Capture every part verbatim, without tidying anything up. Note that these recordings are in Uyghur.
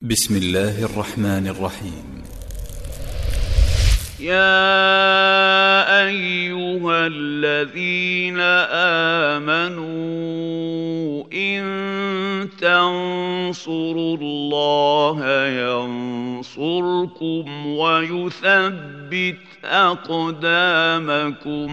بسم الله الرحمن الرحيم. يا أيها الذين آمنوا إن تنصروا الله ينصركم ويثبت أقدامكم.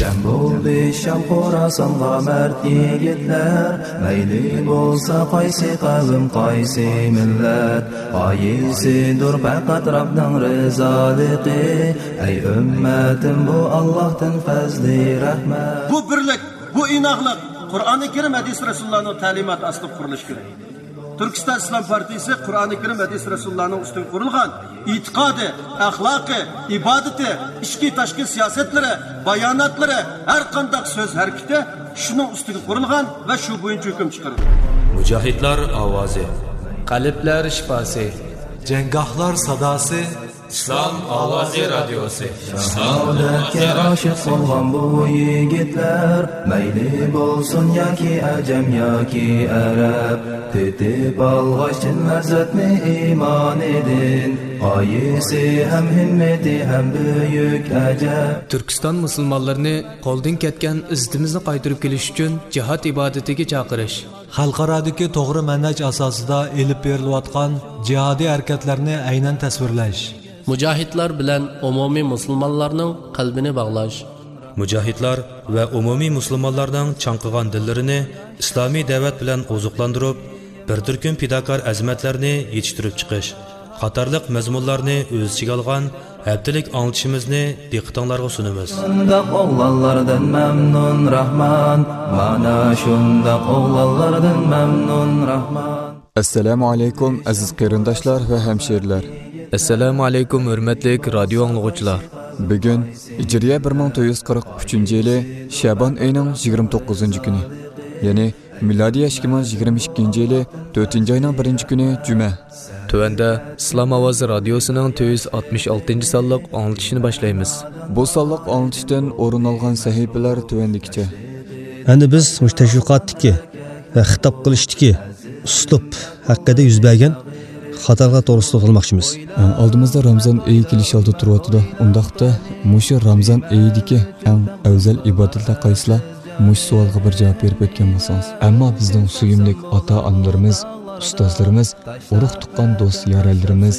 جەم بولدى شام خوراسانغا مەرد يىگىتلەر، مەيلى بولسا قايسى قەۋم، قايسى مىللەت، غايىسىدۇر پەقەت رەبنىڭ رىزالىقى. ئەي ئۈممەتىم، بۇ ئاللاھتىن پەزلى رەھمەت. بۇ بىرلىك، بۇ ئىناقلىق قۇرئانى كەرىم، ھەدىس رەسۇلۇللانىڭ تەلىماتى ئاستىدا قۇرۇلۇشى كېرەك. تۈركىستان ئىسلام پارتىيىسى قۇرئانى كەرىم، ھەدىس رەسۇلۇللانىڭ ئۈستىگە قۇرۇلغان ئېتىقادى، ئەخلاقى، ئىبادىتى، ئىچكى تاشقى سىياسەتلىرى، باياناتلىرى، ھەر قانداق سۆز ھەرىكىتى شۇنىڭ ئۈستىگە قۇرۇلغان ۋە شۇ بويىچە ھۆكۈم چىقىرىدۇ. مۇجاھىدلار ئاۋازى. قەلبلەر شىپاسى. جەڭگاھلار ساداسى. ئىسلام ئاۋازى رادىيوسى. شاھادەتكە ئاشىق بولغان بۇ يىگىتلەر، مەيلى بولسۇن ياكى ئەجەم ياكى ئەرەب، تېتىپ ئالغاچ چىن لەززەتنى ئىمانىدىن، غايىسى ھەم ھىممىتى ھەم بۈيۈك ئەجەب. تۈركىستان مۇسۇلمانلىرىنى قولدىن كەتكەن ئىززىتىمىزنى قايتۇرۇپ كېلىش ئۈچۈن جىھاد ئىبادىتىگە چاقىرىش. خەلقئارادىكى توغرا مەنھەج ئاساسىدا ئېلىپ بېرىلىۋاتقان جىھادىي ھەرىكەتلەرنى ئەينەن تەسۋىرلەش. مۇجاھىدلار بىلەن ئومۇمىي مۇسۇلمانلارنىڭ قەلبىنى باغلاش. مۇجاھىدلار ۋە ئومۇمىي مۇسۇلمانلارنىڭ چاڭقىغان دىللىرىنى ئىسلامىي دەۋەت بىلەن ئوزۇقلاندۇرۇپ، بىر تۈركۈم پىداكار ئەزىمەتلەرنى يېتىشتۈرۈپ چىقىش قاتارلىق مەزمۇنلارنى ئۆز ئىچىگە ئالغان ھەپتىلىك ئاڭلىتىشىمىزنى دىققىتىڭلارغا سۇنىمىز. شۇنداق ئوغلانلاردىن مەمنۇن راھمان، مانا شۇنداق ئوغلانلاردىن مەمنۇن راھمان. ئەسسالامۇ ئەلەيكۇم، ئەزىز قېرىنداشلار ۋە ھەمشىرىلەر. ئەسسالامۇ ئەلەيكۇم، ھۆرمەتلىك رادىيو ئاڭلىغۇچىلار. بۈگۈن ھىجرىيە بىر مىڭ تۆت يۈز قىرىق ئۈچىنچى يىلى شەبان ئېيىنىڭ يىگىرمە توققۇزىنچى كۈنى، يەنى مىلادىي ئىككى مىڭ يىگىرمە ئىككىنچى يىلى تۆتىنچى ئاينىڭ بىرىنچى كۈنى جۈمە. تۆۋەندە ئىسلام ئاۋازى رادىيوسىنىڭ تۆت يۈز ئاتمىش ئالتىنچى سانلىق ئاڭلىتىشىنى باشلايمىز. بۇ سانلىق ئاڭلىتىشتىن ئورۇن ئالغان سەھىپىلەر تۆۋەندىكىچە. ئەمدى بىز مۇشۇ تەشۋىقاتتىكى ۋە خىتاب قىلىشتىكى ئۇسلۇب ھەققىدە يۈز بەرگەن خاتالىقلار توغرىسىدا توختالماقچىمىز. ئالدىمىزدا رامزان ئېيى كېلىش ئالدىدا تۇرۇۋاتىدۇ. ئۇنداقتا مۇشۇ رامزان ئېيىدىكى ئەڭ ئەۋزەل ئىبادەتلەر قايسىلار؟ مۇشۇ سوئالغا بىر جاۋاب بېرىپ ئۆتكەن بولسىڭىز. ئەمما بىزنىڭ سۆيۈملۈك ئاتا-ئانىلىرىمىز، ئۇستازلىرىمىز، ئۇرۇق-تۇغقان، دوست-يارەنلىرىمىز،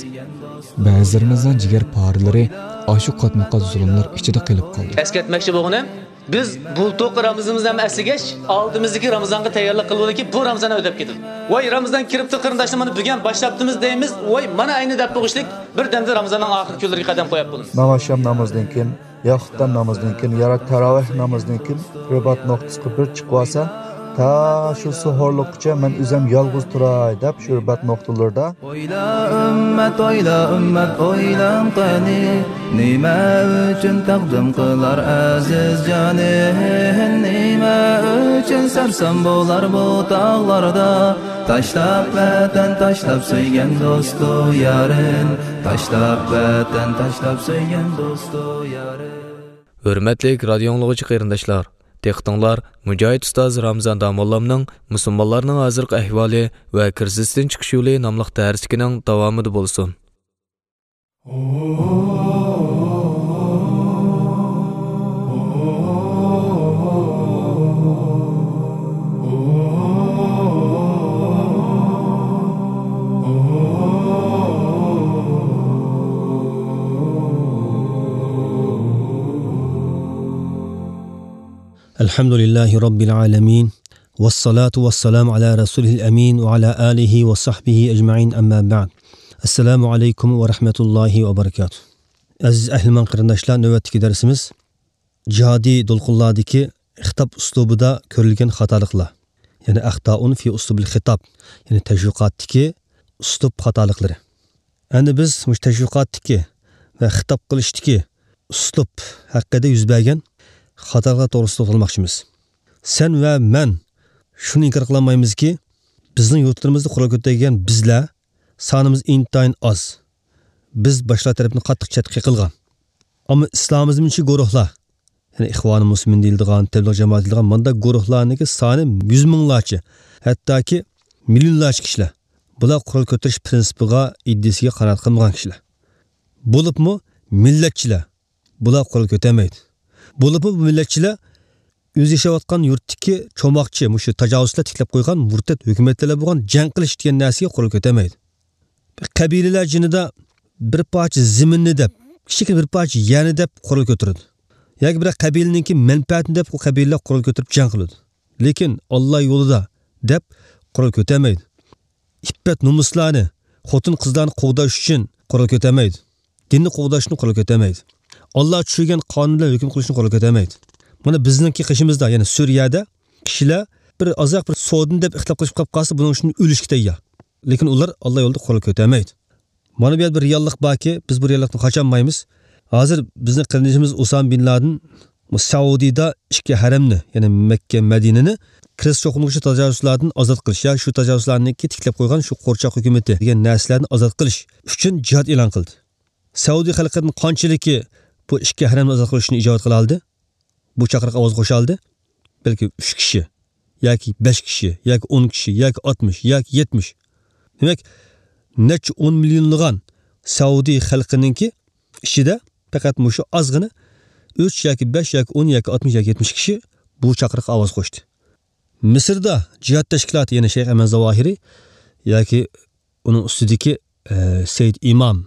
بەزىلىرىمىزنىڭ جىگەرپارىلىرى ئاشۇ قاتمۇقات زۇلۇملار ئىچىدە قېلىپ قالدى. ئەسكەرتمەكچى بولغىنىم، بىز بۇلتۇرقى رامىزىنىمىزنى ھەم ئەسلىگەچ، ئالدىمىزدىكى رامىزانغا تەييارلىق قىلىۋالىكى، بۇ رامىزان ئۆتۈپ كېتىدۇ. ۋاي، رامىزان كىرىپتۇ، قېرىنداشلار، مانا بۈگۈن باشلاپتىمىز دەيمىز. ۋاي، مانا ئەينى دەپ بوغۇشلۇق، بىردەمدە رامىزاننىڭ ئاخىرقى كۈنلىرىگە قەدەم قويۇپ بولىمىز. ناماز شام نامىزىدىن كېيىن، ياقۇتتان نامىزىدىن كېيىن، يا تاراۋىھ نامىزىدىن كېيىن رىبات نۇقتىسىغا بىر چىقىۋالسا، تا شۇ سوھۇرلۇققىچە مەن ئۆزۈم يالغۇز تۇراي دەپ شۇ رىبات نۇقتىلىرىدا. ئويلا ئۈممەت، ئويلا ئۈممەت، ئويلاڭ قېنى، نېمە ئۈچۈن تەقدىم قىلار ئەزىز جانى؟ نېمە ئۈچۈن سەرسان بولار بۇ تاغلاردا؟ تاشلاپ ۋەتەن، تاشلاپ سۆيگەن دوستۇ يارىن، تاشلاپ ۋەتەن، تاشلاپ سۆيگەن دوستۇ يارىن. ھۆرمەتلىك رادىيو ئاڭلىغۇچى قېرىنداشلار، دىققىتىڭلار مۇجاھىد ئۇستاز رامىزان داموللامنىڭ مۇسۇلمانلارنىڭ ھازىرقى ئەھۋالى ۋە كىرىزىستىن چىقىش يولى ناملىق دەرسلىكىنىڭ داۋامىدا بولسۇن. الحمد لله رب العالمين، والصلاة والسلام على رسوله الأمين وعلى آله وصحبه أجمعين، أما بعد. السلام عليكم ورحمة الله وبركاته. ئەزىز ئەھلىمان قېرىنداشلار، نۆۋەتتىكى دەرسىمىز جىھادىي دولقۇنلاردىكى خىتاب ئۇسلۇبىدا كۆرۈلگەن خاتالىقلار، يەنى أخطاء في أسلوب الخطاب، يەنى تەشۋىقاتتىكى ئۇسلۇب خاتالىقلىرى. ئەمدى بىز مۇشۇ تەشۋىقاتتىكى ۋە خىتاب قىلىشتىكى ئۇسلۇب ھەققىدە يۈز بەرگەن خاتالىقلار توغرىسىدا توختالماقچىمىز. سەن ۋە مەن شۇنى ئىنكار قىلالمايمىزكى، بىزنىڭ يۇرتلىرىمىزدا قورال كۆتەرگەن بىزلەر سانىمىز ئىنتايىن ئاز. بىز باشقىلار تەرىپىدىن قاتتىق چەتكە قېقىلغان. ئەمما ئىسلامىزمچى گۇرۇھلار، يەنى ئىخۋانى مۇسلىمىن دېيىلىدىغان، تەبلىغ جامائىتى دېيىلىدىغان مانداق گۇرۇھلارنىڭكى سانى يۈز مىڭلارچە، ھەتتاكى مىليونلارچە كىشىلەر. بۇلار قورال كۆتۈرۈش پىرىنسىپىغا، ئىدىيىسىگە قانائەت قىلمىغان كىشىلەر. بولۇپمۇ مىللەتچىلەر، بۇلار قورال كۆتەرمەيدۇ. بولۇپمۇ بۇ مىللەتچىلەر ئۆزى ياشاۋاتقان يۇرتتىكى چوماقچى، مۇشۇ تاجاۋۇزچىلار تىكلەپ قويغان مۇرتەت ھۆكۈمەتلەر بىلەن بولغان جەڭ قىلىش دېگەن نەرسىگە قورال كۆتەرمەيدۇ. قەبىلىلەر جېنىدا بىر پارچە زېمىننى دەپ، كىچىككىنە بىر پارچە يەرنى دەپ قورال كۆتۈرىدۇ. ياكى بىر قەبىلىنىڭكى مەنپەئەتىنى دەپ، ئۇ قەبىلىلەر قورال كۆتۈرۈپ جەڭ قىلىدۇ. لېكىن ئاللا يولىدا دەپ قورال كۆتەرمەيدۇ. ئىپپەت نومۇسلارنى، خوتۇن قىزلارنى قوغداش ئۈچۈن قورال كۆتەرمەيدۇ. دىننى قوغداش ئۈچۈن قورال كۆتەرمەيدۇ. ئاللا چۈشۈرگەن قانۇن بىلەن ھۆكۈم قىلىش ئۈچۈن قورال كۆتەرمەيدۇ. مانا بىزنىڭكى قېشىمىزدا، يەنى سۈرىيەدە كىشىلەر بىر ئازراق بىر سودىنى دەپ ئىختىلاپ قىلىشىپ قاپ قالسا، بۇنىڭ ئۈچۈن ئۆلۈشكە تەييار. لېكىن ئۇلار ئاللا يولىدا قورال كۆتەرمەيدۇ. مانا بۇ يەردە بىر رېئاللىق باركى، بىز بۇ رېئاللىقتىن قاچالمايمىز. ھازىر بىزنىڭ قېرىندىشىمىز ئۇسامە بىن لادىن بۇ سەئۇدىدا ئىككى ھەرەمنى، يەنى مەككە، مەدىنىنى كىرىستىيان چوقۇنلۇقچى تاجاۋۇزچىلاردىن ئازاد قىلىش، يا شۇ تاجاۋۇزچىلارنىڭكى تىكلەپ قويغان شۇ قورچاق ھۆكۈمىتى دېگەن نەرسىلەردىن ئازاد قىلىش ئۈچۈن جىھاد ئېلان قىلدى. سەئۇدى خەلقىدىن قانچىلىكى بۇ ئىككى ھەرەمنى ئازاد قىلىش ئۈچۈن ئىجابەت قىلالدى؟ بۇ چاقىرىققا ئاۋاز قوشالدى؟ بەلكى ئۈچ كىشى، ياكى بەش كىشى، ياكى ئون كىشى، ياكى ئاتمىش، ياكى يەتمىش. دېمەك، نەچچە ئون مىليونلىغان سەئۇدى خەلقىنىڭكى ئىچىدە پەقەت مۇشۇ ئازغىنە ئۈچ ياكى بەش ياكى ئون ياكى ئاتمىش ياكى يەتمىش كىشى بۇ چاقىرىققا ئاۋاز قوشتى. مىسىردا جىھاد تەشكىلاتى، يەنى شەيخ ئەمەن زاۋاھىرى ياكى ئۇنىڭ ئۈستىدىكى، ئە، سەيد ئىمام،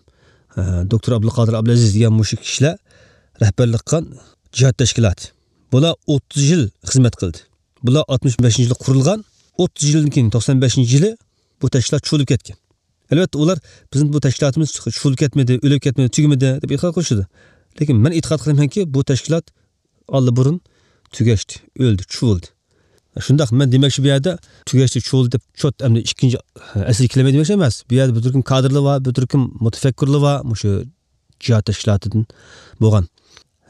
ئە، دوكتور ئابدۇلقادىر ئابدۇلئەزىز دېگەن مۇشۇ كىشىلەر رەھبەرلىك قىلغان جىھاد تەشكىلاتى. بۇلار ئوتتۇز يىل خىزمەت قىلدى. بۇلار ئاتمىش بەشىنچى يىلى قۇرۇلغان، ئوتتۇز يىلدىن كېيىن، توقسان بەشىنچى يىلى بۇ تەشكىلات چۇۋۇلۇپ كەتكەن. ئەلۋەتتە، ئۇلار بىزنىڭ بۇ تەشكىلاتىمىز چۇۋۇلۇپ كەتمىدى، ئۆلۈپ كەتمىدى، تۈگىمىدى دەپ ئېتىقاد قىلىشىدۇ. لېكىن مەن ئېتىقاد قىلىمەنكى، بۇ تەشكىلات ئاللىبۇرۇن تۈگەشتى، ئۆلدى، چۇۋۇلدى. شۇنداق، مەن دېمەكچى بۇ يەردە تۈگەشتى، چۇۋۇلدى دەپ چوت ئەمدى ئىككىنچى ئەسىرگە كېلەلمەيدۇ دېمەكچى ئەمەس. بۇ يەردە بىر تۈركۈم كادىرلار بار، بىر تۈركۈم مۇتەپەككۇرلار بار، مۇشۇ جىھاد تەشكىلاتىدىن بولغان.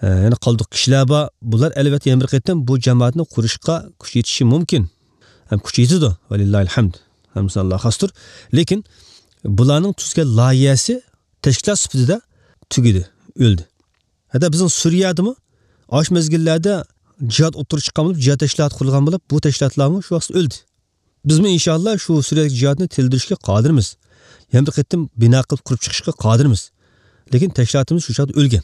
ئە، يەنە قالدۇق كىشىلەر بار. بۇلار ئەلۋەتتە يەنە بىر قېتىم بۇ جامائەتنى قۇرۇشقا كۈچ يېتىشى مۇمكىن. ھەم كۈچ يېتىدۇ. ۋەلىللاھىل ھەمد. ھەممىسى ئاللاغا خاستۇر. لېكىن بۇلارنىڭ تۈزگەن لايىھەسى تەشكىلات سۈپىتىدە تۈگىدى، ئۆلدى. ھەتتا بىزنىڭ سۈرىيەدىمۇ ئاشۇ مەزگىللەردە جىھاد ئوتتۇرىغا چىققان بولۇپ، جىھاد تەشكىلاتى قۇرۇلغان بولۇپ، بۇ تەشكىلاتلارمۇ شۇ ۋاقىتتا ئۆلدى. بىزمۇ ئىنشاللا شۇ سۈرىيەدىكى جىھادنى تىرىلدۈرۈشكە قادىرمىز. يەنە بىر قېتىم بىنا قىلىپ قۇرۇپ چىقىشقا قادىرمىز. لېكىن تەشكىلاتىمىز شۇ چاغدا ئۆلگەن.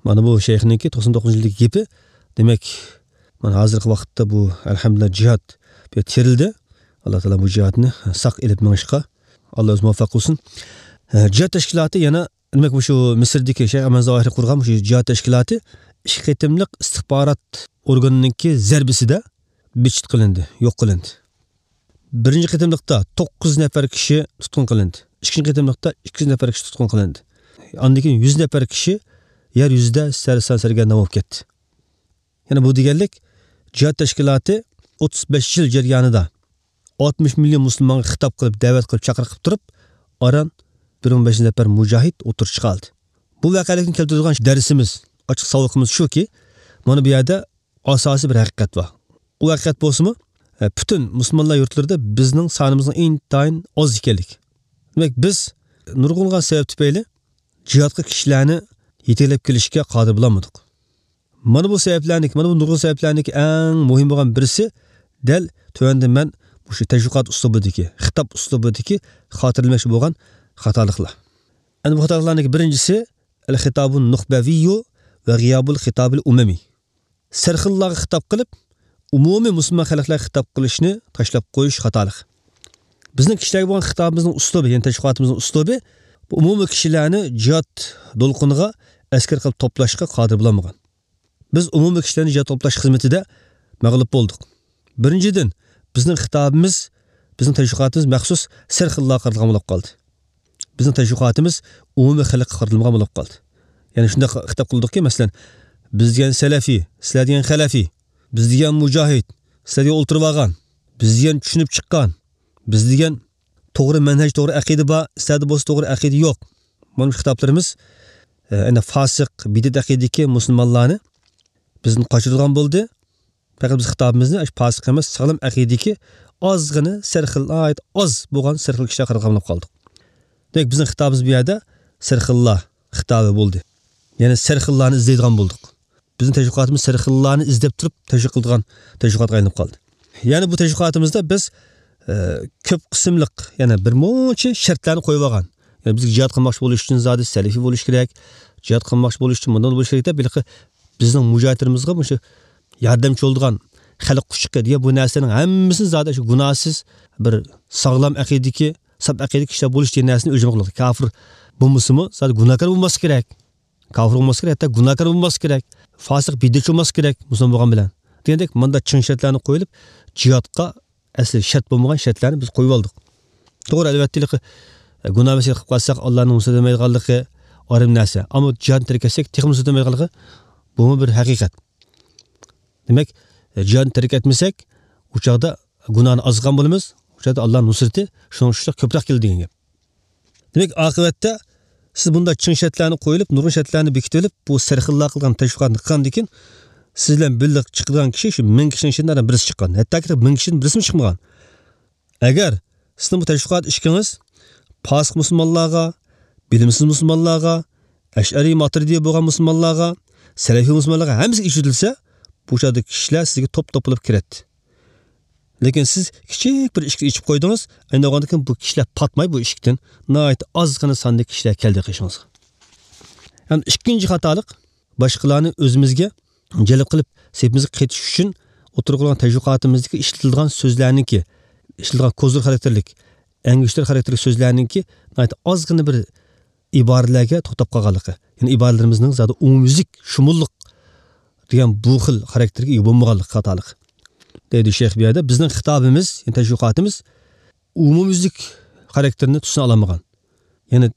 مانا بۇ شەيخنىڭكى توقسان توققۇزىنچى يىلدىكى گېپى. دېمەك، مانا ھازىرقى ۋاقىتتا بۇ، ئەلھەمدۇلىللا، جىھاد بىر تىرىلدى. ئاللا تائالا بۇ جىھادنى ساق ئېلىپ مېڭىشقا ئاللا ئۆزى مۇۋەپپەق قىلسۇن. ئە، جىھاد تەشكىلاتى يەنە، دېمەك، مۇشۇ مىسىردىكى شەيخ ئەمەن زاۋاھىرى قۇرغان مۇشۇ جىھاد تەشكىلاتى ئىككى قېتىملىق ئىستىخبارات ئورگىنىنىڭكى زەربىسىدە بىچىت قىلىندى، يوق قىلىندى. بىرىنچى قېتىملىقتا توققۇز نەپەر كىشى تۇتقۇن قىلىندى. ئىككىنچى قېتىملىقتا ئىككى يۈز نەپەر كىشى تۇتقۇن قىلىندى. ئاندىن كېيىن يۈز نەپەر كىشى يەر يۈزىدە سەرسان سەرگەردان بولۇپ كەتتى. يەنە بۇ دېگەنلىك، جىھاد تەشكىلاتى ئوتتۇز بەش يىل جەريانىدا ئاتمىش مىليون مۇسۇلمانغا خىتاب قىلىپ، دەۋەت قىلىپ، چاقىرىق قىلىپ تۇرۇپ، ئاران بىر مىڭ بەش يۈز نەپەر مۇجاھىد ئوتتۇرىغا چىقاردى. بۇ ۋەقەلىكتىن كەلتۈرىدىغان دەرسىمىز، ئاچچىق ساۋىقىمىز شۇكى، مانا بۇ يەردە ئاساسىي بىر ھەقىقەت بار. ئۇ ھەقىقەت بولسىمۇ، ئە، پۈتۈن مۇسۇلمانلار يۇرتلىرىدا بىزنىڭ سانىمىزنىڭ ئىنتايىن ئاز ئىكەنلىكى. دېمەك، بىز نۇرغۇنلىغان سەۋەب تۈپەيلى جىھادقا كىشىلەرنى يېتەكلەپ كېلىشكە قادىر بولالمىدۇق. مانا بۇ سەۋەبلەرنىڭكى، مانا بۇ نۇرغۇن سەۋەبلەرنىڭكى ئەڭ مۇھىم بولغان بىرسى، دەل تۆۋەندە مەن مۇشۇ تەشۋىقات ئۇسلۇبىدىكى، خىتاب ئۇسلۇبىدىكى خاتىرىلىمەكچى بولغان خاتالىقلار. ئەنە بۇ خاتالىقلارنىڭكى بىرىنچىسى، ئەل خىتابۇن نۇخبەۋىيۇ ۋە غىيابۇل خىتابىل ئۇمۇمىي. سەرخىللارغا خىتاب قىلىپ، ئومۇمىي مۇسۇلمان خەلقلەرگە خىتاب قىلىشنى تاشلاپ قويۇش خاتالىقى. بىزنىڭ كىشىلەرگە بولغان خىتابىمىزنىڭ ئۇسلۇبى، يەنى تەشۋىقاتىمىزنىڭ ئۇسلۇبى، بۇ ئومۇمىي كىشىلەرنى جىھاد دولقۇنىغا ئەسكەر قىلىپ توپلاشقا قادىر بولالمىغان. بىز ئومۇمىي كىشىلەرنى جىھاد توپلاش خىزمىتىدە مەغلۇپ بولدۇق. بىرىنچىدىن، بىزنىڭ خىتابىمىز، بىزنىڭ تەشۋىقاتىمىز مەخسۇس سەرخىللارغا قارىتىلغان بولۇپ قالدى. بىزنىڭ تەشۋىقاتىمىز ئومۇمىي خەلققە قارىتىلمىغان بولۇپ قالدى. يەنى شۇنداق خىتاب قىلدۇقكى، مەسىلەن، بىز دېگەن سەلەفىي، سىلەر دېگەن خەلەفىي، بىز دېگەن مۇجاھىد، سىلەر دېگەن ئولتۇرۇۋالغان، بىز دېگەن چۈشىنىپ چىققان، بىز دېگەن توغرا مەنھەج، توغرا ئەقىدە بار، سىلەردە بولسا توغرا ئەقىدە يوق. مانا شۇ خىتابلىرىمىز، ئە، ئەنە فاسىق، بىدئەت ئەقىدىدىكى مۇسۇلمانلارنى بىزدىن قاچۇرىدىغان بولدى. پەقەت بىز خىتابىمىزنى ئاشۇ پاسىق ئەمەس، ساغلام ئەقىدىدىكى ئازغىنە سەرخىل، ناھايىتى ئاز بولغان سەرخىل كىشىلەرگە قارىتىپ قالدۇق. دېمەك، بىزنىڭ خىتابىمىز بۇ يەردە سەرخىللار خىتابى بولدى. يەنى سەرخىللارنى ئىزدەيدىغان بولدۇق. بىزنىڭ تەشۋىقاتىمىز سەرخىللارنى ئىزدەپ تۇرۇپ تەشۋىق قىلىدىغان تەشۋىقاتقا ئايلىنىپ قالدى. يەنى بۇ تەشۋىقاتىمىزدا بىز ئە، كۆپ قىسىملىق، يەنى بىر مۇنچە شەرتلەرنى قويۇپ ئالغان. يەنى بىزگە جىھاد قىلماقچى بولۇش ئۈچۈن زادى سەلىفىي بولۇش كېرەك، جىھاد قىلماقچى بولۇش ئۈچۈن مۇنداق بولۇش كېرەك دەپ، ھېلىقى بىزنىڭ مۇجاھىدلىرىمىزغا مۇشۇ ياردەمچى بولىدىغان خەلق قۇچىقى دېگەن بۇ نەرسىنىڭ ھەممىسىنى زادى شۇ گۇناھسىز، بىر ساغلام ئەقىدىدىكى، ساپ ئەقىدىدىكى كىشىلەر بولۇش دېگەن نەرسىنى ئۆلچەم قىلىدۇ. كاپىر بولمىسىمۇ، زادى گۇناھكار بولماسلىقى كېرەك. كاپىر بولماسلىقى كېرەك، ھەتتا گۇناھكار بولماسلىقى كېرەك. فاسىق، بىدئەتچى بولماسلىقى كېرەك، مۇسۇلمان بولغان بىلەن. دېگەندەك، مۇنداق چىڭ شەرتلەرنى قويۇلۇپ، جىھادقا ئەسلى شەرت بولمىغان شەرتلەرنى بىز قويۇپ ئالدۇق. توغرا، ئەلۋەتتە، ھېلىقى، ئە، گۇناھ مەسىلە قىلىپ قالساق، ئاللانىڭ نۇسرىتى بولمايدىغانلىقى ئايرىم نەرسە. ئەمما جىھادنى تەرك ئەتسەك، تېخىمۇ نۇسرىتى بولمايدىغانلىقى، بۇمۇ بىر ھەقىقەت. دېمەك، ئە، جىھادنى تەرك ئەتمىسەك، ئۇ چاغدا گۇناھنى ئاز قىلغان بولىمىز، ئۇ چاغدا ئاللانىڭ نۇسرىتى شۇنىڭ ئۈچۈن كۆپرەك كېلىدۇ دېگەن گەپ. دېمەك، ئاقىۋەتتە سىز بۇنداق چىڭ شەرتلەرنى قويۇلۇپ، نۇرغۇن شەرتلەرنى بېكىتىۋېلىپ، بۇ سەرخىللار قىلغان تەشۋىقاتنى قىلغاندىن كېيىن، سىز بىلەن بىللە چىقىدىغان كىشى شۇ مىڭ كىشىنىڭ ئىچىدىن بىرسى چىققان. ھەتتاكى مىڭ كىشىدىن بىرسىمۇ چىقمىغان. ئەگەر سىزنىڭ بۇ تەشۋىقات ئىشىكىڭىز پاسىق مۇسۇلمانلارغا، بىلىمسىز مۇسۇلمانلارغا، ئەشئەرىي ماتۇرىدىي بولغان مۇسۇلمانلارغا، سەلەفىي مۇسۇلمانلارغا ھەممىسىگە ئېچىۋېتىلسە، بۇ چاغدا كىشىلەر سىزگە توپ-توپ بولۇپ كىرەتتى. لېكىن سىز كىچىك بىر ئىشىكنى ئېچىپ قويدىڭىز، ئەمدى ئاندىن كېيىن بۇ كىشىلەر پاتماي بۇ ئىشىكتىن، ناھايىتى ئازغىنە ساندا كىشىلەر كەلدى قېشىڭىزغا. ھەم ئىككىنچى خاتالىق، باشقىلارنى ئۆزىمىزگە جەلپ قىلىپ، سېپىمىزگە قېتىش ئۈچۈن ئوتتۇرىغا قويغان تەشۋىقاتىمىزدىكى ئىشلىتىلىدىغان سۆزلەرنىڭكى، ئىشلىتىلىدىغان كوزىر خاراكتېرلىك، ئەڭگۈشتەر خاراكتېرلىك سۆزلەرنىڭكى ناھايىتى ئازغىنە بىر ئىبارىلەرگە توختاپ قالغانلىقى، يەنى ئىبارىلىرىمىزنىڭ زادى ئومۇميۈزلۈك، شۇمۇللۇق دېگەن بۇ خىل خاراكتېرگە ئىگە بولمىغانلىقى خاتالىق. دەيدۇ شەيخ بۇ يەردە، بىزنىڭ خىتابىمىز، يەنى تەشۋىقاتىمىز ئومۇميۈزلۈك خاراكتېرنى تۈسىنى ئالالمىغان. يەنى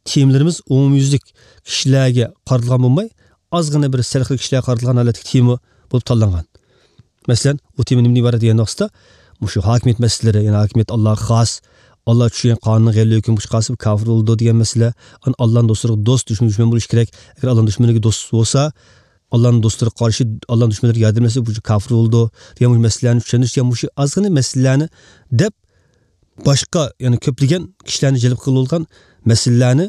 تېمىلىرىمىز ئومۇميۈزلۈك كىشىلەرگە قارىتىلغان بولماي، ئازغىنە بىر سەل خىل كىشىلەرگە قارىتىلغان ھالەتتىكى تېما بولۇپ تاللانغان. مەسىلەن، ئۇ تېما نېمىدىن ئىبارەت دېگەن ۋاقىتتا، مۇشۇ ھاكىمىيەت مەسىلىلىرى، يەنى ھاكىمىيەت ئاللاغا خاس، ئاللا چۈشۈرگەن قانۇننى غەيرىي ھۆكۈم قىلىشقا قالسا، بۇ كاپىر بولىدۇ دېگەن مەسىلە، ئاللانىڭ دوستلىرىغا دوست، دۈشمەن دۈشمەن بولۇشى كېرەك. ئەگەر ئاللانىڭ دۈشمىنىگە دوست بولسا، ئاللانىڭ دوستلىرىغا قارشى، ئاللانىڭ دۈشمەنلىرىگە ياردەملەشسە، بۇ كاپىر بولىدۇ دېگەن مۇشۇ مەسىلىلەرنى چۈشەندۈرۈش دېگەن مۇشۇ ئازغىنە مەسىلىلەرنى دەپ، باشقا، يەنى كۆپلىگەن كىشىلەرنى جەلپ قىلىۋالغان مەسىلىلەرنى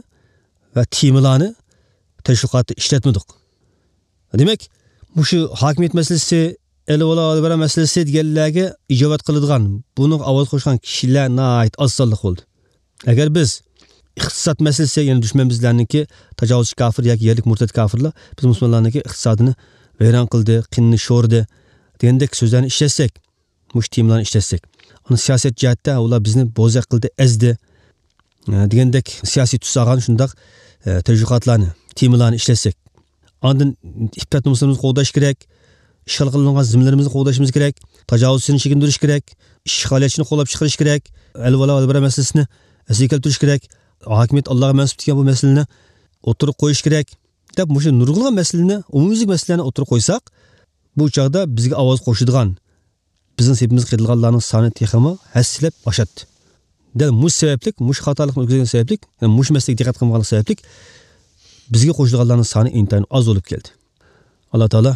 ۋە تېمىلارنى تەشۋىقاتتا ئىشلەتمىدۇق. دېمەك، مۇشۇ ھاكىمىيەت مەسىلىسى، ئەلۋالا ئەلۋەرا مەسىلىسى دېگەنلەرگە ئىجابەت قىلىدىغان، بۇنىڭغا ئاۋاز قوشقان كىشىلەر ناھايىتى ئاز سانلىق بولدى. ئەگەر بىز ئىقتىساد مەسىلىسى، يەنى دۈشمەن بىزلەرنىڭكى تاجاۋۇزچى كاپىر ياكى يەرلىك مۇرتەت كاپىرلار بىز مۇسۇلمانلارنىڭكى ئىقتىسادىنى ۋەيران قىلدى، قېنىنى شورىدى دېگەندەك سۆزلەرنى ئىشلەتسەك، مۇشۇ تېمىلارنى ئىشلەتسەك. ئاندىن سىياسەت جەھەتتە ئۇلار بىزنى بوزەك قىلدى، ئەزدى، ئە، دېگەندەك سىياسىي تۈس ئالغان شۇنداق، ئە، تەشۋىقاتلارنى، تېمىلارنى ئىشلەتسەك. ئاندىن ئىپپەت نومۇسلىرىمىزنى قوغداش كېرەك، ئىشغال قىلىنغان زېمىنلىرىمىزنى قوغدىشىمىز كېرەك، تاجاۋۇزچىنى چېكىندۈرۈش كېرەك، ئىشغالىيەتچىنى قوللاپ چىقىرىش كېرەك، ئەلۋالا ئەلۋەرا مەسىلىسىنى ئەسلىگە كەلتۈرۈش كېرەك، ھاكىمىيەت ئاللاغا مەنسۇپ دېگەن بۇ مەسىلىنى ئوتتۇرىغا قويۇش كېرەك، دەپ مۇشۇ نۇرغۇنلىغان مەسىلىنى، ئومۇميۈزلۈك مەسىلىلەرنى ئوتتۇرىغا قويساق، بۇ چاغدا بىزگە ئاۋاز قوشىدىغان، بىزنىڭ سېپىمىزگە قېتىلغانلارنىڭ سانى تېخىمۇ ھەسسىلەپ ئاشاتتى. دەل مۇشۇ سەۋەبلىك، مۇشۇ خاتالىقنى ئۆتكۈزگەن سەۋەبلىك، يەنى مۇشۇ مەسىلىگە دىققەت قىلمىغانلىق سەۋەبلىك، بىزگە قوشۇلغانلارنىڭ سانى ئىنتايىن ئاز بولۇپ كەلدى. ئاللا تائالا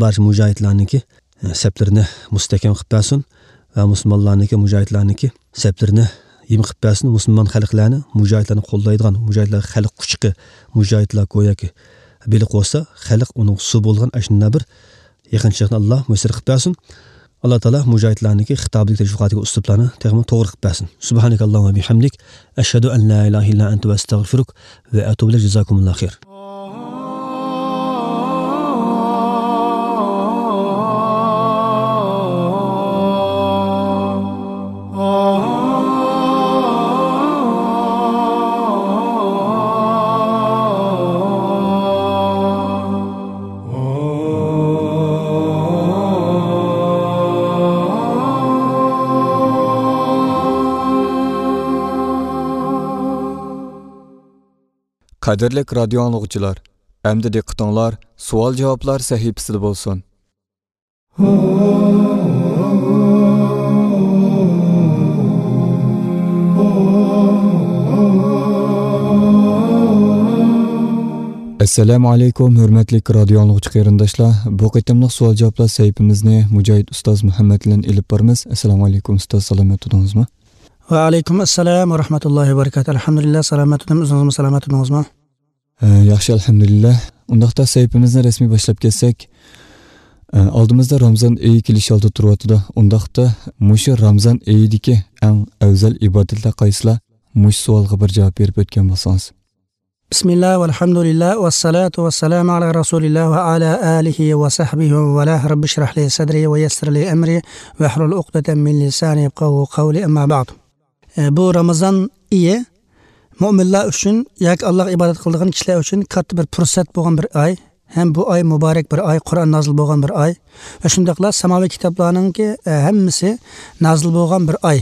بارچە مۇجاھىدلارنىڭكى، ئە، سەپلىرىنى مۇستەھكەم قىلىپ بەرسۇن ۋە مۇسۇلمانلارنىڭكى، مۇجاھىدلارنىڭكى سەپلىرىنى يېمىقىپ بەرسۇن. مۇسۇلمان خەلقلەرنى، مۇجاھىدلارنى قوللايدىغان، مۇجاھىدلار خەلق قۇچىقى، مۇجاھىدلار گوياكى بېلىق بولسا، خەلق ئۇنىڭ سۇ بولغان ئاشۇنداق بىر يېقىنچىلىقنى ئاللا مۇيەسسەر قىلىپ بەرسۇن. ئاللا تائالا مۇجاھىدلارنىڭكى خىتابىدىكى تەشۋىقاتىدىكى ئۇسلۇبلارنى تېخىمۇ توغرا قىلىپ بەرسۇن. سۇبھانەكاللاھۇممە ۋە بىھەمدىك، ئەشھەدۇ ئەن لا ئىلاھە ئىللا ئەنتە ۋە ئەستەغفىرۇك ۋە ئەتۇبۇ ئىلەيك. جازاكۇمۇللاھۇ خەير. قەدىرلىك رادىيو ئاڭلىغۇچىلار، ئەمدى دىققىتىڭلار سوئال-جاۋابلار سەھىپىسىدە بولسۇن. ئەسسالامۇ ئەلەيكۇم، ھۆرمەتلىك رادىيو ئاڭلىغۇچى قېرىنداشلار. بۇ قېتىملىق سوئال-جاۋابلار سەھىپىمىزنى مۇجاھىد ئۇستاز مۇھەممەد بىلەن ئېلىپ بارىمىز. ئەسسالامۇ ئەلەيكۇم ئۇستاز، سالامەت تۇردىڭىزمۇ؟ ۋەئەلەيكۇم ئەسسالام ۋە رەھمەتۇللاھى ۋە بەرىكاتۇھ. ئەلھەمدۇلىللا، سالامەت تۇردۇم. ئۆزىڭىزمۇ سالامەت تۇردىڭىزمۇ؟ ئە، ياخشى، ئەلھەمدۇلىللا. ئۇنداقتا سەھىپىمىزنى رەسمىي باشلاپ كەتسەك، ئە، ئالدىمىزدا رامزان ئېيى كېلىش ئالدىدا تۇرۇۋاتىدۇ. ئۇنداقتا مۇشۇ رامزان ئېيىدىكى ئەڭ ئەۋزەل ئىبادەتلەر قايسىلار؟ مۇشۇ سوئالغا بىر جاۋاب بېرىپ ئۆتكەن بولسىڭىز. بسم الله والحمد لله والصلاة والسلام على رسول الله وعلى آله وصحبه ومن والاه. رب اشرح لي صدري ويسر لي أمري واحلل عقدة من لساني يفقهوا قولي، أما بعد. ئە، بۇ رامىزان ئېيى مۆمىنلەر ئۈچۈن ياكى ئاللاغا ئىبادەت قىلىدىغان كىشىلەر ئۈچۈن كاتتا بىر پۇرسەت بولغان بىر ئاي. ھەم بۇ ئاي مۇبارەك بىر ئاي، قۇرئان نازىل بولغان بىر ئاي ۋە شۇنداقلا ساماۋىي كىتابلارنىڭكى، ئە، ھەممىسى نازىل بولغان بىر ئاي.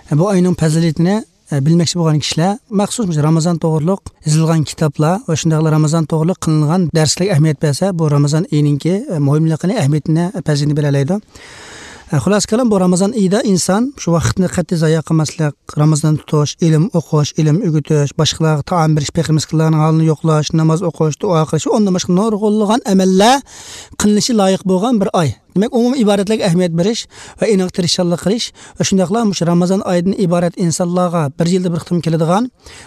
ئە، بۇ ئاينىڭ پەزىلىتىنى، ئە، بىلمەكچى بولغان كىشىلەر مەخسۇس مۇشۇ رامىزان توغرۇلۇق يېزىلغان كىتابلار ۋە شۇنداقلا رامىزان توغرۇلۇق قىلىنغان دەرسلەرگە ئەھمىيەت بەرسە، بۇ رامىزان ئېيىنىڭكى، ئە، مۇھىملىقىنى، ئەھمىيىتىنى، پەزىلىتىنى بىلەلەيدۇ. ئە، خۇلاسە كالام، بۇ رامىزان ئېيىدا ئىنسان شۇ ۋاقىتنى قەتئىي زايە قىلماسلىق، رامىزان تۇتۇش، ئىلىم ئوقۇش، ئىلىم ئۆگىتىش، باشقىلارغا تائام بېرىش، پەقىر مىسكىنلارنىڭ ھالىنى يوقلاش، ناماز ئوقۇش، دۇئا قىلىش، ئوندىن باشقا نۇرغۇنلىغان ئەمەللەر قىلىنىشى لايىق بولغان بىر ئاي. دېمەك، ئومۇمىي ئىبادەتلەرگە ئەھمىيەت بېرىش ۋە ئېنىق تىرىشچانلىق قىلىش ۋە شۇنداقلا مۇشۇ رامىزان ئايىدىن ئىبارەت ئىنسانلارغا بىر يىلدا بىر قېتىم كېلىدىغان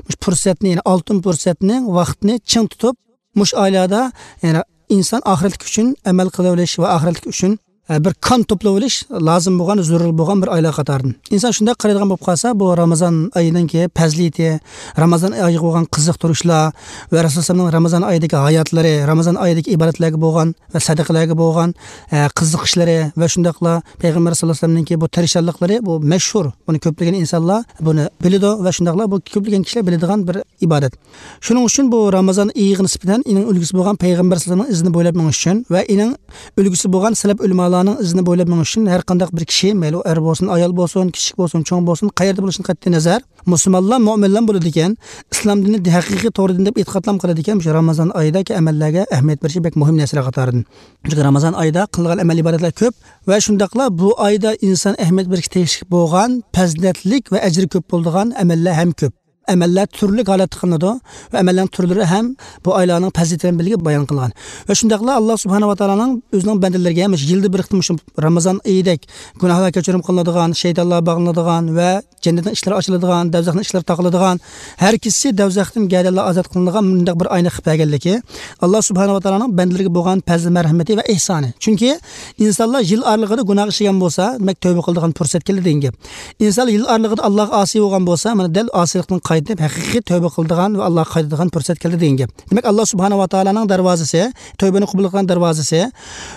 مۇشۇ پۇرسەتنى، يەنى ئالتۇن پۇرسەتنى، ۋاقىتنى چىڭ تۇتۇپ، مۇشۇ ئايلاردا، يەنى ئىنسان ئاخىرەتلىك ئۈچۈن ئەمەل قىلىۋېلىش ۋە ئاخىرەتلىك ئۈچۈن، ئە، بىر كان توپلىۋېلىش لازىم بولغان، زۆرۈر بولغان بىر ئايلار قاتارىدىن. ئىنسان شۇنداق قارايدىغان بولۇپ قالسا، بۇ رامىزان ئايىنىڭكى پەزىلىتى، رامىزان ئايىغا بولغان قىزىقتۇرۇشلار ۋە رەسۇلۇللانىڭ رامىزان ئايىدىكى ھاياتلىرى، رامىزان ئايىدىكى ئىبادەتلەرگە بولغان ۋە سەدىقىلەرگە بولغان، ئە، قىزىقىشلىرى ۋە شۇنداقلا پەيغەمبەر ساللاللاھۇ ئەلەيھى ۋەسەللەمنىڭكى بۇ تىرىشچانلىقلىرى، بۇ مەشھۇر. بۇنى كۆپلىگەن ئىنسانلار بۇنى بىلىدۇ ۋە شۇنداقلا بۇ كۆپلىگەن كىشىلەر بىلىدىغان بىر ئىبادەت. شۇنىڭ ئۈچۈن بۇ رامىزان ئېيىغا نىسبەتەن ئېنىڭ ئۈلگىسى بولغان پەيغەمبەر سەللەللاھۇ ئەلەيھى ۋەسەللەمنىڭ ئىزىنى بويلاپ مېڭىش ئۈچۈن ۋە ئېنىڭ ئۈلگىسى بولغان سەلەپ ئۆلىمالارنىڭ ئىزىنى بويلاپ مېڭىش ئۈچۈن ھەر قانداق بىر كىشى، مەيلى ئۇ ئەر بولسۇن، ئايال بولسۇن، كىچىك بولسۇن، چوڭ بولسۇن، قەيەردە بولۇشىدىن قەتئىي نەزەر، مۇسۇلمانلار، مۆمىنلار بولىدىكەن، ئىسلام دىنى ھەقىقىي توغرا دىن دەپ ئېتىقادلام قىلىدىكەن، مۇشۇ رامىزان ئايىدىكى ئەمەللەرگە ئەھمىيەت بېرىشى بەك مۇھىم نەرسىلەر قاتارىدىن. چۈنكى رامىزان ئايىدا قىلىنغان ئەمەل ئىبادەتلەر كۆپ ۋە شۇنداقلا بۇ ئايدا ئىنسان ئەھمىيەت بېرىشكە تېگىشلىك بولغان پەزىلەتلىك ۋە ئەجرى كۆپ بولىدىغان ئەمەللەر ھەم كۆپ. ئەمەللەر تۈرلۈك ھالەتتە قىلىنىدۇ ۋە ئەمەللەرنىڭ تۈرلىرى ھەم بۇ ئايلارنىڭ پەزىلىتى بىلەن بىرگە بايان قىلىنغان. ۋە شۇنداقلا ئاللا سۇبھانەھۇ ۋە تائالانىڭ ئۆزىنىڭ بەندىلىرىگە مۇشۇ يىلدا بىر قېتىم مۇشۇ رامىزان ئېيىدەك گۇناھلار كەچۈرۈم قىلىنىدىغان، شەيتانلار باغلىنىدىغان ۋە جەننەتنىڭ ئىشلىرى ئاچىلىدىغان، دوزاخنىڭ ئىشلىرى تاقىلىدىغان، ھەر كېچىسى دوزاختىن گەدەنلەر ئازاد قىلىنىدىغان مۇنداق بىر ئاينى قىلىپ بەرگەنلىكى، ئاللا سۇبھانەھۇ ۋە تائالانىڭ بەندىلىرىگە بولغان پەزلى مەرھەمىتى ۋە ئېھسانى. چۈنكى ئىنسانلار يىل ئارىلىقىدا گۇناھ ئىشلىگەن بولسا، دېمەك، تەۋبە قىلىدىغان پۇرسەت كەلدى دېگەن گەپ. ئىنسانلار يىل ئارىلىقىدا ئاللاغا ئاسىي بولغان بولسا، مانا، دەل ئاسىيلىقتىن قايتىپ، ھەقىقىي تەۋبە قىلىدىغان ۋە ئاللاغا قايتىدىغان پۇرسەت كەلدى دېگەن گەپ. دېمەك، ئاللا سۇبھانەھۇ ۋە تائالانىڭ دەرۋازىسى، تەۋبىنى قوبۇل قىلغان دەرۋازىسى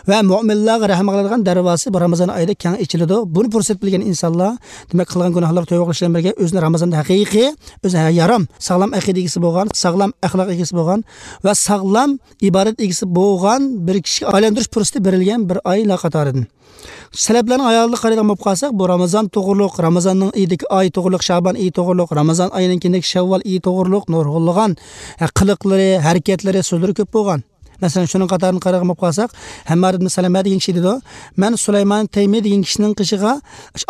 ۋە مۆمىنلارغا رەھىم قىلىدىغان دەرۋازىسى بۇ رامىزان ئايىدا كەڭ ئېچىلىدۇ. بۇنى پۇرسەت بىلگەن ئىنسانلار، دېمەك، قىلغان گۇناھلىرىغا تەۋبە قىلىش بىلەن بىرگە ئۆزىنى رامىزاندا ھەقىقىي، ئۆزىنى ھە-، يارام، ساغلام ئەقىدە ئىگىسى بولغان، ساغلام ئەخلاق ئىگىسى بولغان ۋە ساغلام ئىبادەت ئىگىسى بولغان بىر كىشىگە ئايلاندۇرۇش پۇرسىتى بېرىلگەن بىر ئايلار قاتارىدىن. سەلەپلەرنىڭ ھاياتىغا قارايدىغان بولۇپ قالساق، بۇ رامىزان توغرۇلۇق، رامىزاننىڭ ئېيىدىكى ئاي توغرۇلۇق، شەبان ئېيى توغرۇلۇق، رامىزان ئايىنىڭ كېيىندىكى شەۋۋال ئېيى توغرۇلۇق نۇرغۇنلىغان، ھە، قىلىقلىرى، ھەرىكەتلىرى، سۆزلىرى كۆپ بولغان. مەسىلەن، شۇنىڭ قاتارىدىن قارايدىغان بولۇپ قالساق، ھەممار ئىبن سەلەمە دېگەن كىشى دېدى، مەن سۇلايمان تەيمى دېگەن كىشىنىڭ قېشىغا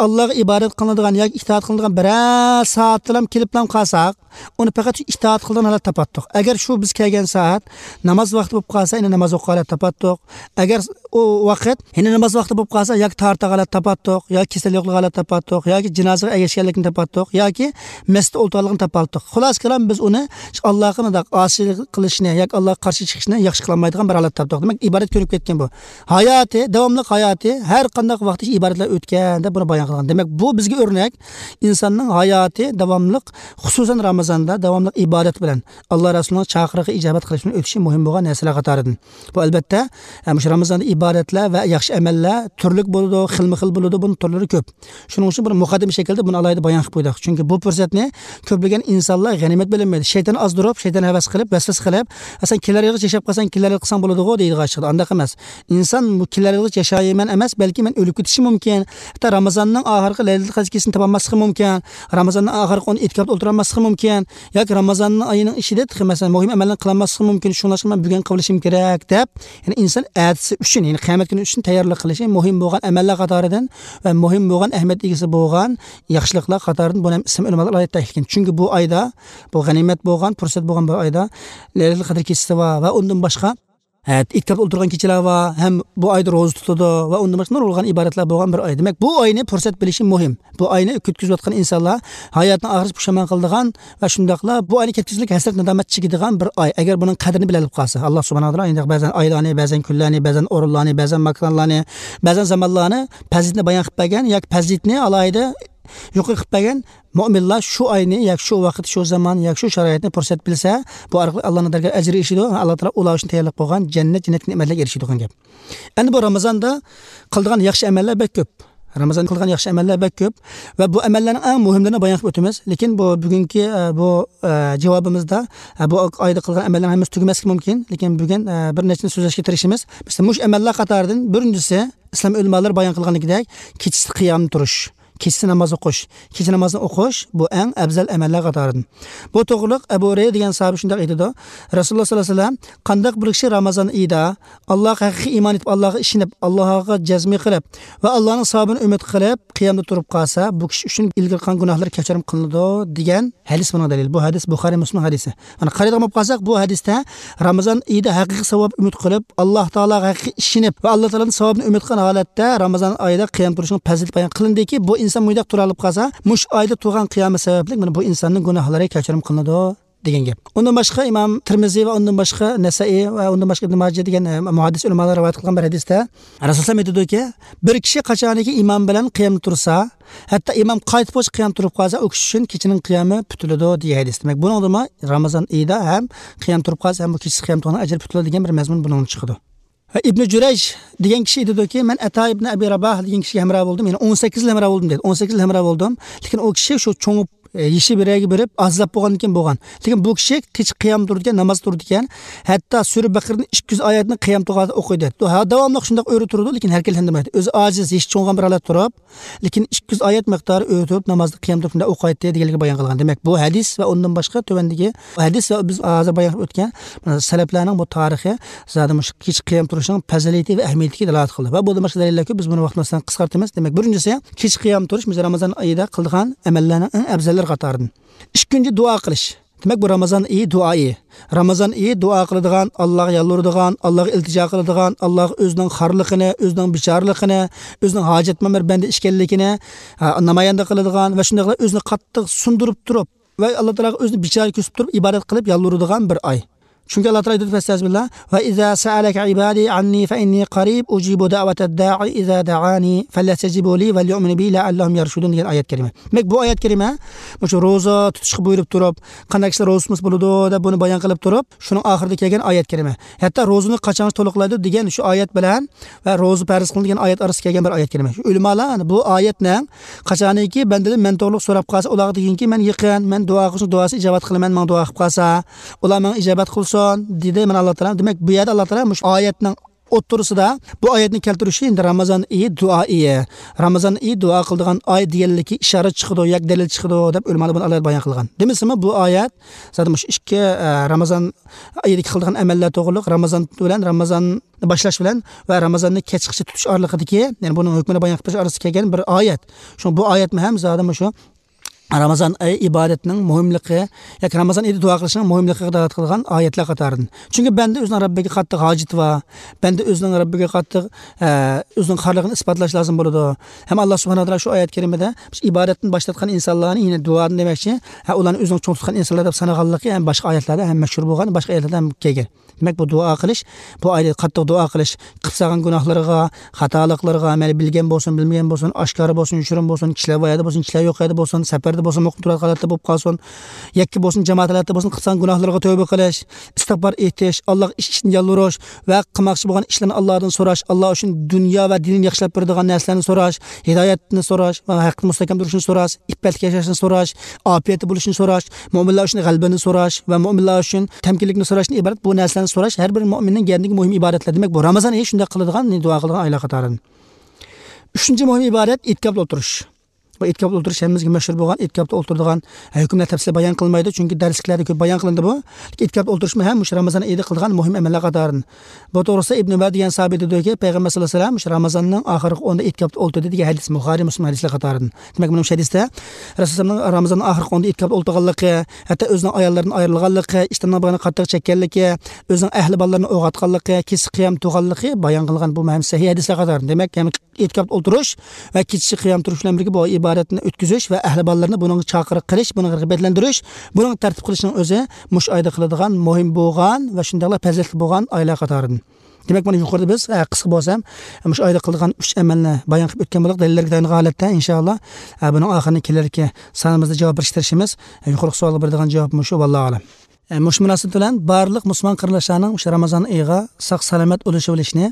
ئاللاغا ئىبادەت قىلىنىدىغان ياكى ئىتائەت قىلىنىدىغان بىرەر سائەتتىلا كېلىپلا قالساق، ئۇنى پەقەت شۇ ئىتائەت قىلىدىغان ھالەتتە تاپاتتۇق. ئەگەر شۇ بىز كەلگەن سائەت ناماز ۋاقتى بولۇپ قالسا، يەنە ناماز ئوقۇغان ھالەتتە تاپاتتۇق. ئەگەر ئۇ ۋاقىت يەنە ناماز ۋاقتى بولۇپ قالسا، ياكى تارتىغان ھالەتتە تاپاتتۇق، ياكى كېسەل يوقلىغان ھالەتتە تاپاتتۇق، ياكى جىنازىغا ئەگەشكەنلىكنى تاپاتتۇق، ياكى مەسچىتتە ئولتۇرغانلىقىنى تاپاتتۇق. خۇلاسە كالام، بىز ئۇنى شۇ ئاللاغا مۇنداق ئاسىيلىق قىلىشنى ياكى ئاللاغا قارشى چىقىشنى ياخشى قىلالمايدىغان بىر ھالەتتە تاپتۇق. دېمەك، ئىبادەت كۆنۈپ كەتكەن بۇ. ھاياتى، داۋاملىق ھاياتى، ھەر قانداق ۋاقىتتا ئىبادەتلەر ئۆتكەن دەپ بۇنى بايان قىلغان. دېمەك، بۇ بىزگە ئۆرنەك، ئىنساننىڭ ھاياتى داۋاملىق، خۇسۇسەن رامىزاندا داۋاملىق ئىبادەت بىلەن، ئاللا رەسۇلىنىڭ چاقىرىقىغا ئىجابەت قىلىش بىلەن ئۆتۈشى مۇھىم بولغان نەرسىلەر قاتارىدىن. بۇ، ئەلبەتتە، ھە، مۇشۇ رامىزاندا ئىبادەتلەر ۋە ياخشى ئەمەللەر تۈرلۈك بولىدۇ، خىلمۇ خىل بولىدۇ، بۇنىڭ تۈرلىرى كۆپ. شۇنىڭ ئۈچۈن بىر مۇقەددىمە شەكىلدە بۇنى ئالاھىدە بايان قىلىپ قويدۇق. چۈنكى بۇ پۇرسەتنى كۆپلىگەن ئىنسانلار غەنىيمەت بىلمەيدۇ. شەيتان ئازدۇرۇپ، شەيتان ھەۋەس قىلىپ، ۋەسۋەسە قىلىپ، «ئە، سەن كېلەر يىلغىچە ياشاپ قالساڭ، كېلەر يىلغا قىلساڭ بولىدىغۇ» دەيدىغان ئىشقىدە. ئانداق ئەمەس. ئىنسان بۇ كېلەر يىلغىچە ياشايمەن ئەمەس، بەلكى مەن ئۆلۈپ كېتىشىم مۇمكىن. ھەتتا رامىزاننىڭ ئاخىرقى لەيلىتۇل قەدىر كېچىسىنى تاپالماسلىقى مۇمكىن. رامىزاننىڭ ئاخىرقى ئون ئېتىكاپتا ئولتۇرالماسلىقى مۇمكىن. ياكى رامىزاننىڭ ئايىنىڭ ئىچىدە تېخى، مەسىلەن، مۇھىم ئەمەللەرنى قىلالماسلىقى مۇمكىن. شۇڭلاشقا مەن بۈگۈن قىلىۋېلىشىم كېرەك دەپ، يەنى ئىنسان ئەتىسى ئۈچۈن، يەنى قىيامەت كۈنى ئۈچۈن تەييارلىق قىلىشى مۇھىم بولغان ئەمەللەر قاتارىدىن ۋە مۇھىم بولغان ئەھمىيەت ئىگىسى بولغان ياخشىلىقلار قاتارىدىن بۇنى ھەم ئىسلام ئۆلىمالىرى ئالاھىدە تەكىتلىگەن. چۈنكى بۇ ئايدا، بۇ غەنىيمەت بولغان، پۇرسەت بولغان بۇ ئايدا لەيلەتۇل قەدىر كېچىسى بار ۋە ئۇندىن باشقا ئە، ئېتىكاپتا ئولتۇرغان كېچىلەر بار، ھەم بۇ ئايدا روزا تۇتىدۇ ۋە ئۇندىن باشقا نۇرغۇن ئىبادەتلەر بولغان بىر ئاي. دېمەك، بۇ ئاينى پۇرسەت بىلىشى مۇھىم. بۇ ئاينى كۈتكۈزۈۋاتقان ئىنسانلار ھاياتنىڭ ئاخىرىسى پۇشايمان قىلىدىغان ۋە شۇنداقلا بۇ ئاينى كەتكۈزۈشلۈك ھەسرەت، نادامەت چېكىدىغان بىر ئاي. ئەگەر بۇنىڭ قەدرىنى بىلەلىپ قالسا، ئاللا سۇبھانەھۇ ۋە تائالا ئەنە بەزەن ئايلارنى، بەزەن كۈنلەرنى، بەزەن ئورۇنلارنى، بەزەن ماكانلارنى، بەزەن زامانلارنى، پەزىلىتىنى بايان قىلىپ بەرگەن ياكى پەزىلىتىنى ئالاھىدە يۇقىرى قىلىپ بەرگەن مۆمىنلار شۇ ئاينى ياكى شۇ ۋاقىت، شۇ زامان ياكى شۇ شارائىتنى پۇرسەت بىلسە، بۇ ئارقىلىق ئاللانىڭ دەرگاھىدا ئەجىر ئېرىشىدۇ، ئاللا تائالا ئۇلار ئۈچۈن تەييارلاپ قويغان جەننەت، جەننەتتىكى نېمەتلەرگە ئېرىشىدىغان گەپ. ئەمدى بۇ رامىزاندا قىلىدىغان ياخشى ئەمەللەر بەك كۆپ. رامىزاندا قىلىدىغان ياخشى ئەمەللەر بەك كۆپ ۋە بۇ ئەمەللەرنىڭ ئەڭ مۇھىملىرىنى بايان قىلىپ ئۆتىمىز. لېكىن بۇ بۈگۈنكى، ئە، بۇ، ئە، جاۋابىمىزدا، ئە، بۇ ئايدا قىلغان ئەمەللەرنىڭ ھەممىسى تۈگىمەسلىكى مۇمكىن. لېكىن بۈگۈن، ئە، بىر نەچچىنى سۆزلەشكە تىرىشىمىز. مەسىلەن، مۇشۇ ئەمەللەر قاتارىدىن بىرىنچىسى، ئىسلام ئۆلىمالىرى بايان قىلغىنىدەك، كېچىسى قىيام تۇرۇش، كېچىسى ناماز ئوقۇش، كېچە نامازنى ئوقۇش، بۇ ئەڭ ئەۋزەل ئەمەللەر قاتارىدىن. بۇ توغرىلىق ئەبۇ ھۇرەيرە دېگەن ساھابە شۇنداق ئېيتىدۇ، رەسۇلۇللا ساللاللاھۇ ئەلەيھى ۋەسەللەم، قانداق بىر كىشى رامىزان ئېيىدا ئاللاغا ھەقىقىي ئىمان ئېيتىپ، ئاللاغا ئىشىنىپ، ئاللاغا جەزمى قىلىپ ۋە ئاللانىڭ ساۋابىنى ئۈمىد قىلىپ، قىيامدا تۇرۇپ قالسا، بۇ كىشى ئۈچۈن ئىلگىرى قىلغان گۇناھلىرى كەچۈرۈم قىلىنىدۇ، دېگەن ھەدىس بۇنىڭ دەلىلى. بۇ ھەدىس بۇخارىي، مۇسلىم ھەدىسى. مانا قارايدىغان بولۇپ قالساق، بۇ ھەدىستە رامىزان ئېيىدا ھەقىقىي ساۋاب ئۈمىد قىلىپ، ئاللا تائالاغا ھەقىقىي ئىشىنىپ ۋە ئاللا تائالانىڭ ساۋابىنى ئۈمىد قىلغان ھالەتتە رامىزان ئايىدا قىيام تۇرۇشنىڭ پەزىلىتى بايان قىلىندىكى، بۇ ئىنسان مۇنداق تۇرالاپ قالسا، مۇشۇ ئايدا تۇرغان قىيامى سەۋەبلىك مانا بۇ ئىنساننىڭ گۇناھلىرى كەچۈرۈم قىلىنىدۇ، دېگەن گەپ. ئۇندىن باشقا ئىمام تىرمىزى ۋە ئۇندىن باشقا نەسائىي ۋە ئۇندىن باشقا ئىبن ماجە دېگەن، ئە، مۇھەددىس ئۆلىمالار رىۋايەت قىلغان بىر ھەدىستە رەسۇلۇللا ئېيتىدۇكى، بىر كىشى قاچانكى ئىمان بىلەن قىيامدا تۇرسا، ھەتتا ئىمام قايتىپ بولغۇچە قىيام تۇرۇپ قالسا، ئۇ كىشى ئۈچۈن كېچىنىڭ قىيامى پۈتۈلىدۇ، دېگەن ھەدىس. دېمەك، بۇنىڭدىمۇ رامىزان ئېيىدا ھەم قىيام تۇرۇپ قالسا، ھەم بۇ كېچىسى قىيام تۇرغان ئەجرى پۈتۈلىدۇ دېگەن بىر مەزمۇن بۇنىڭدىن چىقىدۇ. ۋە ئىبنى جۇرەيج دېگەن كىشى ئېيتىدۇكى، مەن ئەتا ئىبنى ئەبى راباھ دېگەن كىشىگە ھەمراھ بولدۇم، يەنى ئون سەككىز يىل ھەمراھ بولدۇم دەيدۇ. ئون سەككىز يىل ھەمراھ بولدۇم، لېكىن ئۇ كىشى شۇ چوڭىيىپ، ئە، يېشى بىر يەرگە بېرىپ، ئاجىزلاپ بولغاندىن كېيىن بولغان. لېكىن بۇ كىشى كېچە قىيام تۇرىدىكەن، ناماز تۇرىدىكەن، ھەتتا سۈرە بەقىرىدىن ئىككى يۈز ئايەتنى قىيام تۇرغاندا ئوقۇيدۇ. ھە، داۋاملىق شۇنداق ئۆرە تۇرىدۇ، لېكىن ھەرگىز ھەندىمەيدۇ. ئۆزى ئاجىز، يېشى چوڭغان بىر ھالەتتە تۇرۇپ، لېكىن ئىككى يۈز ئايەت مىقدارى ئۆتۈپ، نامازدا قىيام تۇرۇپ شۇنداق ئوقۇيتتى دېگەنلىكىنى بايان قىلغان. دېمەك، بۇ ھەدىس ۋە ئۇندىن باشقا تۆۋەندىكى ھەدىس ۋە بىز ھازىر بايان قىلىپ ئۆتكەن، مانا، سەلەپلەرنىڭ بۇ تارىخى زادى مۇشۇ كېچە قىيام تۇرۇشنىڭ پەزىلىتى ۋە ئەھمىيىتىگە دالالەت قىلدى. ۋە بۇندىن باشقا دەلىللەر كۆپ، بىز بۇنى ۋاقتىمىزدىن قىسقارتىمىز. دېمەك، بىرىنچىسى، كېچە قىيام تۇرۇش، بىز رامىزان ئېيىدا قىلىدىغان ئەمەللەرنىڭ ئەڭ ئەۋزەللىرى قاتارىدىن. ئىككىنچى، دۇئا قىلىش. دېمەك، بۇ رامىزان ئېيى دۇئا ئېيى. رامىزان ئېيى دۇئا قىلىدىغان، ئاللاغا يالۋۇرىدىغان، ئاللاغا ئىلتىجا قىلىدىغان، ئاللاغا ئۆزىنىڭ خارلىقىنى، ئۆزىنىڭ بىچارىلىقىنى، ئۆزىنىڭ ھاجەتمەن بىر بەندە ئىكەنلىكىنى، ھە، نامايەندە قىلىدىغان ۋە شۇنداقلا ئۆزىنى قاتتىق سۇندۇرۇپ تۇرۇپ ۋە ئاللا تائالاغا ئۆزىنى بىچارە كۆرسىتىپ تۇرۇپ ئىبادەت قىلىپ يالۋۇرىدىغان بىر ئاي. چۈنكى ئاللا تائالا ئېيتىدۇ، فەستەئىزبىللا، ۋە ئىزا سەئەلەكە ئىبادى ئەننى فەئىننى قەرىب ئۇجىبۇ دەئۋەتەد دائى ئىزا دەئانى فەليەستەجىبۇ لى ۋەليۇئمىنۇ بى لەئەللەھۇم يەرشۇدۇن دېگەن ئايەت كەرىمە. دېمەك، بۇ ئايەت كەرىمە مۇشۇ روزا تۇتۇشقا بۇيرۇپ تۇرۇپ، قانداق كىشىلەر روزا تۇتمىسا بولىدۇ دەپ بۇنى بايان قىلىپ تۇرۇپ، شۇنىڭ ئاخىرىدا كەلگەن ئايەت كەرىمە. ھەتتا روزىنى قاچانغىچە تولۇقلايدۇ دېگەن شۇ ئايەت بىلەن ۋە روزا پەرز قىلىندى دېگەن ئايەت ئارىسىدا كەلگەن بىر ئايەت كەرىمە. شۇ ئۆلىمالار بۇ ئايەتنىڭ قاچانكى بەندىدىن مەن توغرىلىق سوراپ قالسا، ئۇلارغا دېگىنكى، مەن يېقىن، مەن دۇئا قىلسا دۇئاسى ئىجابەت قىلىمەن، ماڭا دۇئا قىلىپ قالسا، ئۇلار ماڭا ئىجابەت قىلسۇن، دېدى. مانا ئاللا تائالا، دېمەك، بۇ يەردە ئاللا تائالا مۇشۇ ئايەتنىڭ ئوتتۇرىسىدا بۇ ئايەتنى كەلتۈرۈشى ئەمدى رامىزان ئېيى دۇئا ئېيى. رامىزان ئېيى دۇئا قىلىدىغان ئاي دېگەنلىكى ئىشارە چىقىدۇ ياكى دەلىل چىقىدۇ دەپ ئۆلىمالار بۇنى ئالاھىدە بايان قىلغان. دېمىسىمۇ بۇ ئايەت زادى مۇشۇ ئىككى، ئە، رامىزان ئېيىدىكى قىلىدىغان ئەمەللەر توغرۇلۇق، رامىزان بىلەن رامىزان باشلاش بىلەن ۋە رامىزاننى كەچكىچە تۇتۇش ئارىلىقىدىكى، يەنى بۇنىڭ ھۆكمىنى بايان قىلىش ئارىسىدا كەلگەن بىر ئايەت. شۇڭا بۇ ئايەتمۇ ھەم زادى مۇشۇ رامىزان ئېيى ئىبادەتنىڭ مۇھىملىقى ياكى رامىزان ئېيىدا دۇئا قىلىشنىڭ مۇھىملىقىغا دالالەت قىلىدىغان ئايەتلەر قاتارىدىن. چۈنكى بەندە ئۆزىنىڭ رەببىگە قاتتىق ھاجىتى بار. بەندە ئۆزىنىڭ رەببىگە قاتتىق، ئە، ئۆزىنىڭ خارلىقىنى ئىسپاتلاش لازىم بولىدۇ. ھەم ئاللا سۇبھانەھۇ ۋە تائالا شۇ ئايەت كەرىمىدە ئىبادەتتىن باش تارتقان ئىنسانلارنى، يەنى دۇئادىن دېمەكچى، ھە، ئۇلارنى ئۆزىنىڭ چوڭ تۇتقان ئىنسانلار دەپ سانىغانلىقى ھەم باشقا ئايەتلەردە ھەم مەشھۇر بولغان، باشقا ئايەتلەردە ھەم كەلگەن. دېمەك، بۇ دۇئا قىلىش، بۇ ئايدا قاتتىق دۇئا قىلىش، قىلىپ سالغان گۇناھلىرىغا، خاتالىقلىرىغا، مەيلى بىلگەن بولسۇن، بىلمىگەن بولسۇن، ئاشكارا بولسۇن، يوشۇرۇن بولسۇن، كىشىلەر بار يەردە بولسۇن، كىشىلەر يوق يەردە بولسۇن، سەپەردە بولسۇن، مۇقىم تۇرۇۋاتقان ھالەتتە بولۇپ قالسۇن، يەككە بولسۇن، جامائەت ھالەتتە بولسۇن، قىلىپ سالغان گۇناھلىرىغا تەۋبە قىلىش، ئىستىغپار ئېيتىش، ئاللاغا ئىش ئىچىدىن يالۋۇرۇش ۋە قىلماقچى بولغان ئىشلارنى ئاللادىن سوراش، ئاللا ئۈچۈن دۇنيا ۋە دىنىنى ياخشىلاپ بېرىدىغان نەرسىلەرنى سوراش، ھىدايەتنى سوراش ۋە ھەقتە مۇستەھكەم تۇرۇشنى سوراش، ئىپپەتلىك ياشاشنى سوراش، ئاپىيەتتە بولۇشنى سوراش، مۆمىنلەر ئۈچۈن غەلىبىنى سوراش ۋە مۆمىنلەر ئۈچۈن تەمكىنلىكنى سوراشتىن ئىبارەت بۇ نەرسىلەرنى سوراش ھەر بىر مۆمىننىڭ گەردىنىدىكى مۇھىم ئىبادەتلەر. دېمەك، بۇ رامىزان ئېيى شۇنداق قىلىدىغان، دۇئا قىلىدىغان ئايلار قاتارىدىن. ئۈچىنچى مۇھىم ئىبادەت ئېتىكاپتا ئولتۇرۇش. بۇ ئېتىكاپتا ئولتۇرۇش ھەممىمىزگە مەشھۇر بولغان، ئېتىكاپتا ئولتۇرىدىغان ھۆكۈملەر تەپسىلىي بايان قىلمايدۇ، چۈنكى دەرسلىكلەردە كۆپ بايان قىلىندى بۇ. لېكىن ئېتىكاپتا ئولتۇرۇشمۇ ھەم مۇشۇ رامىزان ئېيىدا قىلىدىغان مۇھىم ئەمەللەر قاتارىدىن. بۇ توغرىسىدا ئىبنى ئۈمەر دېگەن ساھابى دېدىكى، پەيغەمبەر ساللاللاھۇ ئەلەيھى ۋەسەللەم مۇشۇ رامىزاننىڭ ئاخىرقى ئونىدا ئېتىكاپتا ئولتۇردى دېگەن ھەدىس، بۇخارىي، مۇسلىم ھەدىسلەر قاتارىدىن. دېمەك، مانا مۇشۇ ھەدىستە رەسۇلۇللانىڭ رامىزاننىڭ ئاخىرقى ئونىدا ئېتىكاپتا ئولتۇرغانلىقى، ھەتتا ئۆزىنىڭ ئاياللىرىدىن ئايرىلغانلىقى، ئىشتاننىڭ بېغىنى قاتتىق چەككەنلىكى، ئۆزىنىڭ ئەھلى بالىلىرىنى ئويغاتقانلىقى، كېچە قىيام تۇرغانلىقى بايان قىلغان بۇ ھەم سەھىھ ھەدىسلەر قاتارىدىن. دېمەك، ھەم ئېتىكاپتا ئولتۇرۇش ۋە كېچىچە قىيام تۇرۇش بىلەن بىرگە بۇ ئىبادەتنى ئۆتكۈزۈش ۋە ئەھلى بالىلىرىنى بۇنىڭغا چاقىرىق قىلىش، بۇنىڭغا رىغبەتلەندۈرۈش، بۇنىڭغا تەرتىپ قىلىشنىڭ ئۆزى مۇشۇ ئايدا قىلىدىغان مۇھىم بولغان ۋە شۇنداقلا پەزىلەتلىك بولغان ئايلار قاتارىدىن. دېمەك، مانا يۇقىرىدا بىز، ئە، قىسقا بولسا ھەم، مۇشۇ ئايدا قىلىدىغان ئۈچ ئەمەلنى بايان قىلىپ ئۆتكەن بولدۇق، دەلىللەرگە تايانغان ھالەتتە، ئىنشائاللا، ئە، بۇنىڭ ئاخىرىنى كېلەركى سانىمىزدا جاۋاب بېرىشكە تىرىشىمىز. ئە، يۇقىرىقى سوئالغا بېرىدىغان جاۋاب مۇشۇ، ۋاللاھۇ ئەلەم. ئە، مۇشۇ مۇناسىۋەت بىلەن بارلىق مۇسۇلمان قېرىنداشلارنىڭ مۇشۇ رامازان ئېيىغا ساق-سالامەت ئولىشىۋېلىشىنى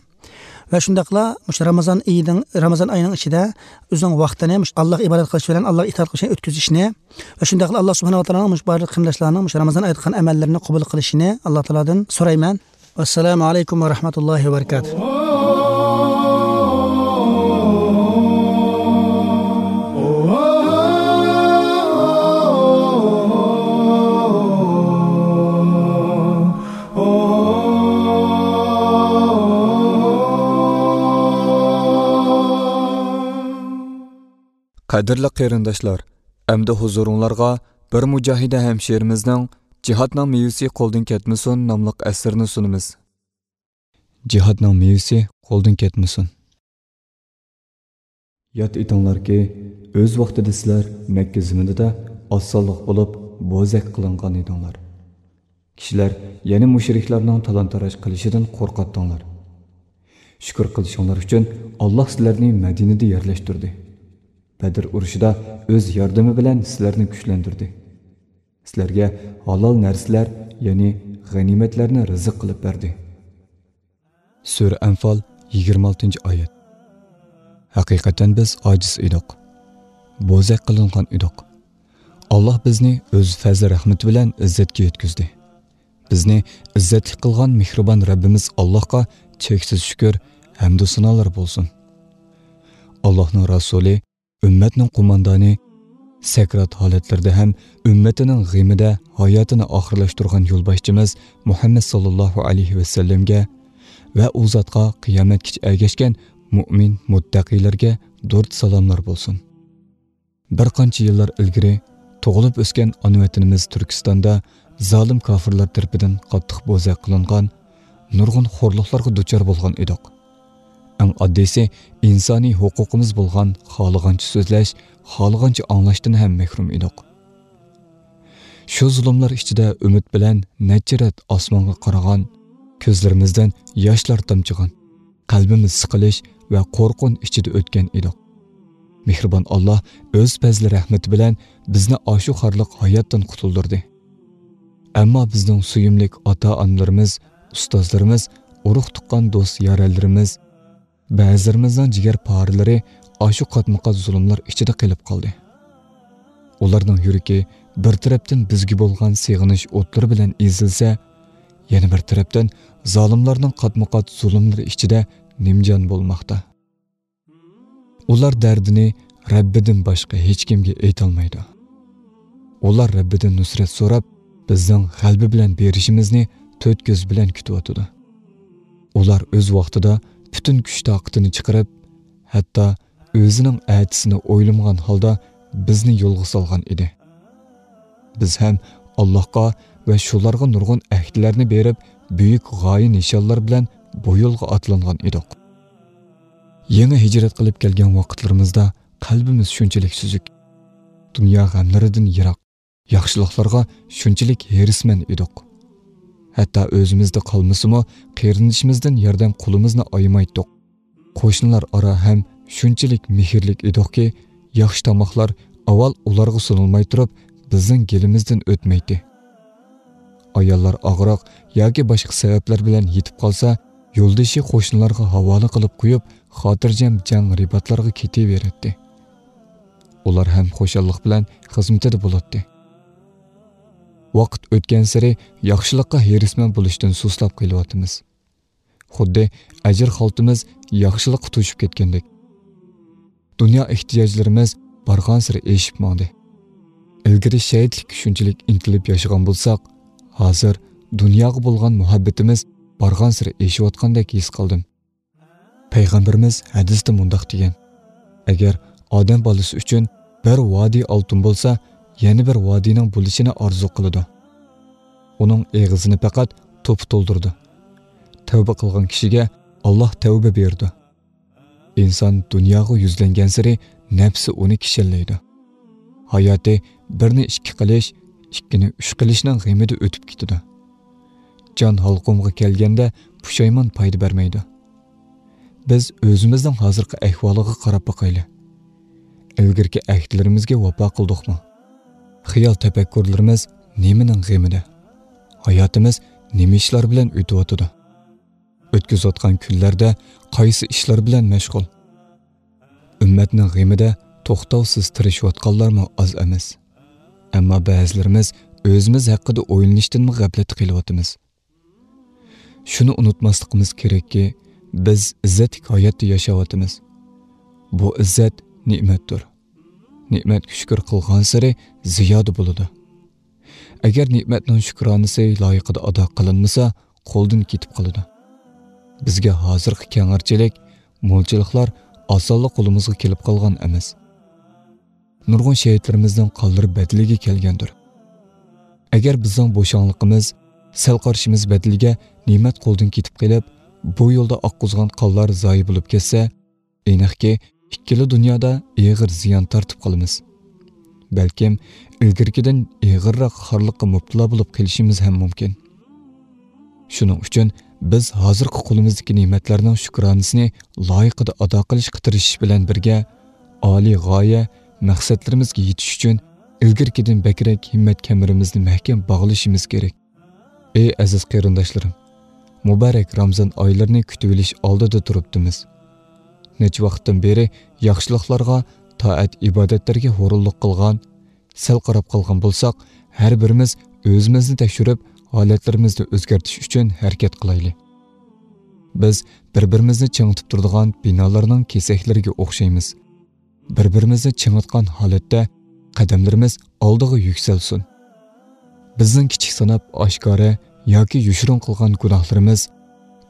ۋە شۇنداقلا مۇشۇ رامازان ئېيىنىڭ، رامازان ئايىنىڭ ئىچىدە ئۆزىنىڭ ۋاقتىنى مۇشۇ ئاللاھقا ئىبادەت قىلىش بىلەن ئاللاھقا ئىتائەت قىلىش بىلەن ئۆتكۈزۈشىنى ۋە شۇنداقلا ئاللاھ سۇبھانەھۇ ۋە تائالانىڭ مۇشۇ بارلىق قېرىنداشلارنىڭ مۇشۇ رامازان ئايدا قىلغان ئەمەللىرىنى قوبۇل قىلىشىنى ئاللاھ تائالادىن سورايمەن. ۋەسسالامۇ ئەلەيكۇم ۋە رەھمەتۇللاھى ۋە بەرىكاتۇھ. قەدىرلىك قېرىنداشلار، ئەمدى ھۇزۇرۇڭلارغا بىر مۇجاھىدە ھەمشىرىمىزنىڭ جىھادنىڭ مېۋىسى قولدىن كەتمىسۇن ناملىق ئەسىرىنى سۇنىمىز. جىھادنىڭ مېۋىسى قولدىن كەتمىسۇن. ياد ئېتىڭلاركى، ئۆز ۋاقتىدا سىلەر مەككە زېمىنىدا ئاز سانلىق بولۇپ، بوزەك قىلىنغان ئىدىڭلار. كىشىلەر يەنە مۇشرىكلارنىڭ تالان-تاراج قىلىشىدىن قورقاتتىڭلار. شۈكۈر قىلىشىڭلار ئۈچۈن، ئاللاھ سىلەرنى مەدىنىدە يەرلەشتۈردى. بەدر ئۇرۇشىدا ئۆز ياردىمى بىلەن سىلەرنى كۈچلەندۈردى. سىلەرگە ھالال نەرسىلەر، يەنى غەنىيمەتلەرنى رىزىق قىلىپ بەردى. سۈرە ئەنفال، يىگىرمە ئالتىنچى ئايەت. ھەقىقەتەن بىز ئاجىز ئىدۇق. بوزەك قىلىنغان ئىدۇق. ئاللاھ بىزنى ئۆز پەزلى رەھمىتى بىلەن ئىززەتكە يەتكۈزدى. بىزنى ئىززەتلىك قىلغان مېھرىبان رەببىمىز ئاللاھقا چەكسىز شۈكۈر، ھەمدۇ سانالار بولسۇن. ئاللاھنىڭ رەسۇلى، ئۈممەتنىڭ قوماندانى، سەكرات ھالەتلىرىدە ھەم ئۈممىتىنىڭ غېمىدە ھاياتىنى ئاخىرلاشتۇرغان يولباشچىمىز مۇھەممەد ساللاللاھۇ ئەلەيھى ۋەسەللەمگە ۋە ئۇ زاتقا قىيامەتكىچە ئەگەشكەن مۇئمىن مۇتتەقىيلەرگە دۇرۇت سالاملار بولسۇن. بىر قانچە يىللار ئىلگىرى تۇغۇلۇپ ئۆسكەن ئانا ۋەتىنىمىز تۈركىستاندا زالىم كاپىرلار تەرىپىدىن قاتتىق بوزەك قىلىنغان، نۇرغۇن خورلۇقلارغا دۇچار بولغان ئىدۇق. ئەڭ ئاددىيسى، ئىنسانىي ھوقۇقىمىز بولغان خالىغانچە سۆزلەش، خالىغانچە ئاڭلاشتىن ھەم مەھرۇم ئىدۇق. شۇ زۇلۇملار ئىچىدە ئۈمىد بىلەن نەچچە رەت ئاسمانغا قارىغان، كۆزلىرىمىزدىن ياشلار تامچىغان، قەلبىمىز سىقىلىش ۋە قورقۇن ئىچىدە ئۆتكەن ئىدۇق. مېھرىبان ئاللاھ ئۆز پەزلى رەھمىتى بىلەن بىزنى ئاشۇ خارلىق ھاياتتىن قۇتۇلدۇردى. ئەمما بىزنىڭ سۆيۈملۈك ئاتا-ئانىلىرىمىز، ئۇستازلىرىمىز، ئۇرۇق-تۇغقان، دوست-يارەنلىرىمىز، بەزىلىرىمىزنىڭ جىگەر پارىلىرى ئاشۇ قاتمۇقات زۇلۇملار ئىچىدە قېلىپ قالدى. ئۇلارنىڭ يۈرىكى بىر تەرەپتىن بىزگە بولغان سېغىنىش ئوتلىرى بىلەن ئېزىلسە، يەنە بىر تەرەپتىن زالىملارنىڭ قاتمۇقات زۇلۇملىرى ئىچىدە نىمجان بولماقتا. ئۇلار دەردىنى رەببىدىن باشقا ھېچكىمگە ئېيتالمايدۇ. ئۇلار رەببىدىن نۇسرەت سوراپ، بىزنىڭ غەلىبە بىلەن بېرىشىمىزنى تۆت كۆز بىلەن كۈتۈۋاتىدۇ. ئۇلار ئۆز ۋاقتىدا پۈتۈن كۈچ-تاقىتىنى چىقىرىپ، ھەتتا ئۆزىنىڭ ئەتىسىنى ئويلىمىغان ھالدا بىزنى يولغا سالغان ئىدى. بىز ھەم ئاللاھقا ۋە شۇلارغا نۇرغۇن ئەھدىلەرنى بېرىپ، بۈيۈك غايە-نىشانلار بىلەن بۇ يولغا ئاتلانغان ئىدۇق. يېڭى ھىجرەت قىلىپ كەلگەن ۋاقىتلىرىمىزدا قەلبىمىز شۇنچىلىك سۈزۈك، دۇنيا غەملىرىدىن يىراق، ياخشىلىقلارغا شۇنچىلىك ھېرىسمەن ئىدۇق. ھەتتا ئۆزىمىزدە قالمىسىمۇ، قېرىندىشىمىزدىن ياردەم قولىمىزنى ئايىمايتتۇق. قوشنىلار ئارا ھەم شۇنچىلىك مېھىرلىك ئىدۇقكى، ياخشى تاماقلار ئاۋۋال ئۇلارغا سۇنۇلماي تۇرۇپ، بىزنىڭ گېلىمىزدىن ئۆتمەيتتى. ئاياللار ئاغرىق ياكى باشقا سەۋەبلەر بىلەن يېتىپ قالسا، يولدىشى قوشنىلارغا ھاۋالە قىلىپ قويۇپ، خاتىرجەم جەڭ رىباتلارغا كېتىۋېرەتتى. ئۇلار ھەم خۇشاللىق بىلەن خىزمىتىدە بولاتتى. ۋاقىت ئۆتكەنسېرى ياخشىلىققا ھېرىسمەن بولۇشتىن سۇسلاپ قېلىۋاتىمىز. خۇددى ئەجىر خالتىمىز ياخشىلىققا توشۇپ كەتكەندەك. دۇنيا ئېھتىياجلىرىمىز بارغانسېرى ئېشىپ ماڭدى. ئىلگىرى شەھىتلىككە شۇنچىلىك ئىنتىلىپ ياشىغان بولساق، ھازىر دۇنياغا بولغان مۇھەببىتىمىز بارغانسېرى ئېشىۋاتقاندەك ھېس قىلدىم. پەيغەمبىرىمىز ھەدىستە مۇنداق دېگەن: «ئەگەر ئادەم بالىسى ئۈچۈن بىر ۋادى ئالتۇن بولسا، يەنە بىر ۋادىنىڭ بولۇشىنى ئارزۇ قىلىدۇ. ئۇنىڭ ئېغىزىنى پەقەت توپا تولدۇرىدۇ. تەۋبە قىلغان كىشىگە ئاللاھ تەۋبە بېرىدۇ.» ئىنسان دۇنياغا يۈزلەنگەنسېرى نەپسى ئۇنى كىشەنلەيدۇ. ھاياتى بىرنى ئىككى قىلىش، ئىككىنى ئۈچ قىلىشنىڭ غېمىدە ئۆتۈپ كېتىدۇ. جان ھالقۇمغا كەلگەندە پۇشايمان پايدا بەرمەيدۇ. بىز ئۆزىمىزنىڭ ھازىرقى ئەھۋالىغا قاراپ باقايلى. ئىلگىرىكى ئەھدىلىرىمىزگە ۋاپا قىلدۇقمۇ؟ خىيال تەپەككۇرلىرىمىز نېمىنىڭ غېمىدە؟ ھاياتىمىز نېمە ئىشلار بىلەن ئۆتۈۋاتىدۇ؟ ئۆتكۈزۈۋاتقان كۈنلەردە قايسى ئىشلار بىلەن مەشغۇل؟ ئۈممەتنىڭ غېمىدە توختاۋسىز تىرىشىۋاتقانلارمۇ ئاز ئەمەس. ئەمما بەزىلىرىمىز ئۆزىمىز ھەققىدە ئويلىنىشتىنمۇ غەپلەتتە قېلىۋاتىمىز. شۇنى ئۇنتۇماسلىقىمىز كېرەككى، بىز ئىززەتلىك ھاياتتا ياشاۋاتىمىز. بۇ ئىززەت نېمەتتۇر. نېمەتكە شۈكۈر قىلغانسېرى زىيادە بولىدۇ. ئەگەر نېمەتنىڭ شۈكرانىسى لايىقىدا ئادا قىلىنمىسا، قولدىن كېتىپ قالىدۇ. بىزگە ھازىرقى كەڭرىچىلىك، مولچىلىقلار ئاسانلا قولىمىزغا كېلىپ قالغان ئەمەس. نۇرغۇن شېھىتلىرىمىزنىڭ قانلىرى بەدىلىگە كەلگەندۇر. ئەگەر بىزنىڭ بوشاڭلىقىمىز، سەل قارىشىمىز بەدىلىگە نېمەت قولدىن كېتىپ قېلىپ، بۇ يولدا ئاققۇزغان قانلار زايە بولۇپ كەتسە، ئېنىقكى، ئىككىلا دۇنيادا ئېغىر زىيان تارتىپ قالىمىز. بەلكىم ئىلگىرىكىدىن ئېغىرراق خارلىققا مۇپتىلا بولۇپ قېلىشىمىز ھەم مۇمكىن. شۇنىڭ ئۈچۈن بىز ھازىرقى قولىمىزدىكى نېمەتلەرنىڭ شۈكرانىسىنى لايىقىدا ئادا قىلىشقا تىرىشىش بىلەن بىرگە، ئالىي غايە، مەقسەتلىرىمىزگە يېتىش ئۈچۈن ئىلگىرىكىدىن بەكرەك ھىممەت كەمىرىمىزنى مەھكەم باغلىشىمىز كېرەك. ئەي ئەزىز قېرىنداشلىرىم! مۇبارەك رامزان ئايلىرىنى كۈتۈۋېلىش ئالدىدا تۇرۇپتىمىز. نەچچە ۋاقىتتىن بېرى ياخشىلىقلارغا، تائەت-ئىبادەتلەرگە ھۇرۇنلۇق قىلغان، سەل قاراپ قالغان بولساق، ھەر بىرىمىز ئۆزىمىزنى تەكشۈرۈپ، ھالەتلىرىمىزنى ئۆزگەرتىش ئۈچۈن ھەرىكەت قىلايلى. بىز بىر-بىرىمىزنى چىڭىتىپ تۇرىدىغان بىنالارنىڭ كېسەكلىرىگە ئوخشايمىز. بىر-بىرىمىزنى چىڭىتقان ھالەتتە قەدەملىرىمىز ئالدىغا يۈكسەلسۇن. بىزنىڭ كىچىك ساناپ ئاشكارا ياكى يوشۇرۇن قىلغان گۇناھلىرىمىز،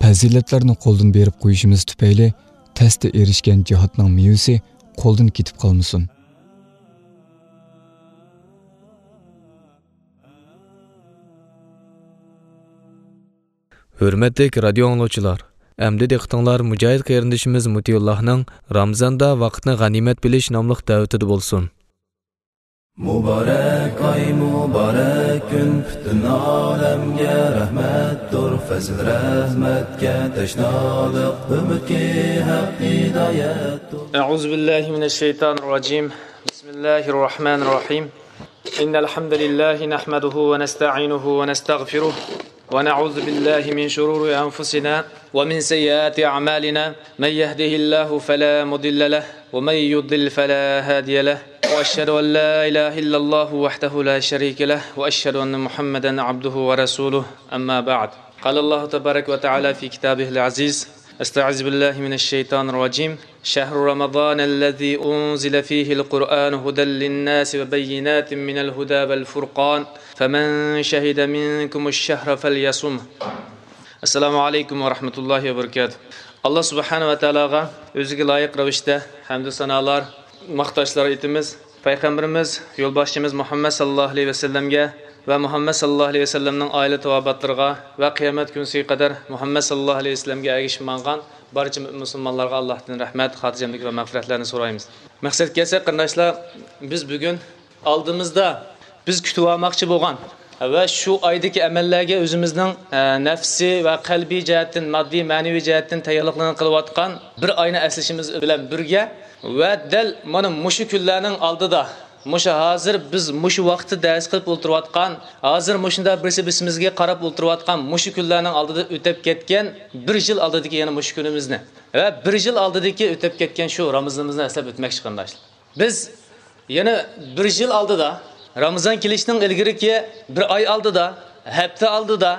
پەزىلەتلەرنى قولدىن بېرىپ قويۇشىمىز تۈپەيلى تەستە ئېرىشكەن جىھادنىڭ مېۋىسى قولدىن كېتىپ قالمىسۇن. ھۆرمەتلىك رادىيو ئاڭلىغۇچىلار، ئەمدى دىققىتىڭلار مۇجاھىد قېرىندىشىمىز مۇتىيۇللاھنىڭ رامىزاندا ۋاقىتنى غەنىيمەت بىلىش ناملىق دەۋىتىدە بولسۇن. مۇبارەك ئاي، مۇبارەك كۈن، پۈتۈن ئالەمگە رەھمەتتۇر، پەزىل رەھمەتكە تەشنالىق، ئۈمىدكى ھەق ھىدايەتتۇر. أعوذ بالله من الشيطان الرجيم. بسم الله الرحمن الرحيم. إن الحمد لله نحمده ونستعينه ونستغفره، ونعوذ بالله من شرور أنفسنا ومن سيئات أعمالنا. من يهده الله فلا مضل له، ومن يضلل فلا هادي له. وأشهد أن لا إله إلا الله وحده لا شريك له، وأشهد أن محمدا عبده ورسوله. أما بعد. قال الله تبارك وتعالى في كتابه العزيز: أستعيذ بالله من الشيطان الرجيم. شهر رمضان الذي أنزل فيه القرآن هدى للناس وبينات من الهدى والفرقان، فمن شهد منكم الشهر فليصمه. السلام عليكم ورحمة الله وبركاته. ئاللا سۇبھانەھۇ ۋە تائالاغا ئۆزىگە لايىق رەۋىشتە ھەمدۇ سانالار، ماختاشلار ئېيتىمىز. پەيغەمبىرىمىز، يولباشچىمىز مۇھەممەد ساللاللاھۇ ئەلەيھى ۋەسەللەمگە ۋە مۇھەممەد ساللاللاھۇ ئەلەيھى ۋەسەللەمنىڭ ئائىلە تاۋابىئاتلىرىغا ۋە قىيامەت كۈنىسىگە قەدەر مۇھەممەد ساللاللاھۇ ئەلەيھى ۋەسەللەمگە ئەگىشىپ ماڭغان بارچە مۇسۇلمانلارغا ئاللاھتىن رەھمەت، خاتىرجەملىك ۋە مەغپىرەتلەرنى سورايمىز. مەقسەتكە كەلسەك، قېرىنداشلار، بىز بۈگۈن ئالدىمىزدا بىز كۈتۈۋالماقچى بولغان ۋە شۇ ئايدىكى ئەمەللەرگە ئۆزىمىزنىڭ، ئە، نەپسىي ۋە قەلبىي جەھەتتىن، ماددىي، مەنىۋى جەھەتتىن تەييارلىقلىرىنى قىلىۋاتقان بىر ئاينى ئەسلىشىمىز بىلەن بىرگە، ۋە دەل مانا مۇشۇ كۈنلەرنىڭ ئالدىدا، مۇشۇ ھازىر بىز مۇشۇ ۋاقىتتا دەرس قىلىپ ئولتۇرۇۋاتقان، ھازىر مۇشۇنداق بىرسى بىرسىمىزگە قاراپ ئولتۇرۇۋاتقان مۇشۇ كۈنلەرنىڭ ئالدىدا ئۆتۈپ كەتكەن بىر يىل ئالدىدىكى يەنە مۇشۇ كۈنىمىزنى ۋە بىر يىل ئالدىدىكى ئۆتۈپ كەتكەن شۇ رامىزىنىمىزنى ئەسلەپ ئۆتمەكچى، قېرىنداشلار. بىز يەنە بىر يىل ئالدىدا، رامىزان كېلىشنىڭ ئىلگىرىكى بىر ئاي ئالدىدا، ھەپتە ئالدىدا،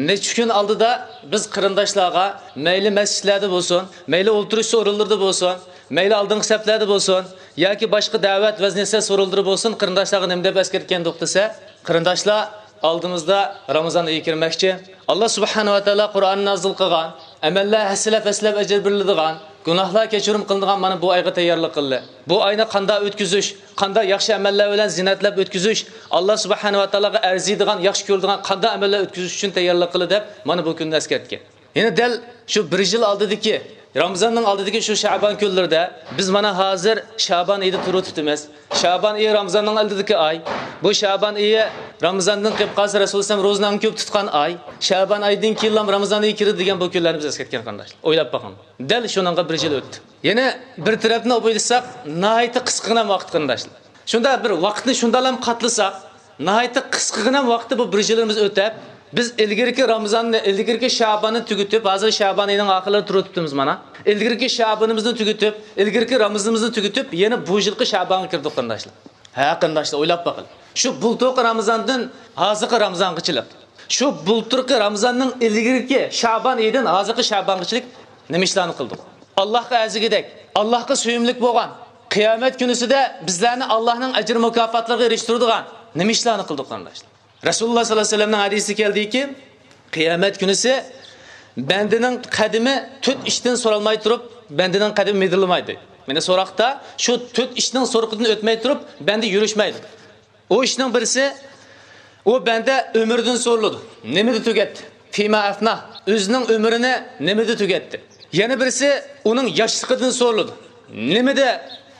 نەچچە كۈن ئالدىدا بىز قېرىنداشلارغا مەيلى مەسچىتلەردە بولسۇن، مەيلى ئولتۇرۇش ئورۇنلىرىدا بولسۇن، مەيلى ئالدىنقى سەپلەردە بولسۇن، ياكى باشقا دەۋەت، ۋەز-نەسىھەت سورۇنلىرى بولسۇن، قېرىنداشلارغا نېمە دەپ ئەسكەرتكەندۇق دېسە، قېرىنداشلار، ئالدىمىزدا رامىزان ئېيى كىرمەكچى. ئاللا سۇبھانەھۇ ۋە تائالا قۇرئان نازىل قىلغان، ئەمەللەر ھەسسىلەپ-ھەسسىلەپ ئەجىر بېرىلىدىغان، گۇناھلار كەچۈرۈم قىلىنىدىغان مانا بۇ ئايغا تەييارلىق قىلدى. بۇ ئاينى قانداق ئۆتكۈزۈش، قانداق ياخشى ئەمەللەر بىلەن زىننەتلەپ ئۆتكۈزۈش، ئاللا سۇبھانەھۇ ۋە تائالاغا ئەرزىيدىغان، ياخشى كۆرىدىغان قانداق ئەمەللەر ئۆتكۈزۈش ئۈچۈن تەييارلىق قىلدى دەپ مانا بۇ كۈننى ئەسكەرتكەن. يەنە دەل شۇ بىر يىل ئالدىدىكى، رامىزاننىڭ ئالدىدىكى شۇ شەبان كۈنلىرىدە بىز مانا ھازىر شەبان ئېيىدا تۇرۇۋېتىپتىمىز. شەبان ئېيى رامىزاننىڭ ئالدىدىكى ئاي. بۇ شەبان ئېيى رامىزاندىن قېلىپ قالسا، رەسۇل ئەلەيھىسسالام روزىنى ئەڭ كۆپ تۇتقان ئاي. شەبان ئايدىن كېيىنلا رامىزان ئېيى كىرىدۇ دېگەن بۇ كۈنلەرنى بىز ئەسكەرتكەن، قېرىنداشلار. ئويلاپ باقىڭ. دەل شۇنىڭغا بىر يىل ئۆتتى. يەنە بىر تەرەپتىن ئويلىساق، ناھايىتى قىسقىغىنە ۋاقىت، قېرىنداشلار. شۇنداق بىر ۋاقىتنى شۇنداقلام قاتلىساق، ناھايىتى قىسقىغىنە ۋاقىتتا بۇ بىر يىلىمىز ئۆتەپ، بىز ئىلگىرىكى رامىزاننى، ئىلگىرىكى شەباننى تۈگىتىپ، ھازىر شەبان ئېيىنىڭ ئاخىرلىرىدا تۇرۇۋېتىپتىمىز مانا. ئىلگىرىكى شەبىنىمىزنى تۈگىتىپ، ئىلگىرىكى رامىزىنىمىزنى تۈگىتىپ، يەنە بۇ يىلقى شەبانغا كىردۇق، قېرىنداشلار. ھە، قېرىنداشلار، ئويلاپ باقىلى. شۇ بۇلتۇرقى رامىزاندىن ھازىرقى رامىزانغىچىلىك. شۇ بۇلتۇرقى رامىزاننىڭ ئىلگىرىكى شەبان ئېيىدىن ھازىرقى شەبانغىچىلىك نېمە ئىشلارنى قىلدۇق؟ ئاللاھقا ئەرزىگۈدەك، ئاللاھقا سۆيۈملۈك بولغان، قىيامەت كۈنىسىدە بىزلەرنى ئاللاھنىڭ ئەجىر مۇكاپاتلىرىغا ئېرىشتۈرىدىغان نېمە ئىشلارنى قىلدۇق، قېرىنداشلار؟ رەسۇلۇللاھ سەللەللاھۇ ئەلەيھى ۋەسەللەمنىڭ ھەدىسى كەلدىكى، قىيامەت كۈنىسى بەندىنىڭ قەدىمى تۆت ئىشتىن سورالماي تۇرۇپ، بەندىنىڭ قەدىمى مىدىرلىمايدۇ. مانا سوراقتا شۇ تۆت ئىشنىڭ سورىقىدىن ئۆتمەي تۇرۇپ، بەندە يۈرۈشمەيدۇ. ئۇ ئىشنىڭ بىرسى، ئۇ بەندە ئۆمرىدىن سورىلىدۇ. نېمىدە تۈگەتتى؟ فيما أفناه. ئۆزىنىڭ ئۆمرىنى نېمىدە تۈگەتتى؟ يەنە بىرسى، ئۇنىڭ ياشلىقىدىن سورىلىدۇ. نېمىدە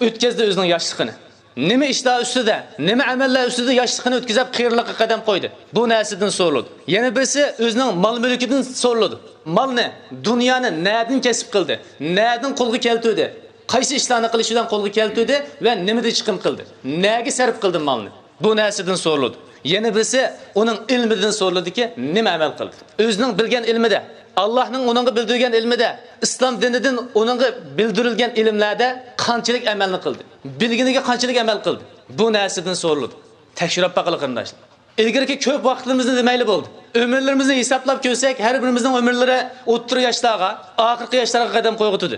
ئۆتكەزدى ئۆزىنىڭ ياشلىقىنى؟ نېمە ئىشلار ئۈستىدە، نېمە ئەمەللەر ئۈستىدە ياشلىقىنى ئۆتكۈزۈپ، قېرىلىققا قەدەم قويدى؟ بۇ نەرسىدىن سورىلىدۇ. يەنە بىرسى ئۆزىنىڭ مال-مۈلكىدىن سورىلىدۇ. مالنى، دۇنيانى نەدىن كەسىپ قىلدى؟ نەدىن قولغا كەلتۈردى؟ قايسى ئىشلارنى قىلىش بىلەن قولغا كەلتۈردى ۋە نېمىدە چىقىم قىلدى؟ نەگە سەرپ قىلدى مالنى؟ بۇ نەرسىدىن سورىلىدۇ. يەنە بىرسى ئۇنىڭ ئىلمىدىن سورىلىدۇكى، نېمە ئەمەل قىلدى؟ ئۆزىنىڭ بىلگەن ئىلمىدە، ئاللاھنىڭ ئۇنىڭغا بىلدۈرگەن ئىلمىدە، ئىسلام دىنىدىن ئۇنىڭغا بىلدۈرۈلگەن ئىلىملەردە قانچىلىك ئەمەلنى قىلدى؟ بىلگىنىگە قانچىلىك ئەمەل قىلدى؟ بۇ نەرسىدىن سورىلىدۇ. تەكشۈرۈپ باقىلى، قېرىنداشلار. ئىلگىرىكى كۆپ ۋاقىتلىرىمىزنى دېمەيلى بولدى. ئۆمۈرلىرىمىزنى ھېسابلاپ كۆرسەك، ھەر بىرىمىزنىڭ ئۆمۈرلىرى ئوتتۇرا ياشلارغا، ئاخىرقى ياشلارغا قەدەم قويغۇتىدۇ.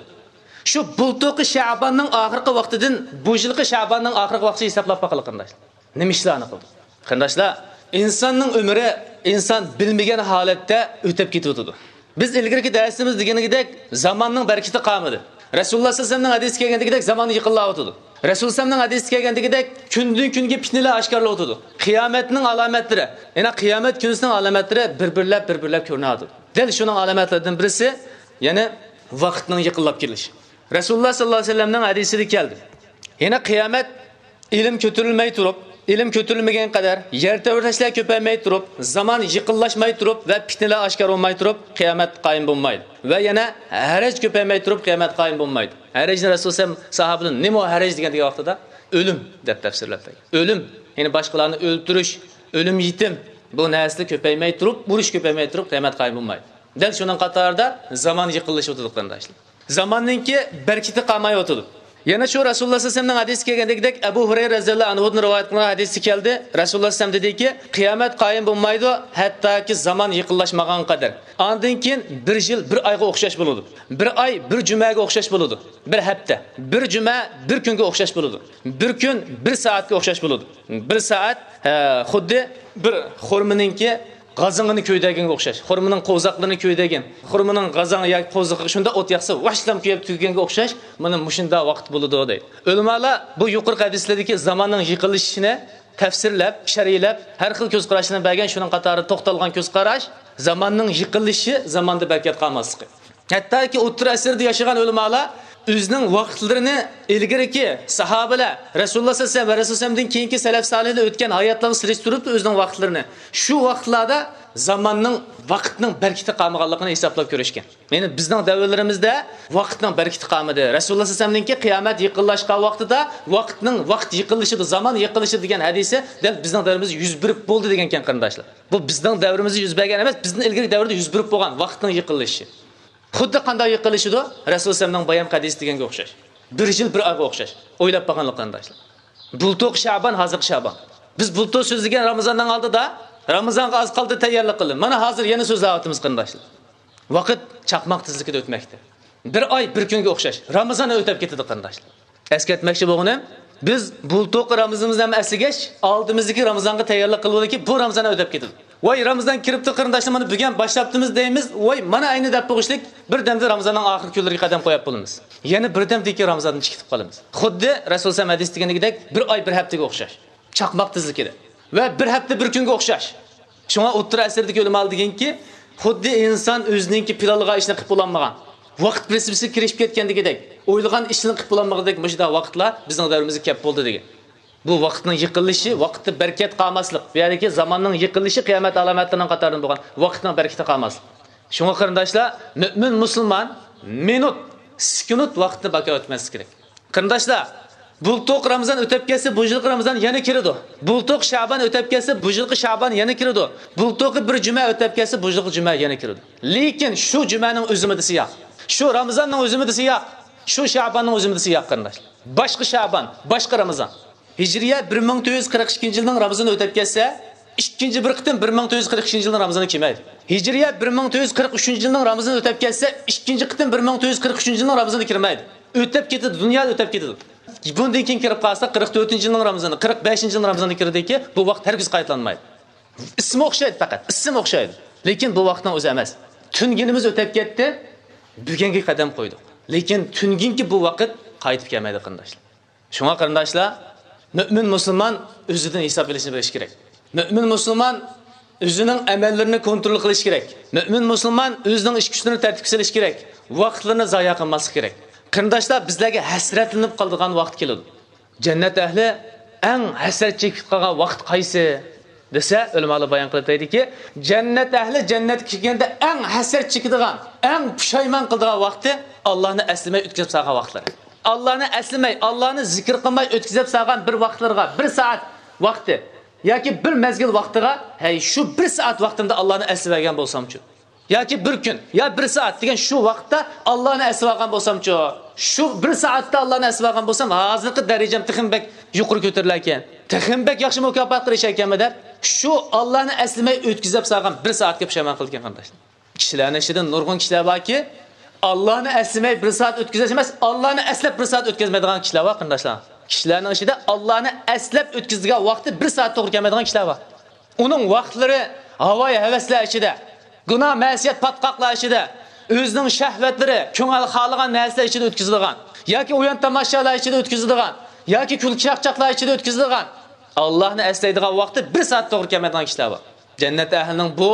شۇ بۇلتۇرقى شەباننىڭ ئاخىرقى ۋاقتىدىن بۇ يىلقى شەباننىڭ ئاخىرقى ۋاقتىغىچە ھېسابلاپ باقىلى، قېرىنداشلار. نېمە ئىشلارنى قىلدۇق؟ قېرىنداشلار، ئىنساننىڭ ئۆمرى ئىنسان بىلمىگەن ھالەتتە ئۆتۈپ كېتىۋاتىدۇ. بىز ئىلگىرىكى دەرسىمىزدە دېگىنىدەك، زاماننىڭ بەرىكىتى قالمىدى. رەسۇلۇللاھ سەللەللاھۇ ئەلەيھى ۋەسەللەمنىڭ ھەدىسى كەلگەندىكىدەك، زامان يېقىنلاۋاتىدۇ. رەسۇلۇللاھ ئەلەيھىسسالامنىڭ ھەدىسى كەلگەندىكىدەك، كۈندىن-كۈنگە پىتنىلەر ئاشكارىلىۋاتىدۇ. قىيامەتنىڭ ئالامەتلىرى، يەنى قىيامەت كۈنىسىنىڭ ئالامەتلىرى بىر-بىرلەپ، بىر-بىرلەپ كۆرۈنۈۋاتىدۇ. دەل شۇنىڭ ئالامەتلىرىدىن بىرسى، يەنى ۋاقىتنىڭ يېقىنلاپ كېلىشى. رەسۇلۇللاھ سەللەللاھۇ ئەلەيھى ۋەسەللەمنىڭ ھەدىسىدە كەلدى. يەنى قىيامەت ئىلىم كۆتۈرۈلمەي تۇرۇپ، ئىلىم كۆتۈرۈلمىگەن قەدەر، يەر تەۋرەشلەر كۆپەيمەي تۇرۇپ، زامان يېقىنلاشماي تۇرۇپ ۋە پىتنىلەر ئاشكارا بولماي تۇرۇپ، قىيامەت قايىم بولمايدۇ. ۋە يەنە ھەرەج كۆپەيمەي تۇرۇپ، قىيامەت قايىم بولمايدۇ. ھەرەجنى رەسۇلۇللاھ ساھابىلەر، نېمە ئۇ ھەرەج دېگەن، دېگەن ۋاقتىدا، ئۆلۈم دەپ تەپسىرلەپ بەرگەن. ئۆلۈم، يەنى باشقىلارنى ئۆلتۈرۈش، ئۆلۈم يېتىم، بۇ نەرسىلەر كۆپەيمەي تۇرۇپ، ئۇرۇش كۆپەيمەي تۇرۇپ، قىيامەت قايىم بولمايدۇ. دەل شۇنىڭ قاتارىدا زامان يېقىنلىشىۋاتىدۇ، قېرىنداشلار. زاماننىڭكى بەرىكىتى قالمايۋاتىدۇ. يەنە شۇ رەسۇلۇللاھ سەللەللاھۇ ئەلەيھى ۋەسەللەمنىڭ ھەدىسى كەلگەندىكىدەك، ئەبۇ ھۇرەيرە رەزىيەللاھۇ ئەنھۇدىن رىۋايەت قىلىنغان ھەدىستە كەلدى. رەسۇلۇللاھ سەللەللاھۇ ئەلەيھى ۋەسەللەم دېدىكى، قىيامەت قايىم بولمايدۇ، ھەتتاكى زامان يېقىنلاشمىغانغا قەدەر. ئاندىن كېيىن بىر يىل بىر ئايغا ئوخشاش بولىدۇ. بىر ئاي بىر جۈمەگە ئوخشاش بولىدۇ. بىر ھەپتە بىر جۈمە بىر كۈنگە ئوخشاش بولىدۇ. بىر كۈن بىر سائەتكە ئوخشاش بولىدۇ. بىر سائەت، ھە، خۇددى بىر خورمىنىڭكى غازىڭىنى كۆيدۈرگەنگە ئوخشاش. خورمىنىڭ قوۋزاقلىرىنى كۆيدۈرگەن. خورمىنىڭ غازاڭ ياكى قوۋزىقىغا شۇنداق ئوت ياقسا، ۋاشلام كۆيۈپ تۈگىگەنگە ئوخشاش. مانا مۇشۇنداق ۋاقىت بولىدۇ، دەيدۇ. ئۆلىمالار بۇ يۇقىرىقى ھەدىسلەردىكى زاماننىڭ يېقىنلىشىشىنى تەپسىرلەپ، شەرھلەپ، ھەر خىل كۆز قاراشلارنى بەرگەن. شۇنىڭ قاتارىدا توختالغان كۆز قاراش، زاماننىڭ يېقىنلىشىشى، زاماندا بەرىكەت قالماسلىقى. ھەتتاكى ئوتتۇرا ئەسىردە ياشىغان ئۆلىمالار ئۆزىنىڭ ۋاقىتلىرىنى ئىلگىرىكى ساھابىلەر، رەسۇلۇللاھ سەللەللاھۇ ئەلەيھى ۋەسەللەم ۋە رەسۇلۇللاھ سەللەللاھۇ ئەلەيھى ۋەسەللەمدىن كېيىنكى سەلەف سالىھلار ئۆتكەن ھاياتلارغا سېلىشتۇرۇپ، ئۆزىنىڭ ۋاقىتلىرىنى، شۇ ۋاقىتلاردا زاماننىڭ، ۋاقىتنىڭ بەرىكىتى قالمىغانلىقىنى ھېسابلاپ كۆرۈشكەن. يەنى بىزنىڭ دەۋرلىرىمىزدە ۋاقىتنىڭ بەرىكىتى قالمىدى. رەسۇلۇللاھ سەللەللاھۇ ئەلەيھى ۋەسەللەمنىڭكى قىيامەت يېقىنلاشقان ۋاقتىدا ۋاقىتنىڭ، ۋاقىت يېقىنلىشىدۇ، زامان يېقىنلىشىدۇ دېگەن ھەدىسى دەل بىزنىڭ دەۋرىمىزدە يۈز بېرىپ بولدى دېگەنكەن، قېرىنداشلار. بۇ بىزنىڭ دەۋرىمىزدە يۈز بەرگەن ئەمەس، بىزدىن ئىلگىرىكى دەۋردە يۈز بېرىپ بولغان ۋاقىتنىڭ يېقىنلىشىشى. خۇددى قانداق يېقىنلىشىدۇ؟ رەسۇلۇللاھ سەللەللاھۇ ئەلەيھى ۋەسەللەم بايام ھەدىس دېگەنگە ئوخشاش. بىر يىل بىر ئايغا ئوخشاش. ئويلاپ باققانلىق، قېرىنداشلار. بۇلتۇرقى شەبان، ھازىرقى شەبان. بىز بۇلتۇر سۆزلىگەن رامىزاننىڭ ئالدىدا، رامىزانغا ئاز قالدى، تەييارلىق قىلدى. مانا ھازىر يەنە سۆزلەۋاتىمىز، قېرىنداشلار. ۋاقىت چاقماق تېزلىكىدە ئۆتمەكتە. بىر ئاي بىر كۈنگە ئوخشاش. رامىزان ئۆتۈپ كېتىدۇ، قېرىنداشلار. ئەسكەرتمەكچى بولغىنىم، بىز بۇلتۇرقى رامىزانىمىزنى ھەم ئەسلىگەچ، ئالدىمىزدىكى رامىزانغا تەييارلىق قىلىۋالىكى، بۇ رامىزان ئۆتۈپ كېتىدۇ. ۋاي، رامىزان كىرىپتۇ، قېرىنداشلار، مانا بۈگۈن باشلاپتىمىز دەيمىز، ۋاي، مانا ئەينى دەپ بولغۇچىلىك بىردەمدە رامىزاننىڭ ئاخىرقى كۈنلىرىگە قەدەم قويۇپ بولىمىز. يەنە بىردەمدىن كېيىن رامىزاندىن چىقىپ قالىمىز. خۇددى رەسۇل سەللەللاھۇ ئەلەيھى ۋەسەللەم ھەدىسىدە دېگىنىدەك، بىر ئاي بىر ھەپتىگە ئوخشاش. چاقماق تېزلىكىدە. ۋە بىر ھەپتە بىر كۈنگە ئوخشاش. شۇڭا ئوتتۇرا ئەسىردىكى ئۆلىمالار دېگەنكى، خۇددى ئىنسان ئۆزىنىڭكى پىلانلىغان ئىشنى قىلىپ بولالمىغان، ۋاقىت پرىنسىپىسىگە كىرىشىپ كەتكەندىكىدەك، ئويلىغان ئىشنى قىلىپ بولالمىغۇدەك مۇشۇنداق ۋاقىتلار بىزنىڭ دەۋرىمىزگە كەپ بولدى دېگەن. بۇ ۋاقىتنىڭ يىقىلىشى، ۋاقىتتا بەرىكەت قالماسلىق، بۇ يەردىكى زاماننىڭ يىقىلىشى قىيامەت ئالامەتلىرىنىڭ قاتارىدىن بولغان ۋاقىتنىڭ بەرىكىتى قالماسلىق. شۇڭا قېرىنداشلار، مۆمىن مۇسۇلمان مىنۇت، سېكۇنت ۋاقىتنى بىكار ئۆتمەسلىك كېرەك. قېرىنداشلار، بۇلتۇق رامىزان ئۆتۈپ كەتسە، بۇ يىلقى رامىزان يەنە كىرىدۇ. بۇلتۇق شەبان ئۆتۈپ كەتسە، بۇ يىلقى شەبان يەنە كىرىدۇ. بۇلتۇقى بىر جۈمە ئۆتۈپ كەتسە، بۇ يىلقى جۈمە يەنە كىرىدۇ. لېكىن شۇ جۈمەنىڭ ئۆزىمىدىسى ياق. شۇ رامىزاننىڭ ئۆزىمىدىسى ياق. شۇ شەباننىڭ ئۆزىمىدىسى ياق، قېرىنداشلار. باشقا شەبان، باشقا رامىزان. ھىجرىيە بىر مىڭ تۆت يۈز قىرىق ئىككىنچى يىلنىڭ رامىزانى ئۆتۈپ كەتسە، ئىككىنچى بىر قېتىم بىر مىڭ تۆت يۈز قىرىق ئىككىنچى يىلنىڭ رامىزانى كېلمەيدۇ. ھىجرىيە بىر مىڭ تۆت يۈز قىرىق ئۈچىنچى يىلنىڭ رامىزانى ئۆتۈپ كەتسە، ئىككىنچى قېتىم بىر مىڭ تۆت يۈز قىرىق ئۈچىنچى يىلنىڭ رامىزانى كىرمەيدۇ. ئۆتۈپ كېتىدۇ، دۇنيا ئۆتۈپ كېتىدۇ. بۇندىن كېيىن كىرىپ قالسا، قىرىق تۆتىنچى يىلنىڭ رامىزانى، قىرىق بەشىنچى يىلنىڭ رامىزانى كىردىكى، بۇ ۋاقىت ھەرگىز قايتىلانمايدۇ. ئىسمى ئوخشايدۇ پەقەت، ئىسىم ئوخشايدۇ. لېكىن بۇ ۋاقىتنىڭ ئۆزى ئەمەس. تۈنگۈنىمىز ئۆتۈپ كەتتى، بۈگۈنگە قەدەم قويدۇق. لېكىن تۈنگۈنكى بۇ ۋاقىت قايتىپ كەلمەيدۇ، قېرىنداشلار. شۇڭا قېرىنداشلار، مۆمىن مۇسۇلمان ئۆزىدىن ھېساب ئېلىشنى بىلىشى كېرەك. مۆمىن مۇسۇلمان ئۆزىنىڭ ئەمەللىرىنى كونترول قىلىشى كېرەك. مۆمىن مۇسۇلمان ئۆزىنىڭ ئىش كۈچلىرىنى تەرتىپكە سېلىشى كېرەك. ۋاقىتلىرىنى زايە قىلماسلىقى كېرەك. قېرىنداشلار، بىزلەرگە ھەسرەتلىنىپ قالىدىغان ۋاقىت كېلىدۇ. جەننەت ئەھلى ئەڭ ھەسرەت چېكىپ قالغان ۋاقىت قايسى دېسە، ئۆلىمالار بايان قىلىپ دەيدىكى، جەننەت ئەھلى جەننەتكە كىرگەندە ئەڭ ھەسرەت چېكىدىغان، ئەڭ پۇشايمان قىلىدىغان ۋاقتى ئاللانى ئەسلىمەي ئۆتكۈزۈپ سالغان ۋاقىتلىرى. ئاللانى ئەسلىمەي، ئاللانى زىكىر قىلماي ئۆتكۈزۈپ سالغان بىر ۋاقىتلىرىغا، بىر سائەت ۋاقتى ياكى بىر مەزگىل ۋاقتىغا، ھەي، شۇ بىر سائەت ۋاقتىمدا ئاللانى ئەسلىۋەرگەن بولسامچۇ؟ ياكى بىر كۈن، يا بىر سائەت دېگەن شۇ ۋاقىتتا ئاللانى ئەسلىۋالغان بولسامچۇ؟ شۇ بىر سائەتتە ئاللانى ئەسلىۋالغان بولسام، ھازىرقى دەرىجەم تېخىمۇ بەك يۇقىرى كۆتۈرۈلەركەن. تېخىمۇ بەك ياخشى مۇكاپاتقا ئېرىشەركەنمەن دەپ، شۇ ئاللانى ئەسلىمەي ئۆتكۈزۈپ سالغان بىر سائەتكە پۇشايمان قىلىدىكەن، قېرىنداشلار. كىشىلەرنىڭ ئىچىدە نۇرغۇن كىشىلەر باركى، ئاللانى ئەسلىمەي بىر سائەت ئۆتكۈزۈش ئەمەس، ئاللانى ئەسلەپ بىر سائەت ئۆتكۈزمەيدىغان كىشىلەر بار، قېرىنداشلار. كىشىلەرنىڭ ئىچىدە ئاللانى ئەسلەپ ئۆتكۈزىدىغان ۋاقتى بىر سائەت توغرا كەلمەيدىغان كىشىلەر بار. ئۇنىڭ ۋاقىتلىرى ھاۋايى ھەۋەسلەر ئىچىدە، گۇناھ مەسىيەت پاتقاقلار ئىچىدە، ئۆزىنىڭ شەھۋەتلىرى، كۆڭۈل خالىغان نەرسىلەر ئىچىدە ئۆتكۈزىدىغان، ياكى ئويۇن تاماشالار ئىچىدە ئۆتكۈزىدىغان، ياكى كۈلكە چاقچاقلار ئىچىدە ئۆتكۈزىدىغان، ئاللانى ئەسلەيدىغان ۋاقتى بىر سائەت توغرا كەلمەيدىغان كىشىلەر بار. جەننەت ئەھلىنىڭ بۇ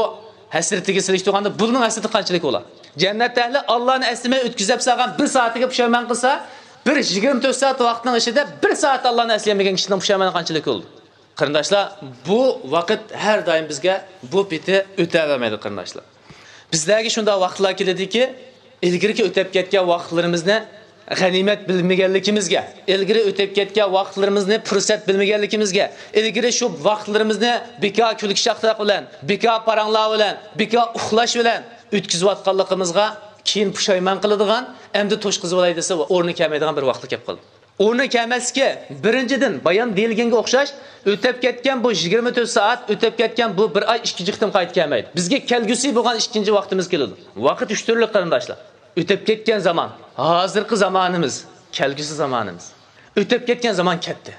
ھەسرىتىگە سېلىشتۇرغاندا، بۇنىڭ ھەسرىتى قانچىلىك بولا؟ جەننەت ئەھلى ئاللانى ئەسلىمەي ئۆتكۈزۈپ سالغان بىر سائىتىگە پۇشايمان قىلسا، بىر يىگىرمە تۆت سائەت ۋاقىتنىڭ ئىچىدە بىر سائەت ئاللانى ئەسلىيەلمىگەن كىشىنىڭ پۇشايمانى قانچىلىك بولىدۇ؟ قېرىنداشلار، بۇ ۋاقىت ھەر دائىم بىزگە بۇ پېتى ئۆتەلمەيدۇ، قېرىنداشلار. بىزلەرگە شۇنداق ۋاقىتلار كېلىدۇكى، ئىلگىرىكى ئۆتۈپ كەتكەن ۋاقىتلىرىمىزنى غەنىيمەت بىلمىگەنلىكىمىزگە، ئىلگىرى ئۆتۈپ كەتكەن ۋاقىتلىرىمىزنى پۇرسەت بىلمىگەنلىكىمىزگە، ئىلگىرى شۇ ۋاقىتلىرىمىزنى بىكار كۈلكە چاقچاق بىلەن، بىكار پاراڭلار بىلەن، بىكار ئۇخلاش بىلەن ئۆتكۈزۈۋاتقانلىقىمىزغا كېيىن پۇشايمان قىلىدىغان، ئەمدى توشقۇزۇۋالاي دېسە، ئورنى كەلمەيدىغان بىر ۋاقىتقا كەپ قالدى. ئورنى كەلمەسلىكى، بىرىنچىدىن، بايان دېيىلگەنگە ئوخشاش، ئۆتۈپ كەتكەن بۇ يىگىرمە تۆت سائەت، ئۆتۈپ كەتكەن بۇ بىر ئاي ئىككىنچى قېتىم قايتا كەلمەيدۇ. بىزگە كەلگۈسى بولغان ئىككىنچى ۋاقتىمىز كېلىدۇ. ۋاقىت ئۈچ تۈرلۈك، قېرىنداشلار. ئۆتۈپ كەتكەن زامان، ھازىرقى زامانىمىز، كەلگۈسى زامانىمىز. ئۆتۈپ كەتكەن زامان كەتتى.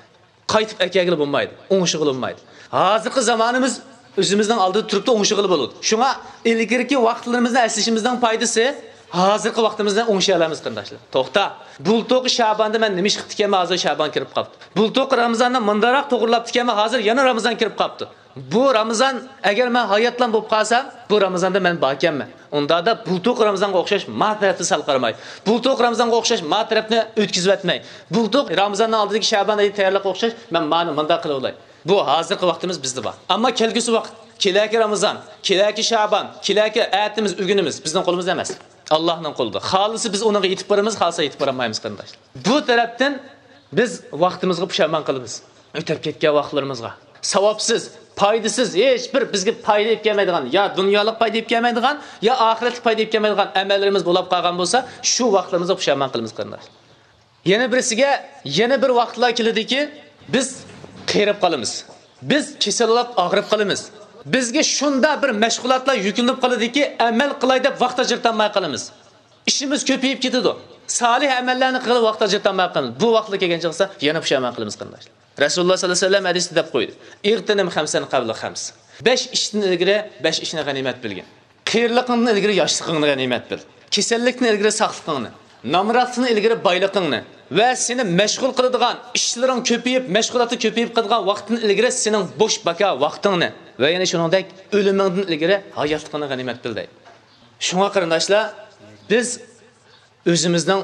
قايتىپ ئەكەلگىلى بولمايدۇ، ئوڭشىغىلى بولمايدۇ. ھازىرقى زامانىمىز ئۆزىمىزنىڭ ئالدىدا تۇرۇپتۇ، ئوڭشىغىلى بولىدۇ. شۇڭا ئىلگىرىكى ۋاقىتلىرىمىزنى ئەسلىشىمىزنىڭ پايدىسى، ھازىرقى ۋاقتىمىزنى ئوڭشىيالايمىز، قېرىنداشلار. توختا، بۇلتۇرقى شاباندا مەن نېمە ئىش قىپتىكەنمەن، ھازىر شابان كىرىپ قاپتۇ. بۇلتۇرقى رامىزاننى مۇنداقراق توغرىلاپتىكەنمەن، ھازىر يەنە رامىزان كىرىپ قاپتۇ. بۇ رامىزان ئەگەر مەن ھاياتلام بولۇپ قالسام، بۇ رامىزاندا مەن باركەنمەن. ئۇنداقتا بۇلتۇرقى رامىزانغا ئوخشاش ما تەرەپتىن سەل قارىماي، بۇلتۇرقى رامىزانغا ئوخشاش ما تەرەپنى ئۆتكۈزۈۋەتمەي، بۇلتۇرقى رامىزاننىڭ ئالدىدىكى شەبان ئايى تەييارلىققا ئوخشاش مەن مانى مۇنداق قىلىۋالاي. بۇ ھازىرقى ۋاقتىمىز بىزدە بار. ئەمما كەلگۈسى ۋاقىت، كېلەكى رامىزان، كېلەكى شەبان، كېلەكى ئەتىمىز، ئۆگۈنىمىز بىزنىڭ قولىمىزدا ئەمەس. ئاللاھنىڭ قولىدا. خالىسا بىز ئۇنىڭغا يېتىپ بارىمىز، خالىسا يېتىپ بارالمايمىز، قېرىنداشلار. بۇ تەرەپتىن بىز ۋاقتىمىزغا پۇشايمان قىلىمىز. ئۆتۈپ كەتكەن ۋاقىتلىرىمىزغا. ساۋابسىز، پايدىسىز، ھېچ بىر بىزگە پايدا ئېلىپ كەلمەيدىغان، يا دۇنيالىق پايدا ئېلىپ كەلمەيدىغان، يا ئاخىرەتلىك پايدا ئېلىپ كەلمەيدىغان ئەمەللىرىمىز بولاپ قالغان بولسا، شۇ ۋاقىتلىرىمىزغا پۇشايمان قىلىمىز، قېرىنداشلار. يەنە بىرسىگە، يەنە بىر ۋاقىتلار كېلىدىكى، بىز قېرىپ قالىمىز. بىز كېسەل بولۇپ ئاغرىپ قالىمىز. بىزگە شۇنداق بىر مەشغۇلاتلار يۈكلىنىپ قالىدىكى، ئەمەل قىلاي دەپ ۋاقىت ئاجرىتالماي قالىمىز. ئىشىمىز كۆپىيىپ كېتىدۇ. سالىھ ئەمەللەرنى قىلىپ ۋاقىت ئاجرىتالماي قالىمىز. بۇ ۋاقىتلار كەلگەن چاغدا يەنە پۇشايمان قىلىمىز، قېرىنداشلار. رەسۇلۇللا سەللەللاھۇ ئەلەيھى ۋەسەللەم ھەدىستە دەپ قويدى: «ئىغتەنىم خەمسەن قەبلە خەمس.» بەش ئىشتىن ئىلگىرى بەش ئىشنى غەنىيمەت بىلگىن. قېرىلىقىڭدىن ئىلگىرى ياشلىقىڭنى غەنىيمەت بىل. كېسەللىكتىن ئىلگىرى ساقلىقىڭنى، نامراتلىقتىن ئىلگىرى بايلىقىڭنى ۋە سېنى مەشغۇل قىلىدىغان ئىشلىرىڭ كۆپىيىپ، مەشغۇلاتى كۆپىيىپ قالىدىغان ۋاقىتتىن ئىلگىرى سېنىڭ بوش باكا ۋاقتىڭنى ۋە يەنە شۇنىڭدەك ئۆلۈمۈڭدىن ئىلگىرى ھاياتلىقىڭنى غەنىيمەت بىل دەيدۇ. شۇڭا قېرىنداشلار، بىز ئۆزىمىزنىڭ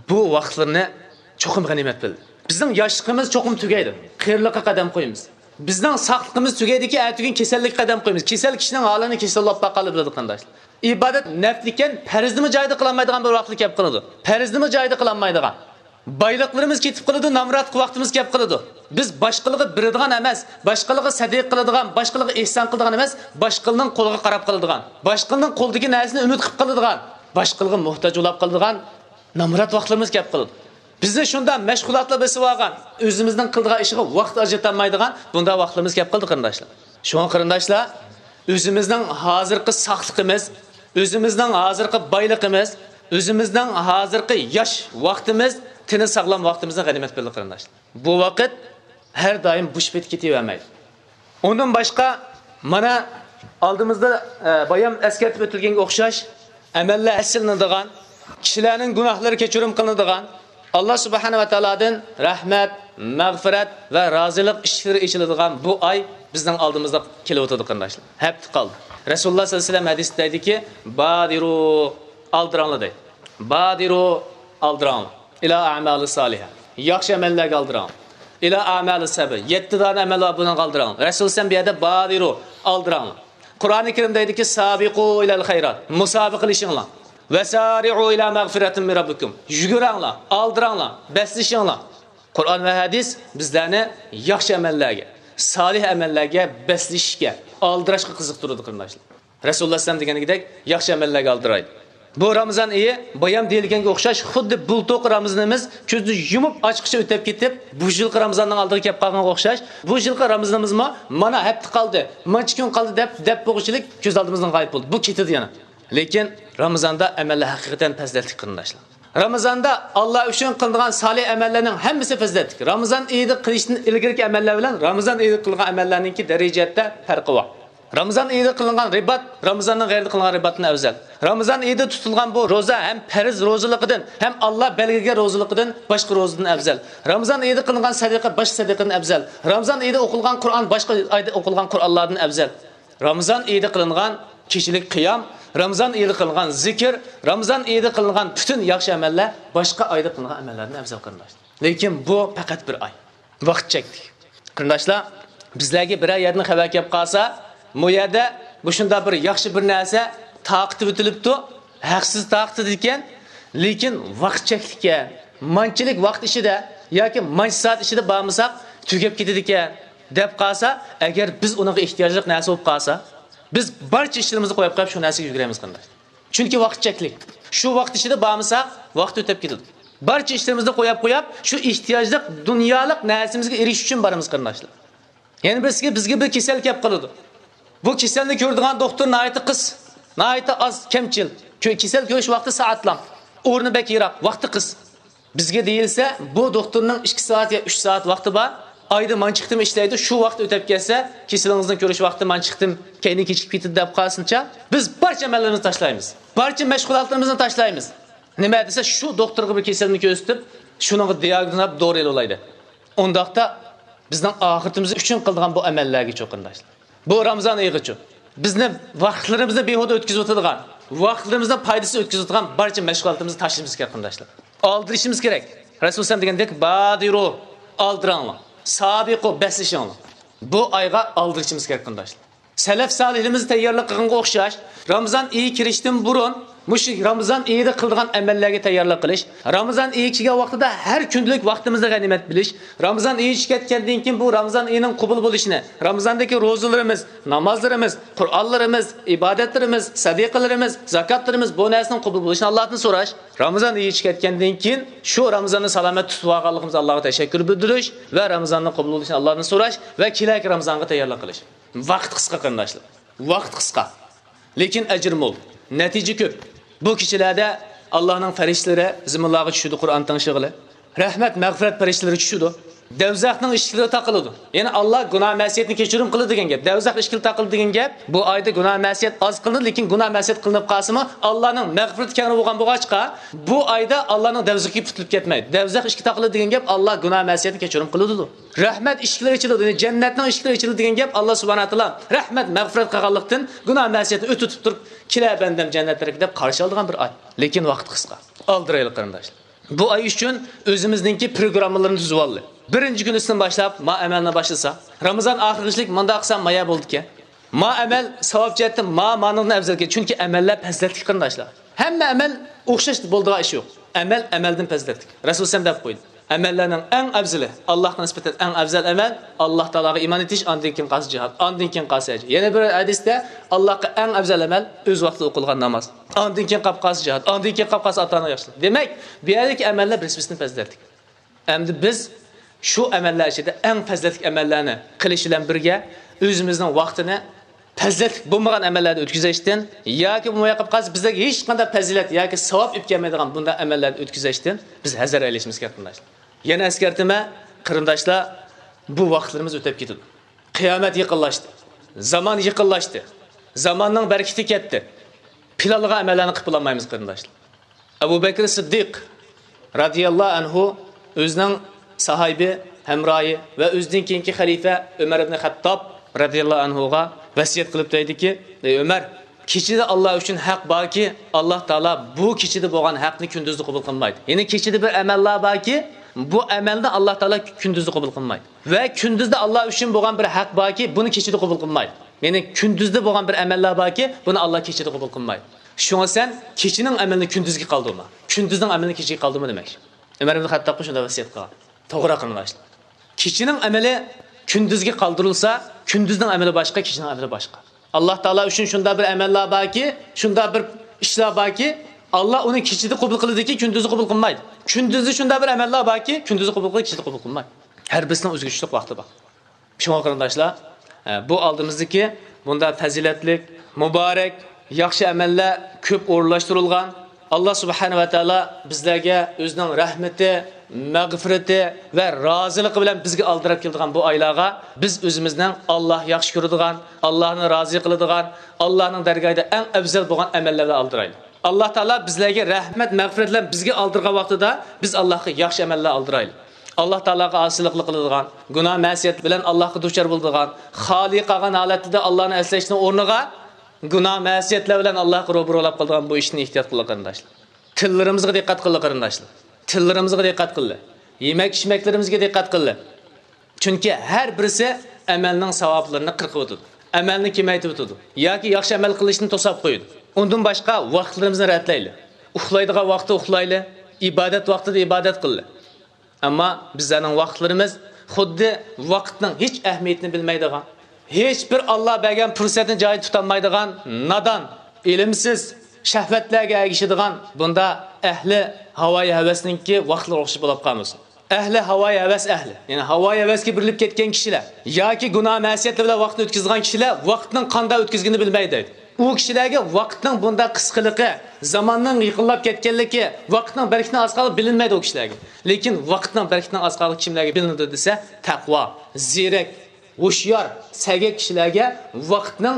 بۇ ۋاقىتلىرىنى چوقۇم غەنىيمەت بىل. بىزنىڭ ياشلىقىمىز چوقۇم تۈگەيدۇ. قېرىلىققا قەدەم قويىمىز. بىزنىڭ ساقلىقىمىز تۈگەيدىكى، ئەتىگۈن كېسەللىككە قەدەم قويىمىز. كېسەل كىشىنىڭ ھالىنى كېسەللەپ باققانلا بىلىدۇ، قېرىنداشلار. ئىبادەت نەپلىكەن، پەرزنىمۇ جايىدا قىلالمايدىغان بىر ۋاقىتلار كېلىپ قالىدۇ. پەرزنىمۇ جايىدا قىلالمايدىغان. بايلىقلىرىمىز كېتىپ قالىدۇ، نامراتلىق ۋاقتىمىز كېلىپ قالىدۇ. بىز باشقىلارغا بېرىدىغان ئەمەس، باشقىلارغا سەدىقە قىلىدىغان، باشقىلارغا ئېھسان قىلىدىغان ئەمەس، باشقىلارنىڭ قولىغا قاراپ قالىدىغان، باشقىلارنىڭ قولىدىكى نەرسىنى ئۈمىد قىلىپ قالىدىغان، باشقىلارغا موھتاج بولاپ قالىدىغان نامرات ۋاقىتلىرىمىز كېلىپ قالىدۇ. بىزنى شۇنداق مەشغۇلاتلار بېسىۋالغان، ئۆزىمىزنىڭ قىلىدىغان ئىشىغا ۋاقىت ئاجرىتالمايدىغان بۇنداق ۋاقىتلىرىمىز كېلىپ قالدى، قېرىنداشلار. شۇڭا، قېرىنداشلار، ئۆزىمىزنىڭ ھازىرقى ساقلىقىمىز، ئۆزىمىزنىڭ ھازىرقى بايلىقىمىز، ئۆزىمىزنىڭ ھازىرقى ياش ۋاقتىمىز، تېنى ساغلام ۋاقتىمىزنى غەنىيمەت بىلدۇق، قېرىنداشلار. بۇ ۋاقىت ھەر دائىم بوش پېتى كېتىۋەرمەيدۇ. ئۇندىن باشقا، مانا ئالدىمىزدا، ئە، بايام ئەسكەرتىپ ئۆتۈلگەنگە ئوخشاش، ئەمەللەر ئەسلىنىدىغان، كىشىلەرنىڭ گۇناھلىرى كەچۈرۈم قىلىنىدىغان، ئاللا سۇبھانە ۋە تائالادىن رەھمەت، مەغپىرەت ۋە رازىلىق ئىشىكلىرى ئېچىلىدىغان بۇ ئاي بىزنىڭ ئالدىمىزدا كېلىۋاتىدۇ، قېرىنداشلار. ھەپتە قالدى. رەسۇلۇللا سەللەللاھۇ ئەلەيھى ۋەسەللەم ھەدىستە دەيدىكى، بادىرۇ، ئالدىراڭلار دەيدۇ. بادىرۇ، ئالدىراڭلار. ئىلا ئەمالى سالىھە. ياخشى ئەمەللەرگە ئالدىراڭلار. ئىلا ئەمالى سەبە. يەتتە دانە ئەمەل بار، بۇنىڭغا ئالدىراڭلار. رەسۇلۇللا بۇ يەردە بادىرۇ، ئالدىراڭلار. قۇرئانى كەرىمدە دەيدۇكى، سابىقۇ ئىلەل خەيرات. مۇسابىقىلىشىڭلار. ۋەسارىئۇ ئىلا مەغفىرەتىن مىن رەببىكۇم. يۈگۈرەڭلار، ئالدىراڭلار، بەسلىشىڭلار. قۇرئان ۋە ھەدىس بىزلەرنى ياخشى ئەمەللەرگە، سالىھ ئەمەللەرگە بەسلىشىشكە، ئالدىراشقا قىزىقتۇرىدۇ، قېرىنداشلار. رەسۇلۇللا ئەلەيھىسسالام دېگەندەك ياخشى ئەمەللەرگە ئالدىرايدۇ. بۇ رامىزان ئېيى بايام دېيىلگەنگە ئوخشاش، خۇددى بۇلتۇرقى رامىزىنىمىز كۆزنى يۇمۇپ ئاچقىچە ئۆتۈپ كېتىپ، بۇ يىلقى رامىزاننىڭ ئالدىغا كەپ قالغانغا ئوخشاش، بۇ يىلقى رامىزىنىمىزمۇ مانا ھەپتە قالدى، مانچە كۈن قالدى دەپ دەپ بولغۇچىلىك كۆز ئالدىمىزدىن غايىب بولدى. بۇ كېتىدۇ يەنە. لېكىن رامىزاندا ئەمەللەر ھەقىقەتەن پەزىلەتلىك، قېرىنداشلار. رامىزاندا ئاللا ئۈچۈن قىلىنغان سالىھ ئەمەللەرنىڭ ھەممىسى پەزىلەتلىك. رامىزان ئېيىدا قىلىشتىن ئىلگىرىكى ئەمەللەر بىلەن رامىزان ئېيىدا قىلغان ئەمەللەرنىڭكى دەرىجىدە پەرقى بار. رامىزان ئېيىدا قىلىنغان رىبات رامىزاننىڭ غەيرىدە قىلىنغان رىباتتىن ئەۋزەل. رامىزان ئېيىدا تۇتۇلغان بۇ روزا ھەم پەرز روزىلىقىدىن، ھەم ئاللا بەلگىلىگەن روزىلىقىدىن باشقا روزىدىن ئەۋزەل. رامىزان ئېيىدا قىلىنغان سەدىقە باشقا سەدىقىدىن ئەۋزەل. رامىزان ئېيىدا ئوقۇلغان قۇرئان باشقا ئايدا ئوقۇلغان قۇرئانلاردىن ئەۋزەل. رامىزان ئېيىدا قىلىنغان كېچىلىك قىيام، رامىزان ئېيىدا قىلىنغان زىكىر، رامىزان ئېيىدا قىلىنغان پۈتۈن ياخشى ئەمەللەر باشقا ئايدا قىلىنغان ئەمەللەردىن ئەۋزەل، قېرىنداشلار. لېكىن بۇ پەقەت بىر ئاي. ۋاقىت چەكلىك. قېرىنداشلار، بىزلەرگە بىرەر يەردىن خەۋەر كەپ قالسا، بۇ يەردە مۇشۇنداق بىر ياخشى بىر نەرسە تارقىتىۋېتىلىپتۇ، ھەقسىز تارقىتىدىكەن، لېكىن ۋاقىت چەكلىككەن. مانچىلىك ۋاقىت ئىچىدە ياكى مانچە سائەت ئىچىدە بارمىساق، تۈگەپ كېتىدىكەن، دەپ قالسا، ئەگەر بىز ئۇنىڭغا ئېھتىياجلىق نەرسە بولۇپ قالسا، بىز بارچە ئىشلىرىمىزنى قويۇپ قويۇپ شۇ نەرسىگە يۈگۈرىمىز، قېرىنداشلار. چۈنكى ۋاقىت چەكلىك. شۇ ۋاقىت ئىچىدە بارمىساق، ۋاقىت ئۆتۈپ كېتىدۇ. بارچە ئىشلىرىمىزنى قويۇپ قويۇپ، شۇ ئېھتىياجلىق دۇنيالىق نەرسىمىزگە ئېرىشىش ئۈچۈن بارىمىز، قېرىنداشلار. يەنە بىرسىگە، بىزگە بىر كېسەل كەپ قالىدۇ. بۇ كېسەلنى كۆرىدىغان دوختۇر ناھايىتى قىس، ناھايىتى ئاز، كەمچىل. كۆ-، كېسەل كۆرۈش ۋاقتى سائەتلام. ئورنى بەك يىراق، ۋاقتى قىس. بىزگە دېيىلسە، بۇ دوختۇرنىڭ ئىككى سائەت يا ئۈچ سائەت ۋاقتى بار. ئايدا مانچە قېتىم ئىشلەيدۇ، شۇ ۋاقىت ئۆتۈپ كەتسە، كېسىلىڭىزنى كۆرۈش ۋاقتى مانچە قېتىم كەينىگە كېچىكىپ كېتىدۇ دەپ قالسىنچە، بىز بارچە ئەمەللىرىمىزنى تاشلايمىز. بارچە مەشغۇلاتلىرىمىزنى تاشلايمىز. نېمە دېسە، شۇ دوختۇرغا بىر كېسەلنى كۆرسىتىپ، شۇنىڭغا دىئاگنوز قويۇپ، دورا ئېلىۋالايلى. ئۇنداقتا بىزنىڭ ئاخىرىتىمىز ئۈچۈن قىلىدىغان بۇ ئەمەللەرگىچۇ، قېرىنداشلار. بۇ رامىزان ئېيىغىچۇ. بىزنى ۋاقىتلىرىمىزنى بىھۇدە ئۆتكۈزۈۋېتىدىغان، ۋاقىتلىرىمىزنى پايدىسىز ئۆتكۈزۈۋېتىدىغان بارچە مەشغۇلاتىمىزنى تاشلىشىمىز كېرەك، قېرىنداشلار. ئالدىرىشىمىز كېرەك. رەسۇل سەللەللاھۇ ئەلەيھى ۋەسەللەم دېگەندەك، بادىرۇ، ئالدىراڭلار. سابىقۇ، بەسلىشىڭلار. بۇ ئايغا ئالدىرىشىمىز كېرەك، قېرىنداشلار. سەلەف سالىھلىرىمىز تەييارلىق قىلغانغا ئوخشاش، رامىزان ئېيى كىرىشتىن بۇرۇن مۇشۇ رامىزان ئېيىدا قىلىدىغان ئەمەللەرگە تەييارلىق قىلىش، رامىزان ئېيى كەلگەن ۋاقتىدا ھەر كۈندىلىك ۋاقتىمىزنى غەنىيمەت بىلىش، رامىزان ئېيى چۈشۈپ كەتكەندىن كېيىن بۇ رامىزان ئېيىنىڭ قوبۇل بولۇشىنى، رامىزاندىكى روزىلىرىمىز، نامازلىرىمىز، قۇرئانلىرىمىز، ئىبادەتلىرىمىز، سەدىقىلىرىمىز، زاكاتلىرىمىز، بۇ نەرسىنىڭ قوبۇل بولۇشىنى ئاللادىن سوراش، رامىزان ئېيى چۈشۈپ كەتكەندىن كېيىن شۇ رامىزاننى سالامەت تۇتۇپ ئالغانلىقىمىزغا ئاللاغا تەشەككۈر بىلدۈرۈش ۋە رامىزاننىڭ قوبۇل بولۇشىنى ئاللادىن سوراش ۋە كېلەركى رامىزانغا تەييارلىق قىلىش. ۋاقىت قىسقا، قېرىنداشلار. ۋاقىت قىسقا. لېكىن ئەجىر مول. نەتىجە كۆپ. بۇ كېچىلەردە ئاللانىڭ پەرىشتىلىرى زېمىنلارغا چۈشىدۇ، قۇرئان تىڭشىغىلى. رەھمەت، مەغپىرەت پەرىشتىلىرى چۈشىدۇ. دەۋزەخنىڭ ئىشىكلىرى تاقىلىدۇ. يەنى ئاللا گۇناھ مەسىيەتنى كەچۈرۈم قىلىدۇ دېگەن گەپ. دەۋزەخ ئىشىكلىرى تاقىلىدۇ دېگەن گەپ. بۇ ئايدا گۇناھ مەسىيەت ئاز قىلىنىدۇ، لېكىن گۇناھ مەسىيەت قىلىنىپ قالسىمۇ، ئاللانىڭ مەغپىرىتى كەڭرى بولغان بولغاچقا، بۇ ئايدا ئاللانىڭ دەۋزىخى پۈتۈلۈپ كەتمەيدۇ. دەۋزەخ ئىشىكى تاقىلىدۇ دېگەن گەپ، ئاللا گۇناھ مەسىيەتنى كەچۈرۈم قىلىدۇ. رەھمەت ئىشىكلىرى ئېچىلىدۇ، يەنى جەننەتنىڭ ئىشىكلىرى ئېچىلىدۇ دېگەن گەپ، ئاللا سۇبھانەھۇ ۋە تائالا رەھمەت، مەغپىرەت قىلغانلىقتىن، گۇناھ مەسىيەتنى ئۆتۈتۈپ تۇرۇپ، كېلە بەندەم جەننەتلەرگە دەپ قارشى ئالىدىغان بىر ئاي. لېكىن ۋاقىت قىسقا. ئالدىرايلى قېرىنداشلار. بۇ ئاي ئۈچۈن ئۆزىمىزنىڭكى پروگراممىلىرىنى تۈزۈۋالدى. بىرىنچى كۈنىسىدىن باشلاپ ما ئەمەلنى باشلىسا، رامىزان ئاخىرغىچىلىك مۇنداق قىلسام مايا بولىدىكەن. ما ئەمەل ساۋاب جەھەتتىن ما مانىڭدىن ئەۋزەلكەن. چۈنكى ئەمەللەر پەزىلەتلىك قېرىنداشلار. ھەممە ئەمەل ئوخشاش بولىدىغان ئىش يوق. ئەمەل ئەمەلدىن پەزىلەتلىك. رەسۇل سەللەم دەپ قويدى. ئەمەللەرنىڭ ئەڭ ئەۋزىلى، ئاللاھقا نىسبەتەن ئەڭ ئەۋزەل ئەمەل، ئاللاھ تائالاغا ئىمان ئېيتىش، ئاندىن كېيىن قالسا جىھاد، ئاندىن كېيىن قالسا ھەج. يەنە بىر ھەدىستە، ئاللاھقا ئەڭ ئەۋزەل ئەمەل ئۆز ۋاقتىدا ئوقۇلغان ناماز، ئاندىن كېيىن قاپ قالسا جىھاد، ئاندىن كېيىن قاپ قالسا ئاتا-ئانىغا ياخشىلىق. دېمەك، بۇ يەردىكى ئەمەللەر بىرسى-بىرسىدىن پەزىلەتلىك. ئەمدى بىز شۇ ئەمەللەر ئىچىدە ئەڭ پەزىلەتلىك ئەمەللەرنى قىلىش بىلەن بىرگە، ئۆزىمىزنىڭ ۋاقتىنى پەزىلەتلىك بولمىغان ئەمەللەردە ئۆتكۈزۈشتىن ياكى بولمىغان قالسا بىزلەرگە ھېچقانداق پەزىلەت ياكى ساۋاب ئېلىپ كەلمەيدىغان بۇنداق ئەمەللەردە ئۆتكۈزۈشتىن بىز ھەزەر ئەيلىشىمىز كېرەك، قېرىنداشلار. يەنە ئەسكەرتىمەن، قېرىنداشلار، بۇ ۋاقىتلىرىمىز ئۆتۈپ كېتىدۇ. قىيامەت يېقىنلاشتى. زامان يېقىنلاشتى. زاماننىڭ بەرىكىتى كەتتى. پىلانلىغان ئەمەللەرنى قىلىپ بولالمايمىز، قېرىنداشلار. ئەبۇ بەكرى سىددىق رەزىياللاھۇ ئەنھۇ ئۆزىنىڭ ساھىبى، ھەمراھى ۋە ئۆزىدىن كېيىنكى خەلىپە ئۆمەر ئىبنى خەتتاب رەزىياللاھۇ ئەنھۇغا ۋەسىيەت قىلىپ دەيدىكى، ئەي ئۆمەر، كېچىدە ئاللا ئۈچۈن ھەق باركى، ئاللا تائالا بۇ كېچىدە بولغان ھەقنى كۈندۈزدە قوبۇل قىلمايدۇ. يەنى كېچىدە بىر ئەمەللەر باركى، بۇ ئەمەلنى ئاللا تائالا كۈندۈزدە قوبۇل قىلمايدۇ. ۋە كۈندۈزدە ئاللا ئۈچۈن بولغان بىر ھەق باركى، بۇنى كېچىدە قوبۇل قىلمايدۇ. يەنى كۈندۈزدە بولغان بىر ئەمەللەر باركى، بۇنى ئاللا كېچىدە قوبۇل قىلمايدۇ. شۇڭا سەن كېچىنىڭ ئەمىلىنى كۈندۈزگە قالدۇرما. كۈندۈزنىڭ ئەمىلىنى كېچىگە قالدۇرما دېمەكچى. ئۆمەر ئىبن خەتتابقا شۇنداق ۋەسىيەت قىلغان. توغرا قېرىنداشلار. كېچىنىڭ ئەمىلى كۈندۈزگە قالدۇرۇلسا، كۈندۈزنىڭ ئەمىلى باشقا، كېچىنىڭ ئەمىلى باشقا. ئاللا تائالا ئۈچۈن شۇنداق بىر ئەمەللەر باركى، شۇنداق بىر ئىشلار باركى، ئاللا ئۇنى كېچىدە قوبۇل قىلىدىكى، كۈندۈزدە قوبۇل قىلمايدۇ. كۈندۈزدە شۇنداق بىر ئەمەللەر باركى، كۈندۈزدە قوبۇل قىلىدۇ، كېچىدە قوبۇل قىلمايدۇ. ھەر بىرسىنىڭ ئۆزىگە چۈشلۈك ۋاقتى بار. شۇڭا قېرىنداشلار، ئە، بۇ ئالدىمىزدىكى بۇنداق پەزىلەتلىك، مۇبارەك، ياخشى ئەمەللەر كۆپ ئورۇنلاشتۇرۇلغان، ئاللا سۇبھانەھۇ ۋە تائالا بىزلەرگە ئۆزىنىڭ رەھمىتى، مەغپىرىتى ۋە رازىلىقى بىلەن بىزگە ئالدىراپ كېلىدىغان بۇ ئايلارغا بىز ئۆزىمىزنىڭ ئاللا ياخشى كۆرىدىغان، ئاللانى رازى قىلىدىغان، ئاللانىڭ دەرگاھىدا ئەڭ ئەۋزەل بولغان ئەمەللەر بىلەن ئالدىرايلى. ئاللا تائالا بىزلەرگە رەھمەت، مەغپىرەت بىلەن بىزگە ئالدۇرغان ۋاقتىدا بىز ئاللاغا ياخشى ئەمەللەر ئالدىرايلى. ئاللا تائالاغا ئاسىيلىقلا قىلىدىغان، گۇناھ مەسىيەت بىلەن ئاللاغا دۇچار بولىدىغان، خالىي قالغان ھالەتتە ئاللانى ئەسلەشنىڭ ئورنىغا گۇناھ مەسىيەتلەر بىلەن ئاللاغا روبىرۇ بولۇپ قالىدىغان بۇ ئىشتىن ئېھتىيات قىلىڭ قېرىنداشلار. تىللىرىمىزغا دىققەت قىلىڭ قېرىنداشلار. تىللىرىمىزغا دىققەت قىلىڭ. يېمەك ئىچمەكلىرىمىزگە دىققەت قىلىڭ. چۈنكى ھەر بىرسى ئەمەلنىڭ ساۋابلىرىنى قىرقىۋېتىدۇ. ئەمەلنى كېمەيتىۋېتىدۇ. ياكى ياخشى ئەمەل قىلىشنى توساپ قويىدۇ. ئۇندىن باشقا ۋاقىتلىرىمىزنى رەتلەيلى. ئۇخلايدىغان ۋاقىتتا ئۇخلايلى. ئىبادەت ۋاقتىدا ئىبادەت قىلىلى. ئەمما بىزلەرنىڭ ۋاقىتلىرىمىز خۇددى ۋاقىتنىڭ ھېچ ئەھمىيىتىنى بىلمەيدىغان، ھېچ بىر ئاللا بەرگەن پۇرسەتنى جايىدا تۇتالمايدىغان، نادان، ئىلىمسىز، شەھۋەتلەرگە ئەگىشىدىغان بۇنداق ئەھلى ھاۋايى ھەۋەسنىڭكى ۋاقىتلىرى ئوخشاش بولۇپ قالمىسۇن. ئەھلى ھاۋايى ھەۋەس ئەھلى، يەنى ھاۋايى ھەۋەسكە بېرىلىپ كەتكەن كىشىلەر ياكى گۇناھ مەسىيەتلەر بىلەن ۋاقىتنى ئۆتكۈزىدىغان كىشىلەر ۋاقىتنىڭ قانداق ئۆتكۈزگىنىنى بىلمەيدۇ دەيدۇ. ئۇ كىشىلەرگە ۋاقىتنىڭ بۇنداق قىسقىلىقى، زاماننىڭ يېقىنلاپ كەتكەنلىكى، ۋاقىتنىڭ بەرىكىتىنىڭ ئاز قالغانلىقى بىلىنمەيدۇ ئۇ كىشىلەرگە. لېكىن ۋاقىتنىڭ بەرىكىتىنىڭ ئاز قالغانلىقى كىملەرگە بىلىنىدۇ دېسە، تەقۋا، زېرەك، ھوشيار، سەگەك كىشىلەرگە ۋاقىتنىڭ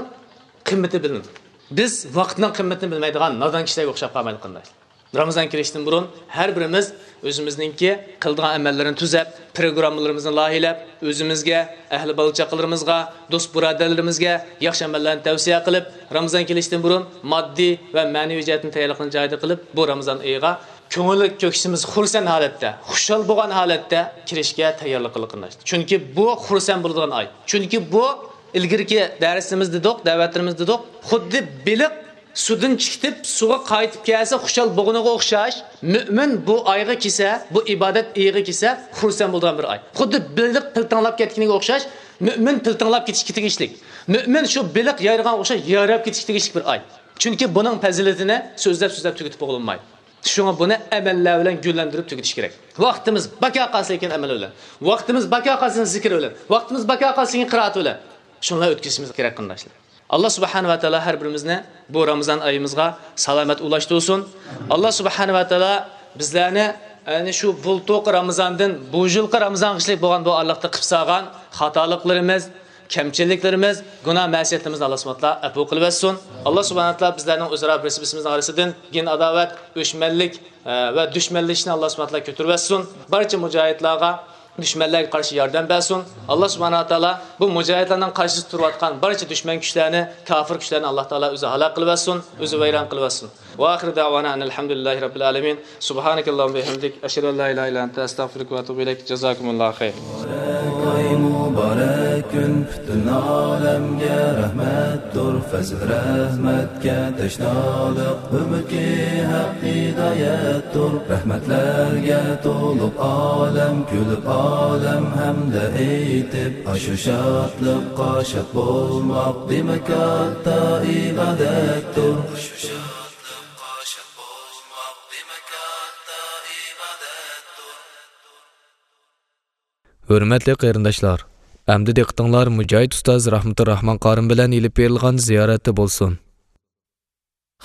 قىممىتى بىلىنىدۇ. بىز ۋاقىتنىڭ قىممىتىنى بىلمەيدىغان نادان كىشىلەرگە ئوخشاپ قالمايلى، قېرىنداشلار. رامىزان كېلىشتىن بۇرۇن ھەر بىرىمىز ئۆزىمىزنىڭكى قىلىدىغان ئەمەللىرىنى تۈزەپ، پروگراممىلىرىمىزنى لايىھەلەپ، ئۆزىمىزگە، ئەھلى بالا-چاقىلىرىمىزغا، دوست-بۇرادەرلىرىمىزگە ياخشى ئەمەللەرنى تەۋسىيە قىلىپ، رامىزان كېلىشتىن بۇرۇن ماددىي ۋە مەنىۋى جەھەتتىن تەييارلىقنى جايىدا قىلىپ، بۇ رامىزان ئېيىغا كۆڭۈل كۆكسىمىز خۇرسەن ھالەتتە، خۇشال بولغان ھالەتتە كىرىشكە تەييارلىق قىلىڭ، قېرىنداشلار. چۈنكى بۇ خۇرسەن بولىدىغان ئاي. چۈنكى بۇ ئىلگىرىكى دەرسىمىز دېدۇق، دەۋەتلىرىمىز دېدۇق، خۇددى بېلىق سۇدىن چىقىپ، سۇغا قايتىپ كەلسە خۇشال بولغىنىغا ئوخشاش، مۆمىن بۇ ئايغا كەلسە، بۇ ئىبادەت ئېيىغا كەلسە، خۇرسەن بولىدىغان بىر ئاي. خۇددى بېلىق پىلتىڭلاپ كەتكىنىگە ئوخشاش، مۆمىن پىلتىڭلاپ كېتىشكە تېگىشلىك. مۆمىن شۇ بېلىق يايرىغانغا ئوخشاش يايراپ كېتىشكە تېگىشلىك بىر ئاي. چۈنكى بۇنىڭ پەزىلىتىنى سۆزلەپ-سۆزلەپ تۈگىتىپ بولۇنمايدۇ. شۇڭا بۇنى ئەمەللەر بىلەن گۈللەندۈرۈپ تۈگىتىش كېرەك. ۋاقتىمىز باكا قالسا لېكىن ئەمەل بىلەن، ۋاقتىمىز باكا قالسا زىكىر بىلەن، ۋاقتىمىز باكا قالسا لېكىن قىرائەت بىلەن، شۇنىلا ئۆتكۈزۈشىمىز كېرەك، قېرىنداشلار. ئاللا سۇبھانە ۋە تائالا ھەر بىرىمىزنى بۇ رامىزان ئايىمىزغا سالامەت ئۇلاشتۇرسۇن. ئاللا سۇبھانە ۋە تائالا بىزلەرنى، يەنى شۇ بۇلتۇرقى رامىزاندىن بۇ يىلقى رامىزانغىچىلىك بولغان بۇ ئارىلىقتا قىلىپ سالغان خاتالىقلىرىمىز، كەمچىلىكلىرىمىز، گۇناھ مەسىيەتلىرىمىزنى ئاللا سۇبھانە تائالا ئەپۇ قىلىۋەتسۇن. ئاللا سۇبھانە تائالا بىزلەرنىڭ ئۆزئارا بىرسى بىرسىمىزنىڭ ئارىسىدىن كىن ئاداۋەت، ئۆچمەنلىك، ئە، ۋە دۈشمەنلىشىشنى ئاللا سۇبھانە تائالا كۆتۈرۈۋەتسۇن. بارچە مۇجاھىدلارغا، دۈشمەنلەرگە قارشى ياردەم بەرسۇن. ئاللا سۇبھانە تائالا بۇ مۇجاھىدلارنىڭ قارشىسىدا تۇرۇۋاتقان بارچە دۈشمەن كۈچلەرنى، كاپىر كۈچلەرنى ئاللا تائالا ئۆزى ھالاك قىلىۋەتسۇن، ئۆزى ۋەيران قىلىۋەتسۇن. ۋە ئاخىرۇ دەۋانا ئەنىل ھەمدۇلىللاھى رەببىل ئالەمىن. سۇبھانەكەللاھۇممە ۋە بىھەمدىك. ئەشھەدۇ ئەن لا ئىلاھە ئىللا ئەنتە، ئەستەغفىرۇكە ۋە ئەتۇبۇ ئىلەيك. جازاكۇمۇللاھۇ خەير. مۇبارەك ئاي، مۇبارەك كۈن، پۈتۈن ئالەمگە رەھمەتتۇر. پەزىل رەھمەتكە تەشنالىق، ئۈمىدكى ھەق ھىدايەتتۇر. رەھمەتلەرگە تولۇپ ئالەم، كۈلۈپ ئالەم ھەمدە ئېيتىپ، ئاشۇ شادلىققا شاد بولماق، دېمەك، كاتتا ئىبادەتتۇر. ھۆرمەتلىك قېرىنداشلار، ئەمدى دىققىتىڭلار مۇجاھىد ئۇستاز راھمىتۇر راھمان قارىم بىلەن ئېلىپ بېرىلغان زىيارەتتە بولسۇن.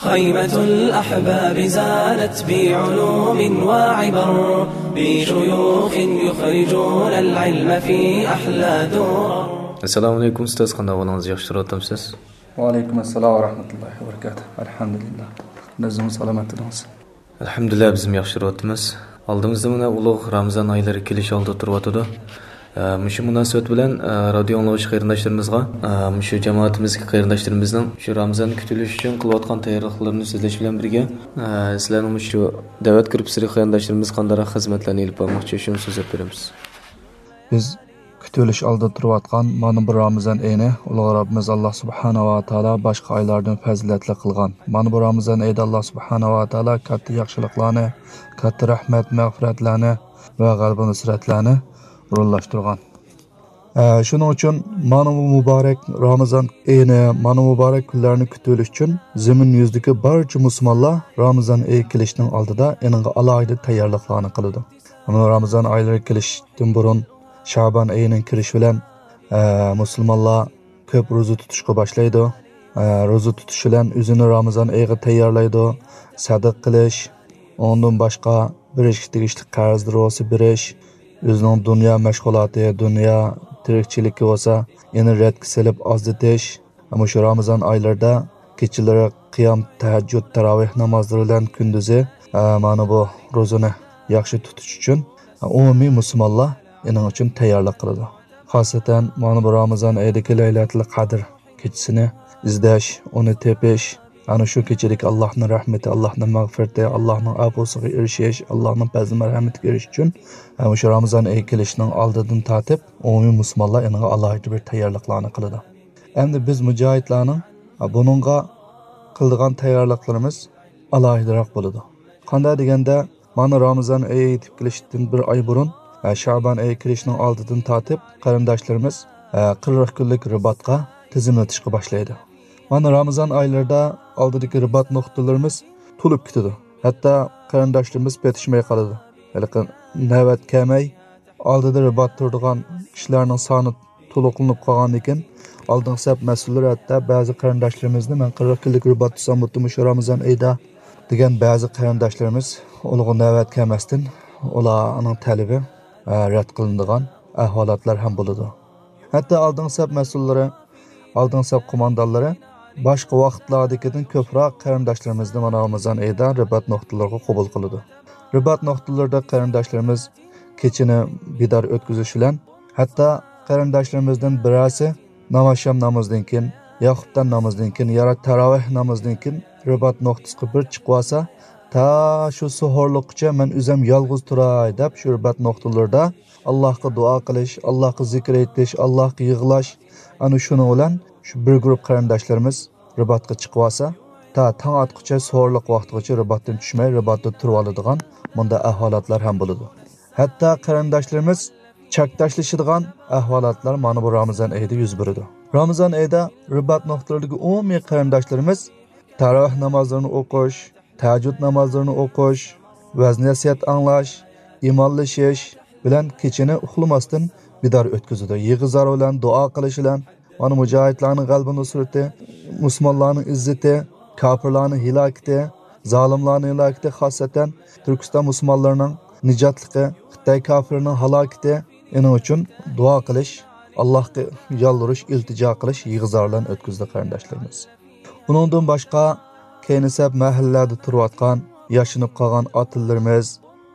خيمة الأحباب زانت بعلوم وعبر، بشيوخ يخرجون العلم في أحلى درر. ئەسسالامۇ ئەلەيكۇم ئۇستاز، قانداق ئەھۋالىڭىز؟ ياخشى تۇرۇۋاتامسىز؟ ۋەئەلەيكۇم ئەسسالام ۋە رەھمەتۇللاھى ۋە بەرىكاتۇھ. ئەلھەمدۇلىللاھ. ئۆزىڭىز سالامەت تۇرۇڭىز. ئەلھەمدۇلىللاھ، بىزمۇ ياخشى تۇرۇۋاتىمىز. ئالدىمىزدا مانا ئۇلۇغ رامىزان ئايلىرى كېلىش ئالدىدا تۇرۇۋاتىدۇ. ئە، مۇشۇ مۇناسىۋەت بىلەن، ئە، رادىيو ئاڭلىغۇچى قېرىنداشلىرىمىزغا، ئە، مۇشۇ جامائىتىمىزدىكى قېرىنداشلىرىمىزنىڭ شۇ رامىزان كۈتۈلۈشى ئۈچۈن قىلىۋاتقان تەييارلىقلىرىنى سۆزلەش بىلەن بىرگە، ئە، سىلەرنىڭ مۇشۇ دەۋەت گۇرۇپپىسىدىكى قېرىنداشلىرىمىز قانداقراق خىزمەتلەرنى ئېلىپ بارماقچى، شۇنى سۆزلەپ بېرىمىز. بىز كۈتۈۋېلىش ئالدىدا تۇرۇۋاتقان مانا بۇ رامىزان ئېيىنى ئۇلۇغ رەببىمىز ئاللا سۇبھانەھۇ ۋە تائالا باشقا ئايلاردىن پەزىلەتلىك قىلغان. مانا بۇ رامىزان ئېيىدا ئاللا سۇبھانەھۇ ۋە تائالا كاتتا ياخشىلىقلارنى، كاتتا رەھمەت، مەغپىرەتلەرنى ۋە غەلىبە نۇسرەتلەرنى ئورۇنلاشتۇرغان. ئە، شۇنىڭ ئۈچۈن مانا بۇ مۇبارەك رامىزان ئېيىنى، مانا مۇبارەك كۈنلەرنى كۈتۈۋېلىش ئۈچۈن زېمىن يۈزىدىكى بارچە مۇسۇلمانلار رامىزان ئېيى كېلىشنىڭ ئالدىدا ئېنىڭغا ئالاھىدە تەييارلىقلارنى قىلىدۇ. مانا رامىزان ئايلىرى كېلىشتىن بۇرۇن شەبان ئېيىنىڭ كىرىشى بىلەن، ئە، مۇسۇلمانلار كۆپ روزا تۇتۇشقا باشلايدۇ. ئە، روزا تۇتۇش بىلەن ئۆزىنى رامىزان ئېيىغا تەييارلايدۇ. سەدىقە قىلىش، ئۇنىڭدىن باشقا بېرىشكە تېگىشلىك قەرزلىرى بولسا بېرىش، ئۆزىنىڭ دۇنيا مەشغۇلاتى، دۇنيا تىرىكچىلىكى بولسا يەنە رەتكە سېلىپ ئازلىتىش. مۇشۇ رامىزان ئايلىرىدا كېچىلىرى قىيام، تەھەججۇد، تاراۋىھ نامازلىرى بىلەن كۈندۈزى، ئە، مانا بۇ روزىنى ياخشى تۇتۇش ئۈچۈن ئومۇمىي مۇسۇلمانلار ئېنىڭ ئۈچۈن تەييارلىق قىلىدۇ. خاسەتەن مانا بۇ رامىزان ئېيىدىكى لەيلەتۇل قەدىر كېچىسىنى ئىزدەش، ئۇنى تېپىش، ئەنە شۇ كېچىدىكى ئاللاھنىڭ رەھمىتى، ئاللاھنىڭ مەغپىرىتى، ئاللاھنىڭ ئەپۇسىغا ئېرىشىش، ئاللاھنىڭ پەزلى مەرھەمىتىگە ئېرىشىش ئۈچۈن، ئە، مۇشۇ رامىزان ئېيى كېلىشىنىڭ ئالدىدىن تارتىپ ئومۇمىي مۇسۇلمانلار ئېنىڭغا ئالاھىدە بىر تەييارلىقلارنى قىلىدۇ. ئەمدى بىز مۇجاھىدلارنىڭ، ئە، بۇنىڭغا قىلىدىغان تەييارلىقلىرىمىز ئالاھىدىراق بولىدۇ. قانداق دېگەندە، مانا رامىزان ئېيى يېتىپ كېلىشتىن بىر ئاي بۇرۇن، ئە، شەبان ئېيى كىرىشنىڭ ئالدىدىن تارتىپ قېرىنداشلىرىمىز، ئە، قىرىق كۈنلۈك رىباتقا تىزىملىتىشقا باشلايدۇ. مانا رامىزان ئايلىرىدا ئالدىدىكى رىبات نۇقتىلىرىمىز تولۇپ كېتىدۇ. ھەتتا قېرىنداشلىرىمىز پېتىشماي قالىدۇ. ھېلىقى نۆۋەت كەلمەي، ئالدىدا رىبات تۇرىدىغان كىشىلەرنىڭ سانى تولۇقلىنىپ قالغاندىن كېيىن، ئالدىنقى سەپ مەسئۇللىرى ھەتتا بەزى قېرىنداشلىرىمىزنى، مەن قىرىق كۈنلۈك رىبات تۇتساممۇ شۇ رامىزان ئېيىدا دېگەن بەزى قېرىنداشلىرىمىز ئۇلارغا نۆۋەت كەلمەستىن، ئۇلارنىڭ تەلىپى، ئە، رەت قىلىنىدىغان ئەھۋالاتلار ھەم بولىدۇ. ھەتتا ئالدىنقى سەپ مەسئۇللىرى، ئالدىنقى سەپ قوماندانلىرى باشقا ۋاقىتلاردىكىدىن كۆپرەك قېرىنداشلىرىمىزنى مانا رامىزان ئېيىدا رىبات نۇقتىلىرىغا قوبۇل قىلىدۇ. رىبات نۇقتىلىرىدا قېرىنداشلىرىمىز كېچىنى بىدار ئۆتكۈزۈش بىلەن، ھەتتا قېرىنداشلىرىمىزدىن بىرەرسى نامازشام نامىزىدىن كېيىن، يا خۇپتان نامىزىدىن كېيىن، يا رەت تاراۋىھ نامىزىدىن كېيىن رىبات نۇقتىسىغا بىر چىقىۋالسا، تا شۇ سوھۇرلۇققىچە مەن ئۆزۈم يالغۇز تۇراي دەپ، شۇ رىبات نۇقتىلىرىدا ئاللاھقا دۇئا قىلىش، ئاللاھقا زىكىر ئېيتىش، ئاللاھقا يىغلاش، ئەنە شۇنىڭ بىلەن شۇ بىر گۇرۇپ قېرىنداشلىرىمىز رىباتقا چىقىۋالسا، تا تاڭ ئاتقۇچە سوھۇرلۇق ۋاقتىغىچە رىباتتىن چۈشمەي، رىباتتا تۇرۇۋالىدىغان مۇنداق ئەھۋالاتلار ھەم بولىدۇ. ھەتتا قېرىنداشلىرىمىز چاكداشلىشىدىغان ئەھۋالاتلار مانا بۇ رامىزان ئېيىدا يۈز بېرىدۇ. رامىزان ئېيىدا رىبات نۇقتىلىرىدىكى ئومۇمىي قېرىنداشلىرىمىز تاراۋىھ نامازلىرىنى ئوقۇش، تەھەججۇد نامازلىرىنى ئوقۇش، ۋەز-نەسىھەت ئاڭلاش، ئىمانلىشىش بىلەن كېچىنى ئۇخلىماستىن بىدار ئۆتكۈزىدۇ. يىغا-زار بىلەن، دۇئا قىلىش بىلەن، مانا مۇجاھىدلارنىڭ غەلىبە نۇسرىتى، مۇسۇلمانلارنىڭ ئىززىتى، كاپىرلارنىڭ ھالاكىتى، زالىملارنىڭ ھالاكىتى، خاسسەتەن تۈركىستان مۇسۇلمانلىرىنىڭ نىجاتلىقى، خىتاي كاپىرىنىڭ ھالاكىتى، ئېنىڭ ئۈچۈن دۇئا قىلىش، ئاللاھقا يالۋۇرۇش، ئىلتىجا قىلىش يىغا-زار بىلەن ئۆتكۈزدى قېرىنداشلىرىمىز. ئۇنىڭدىن باشقا كەينى سەپ مەھەللىلەردە تۇرۇۋاتقان، ياشىنىپ قالغان ئاتىلىرىمىز،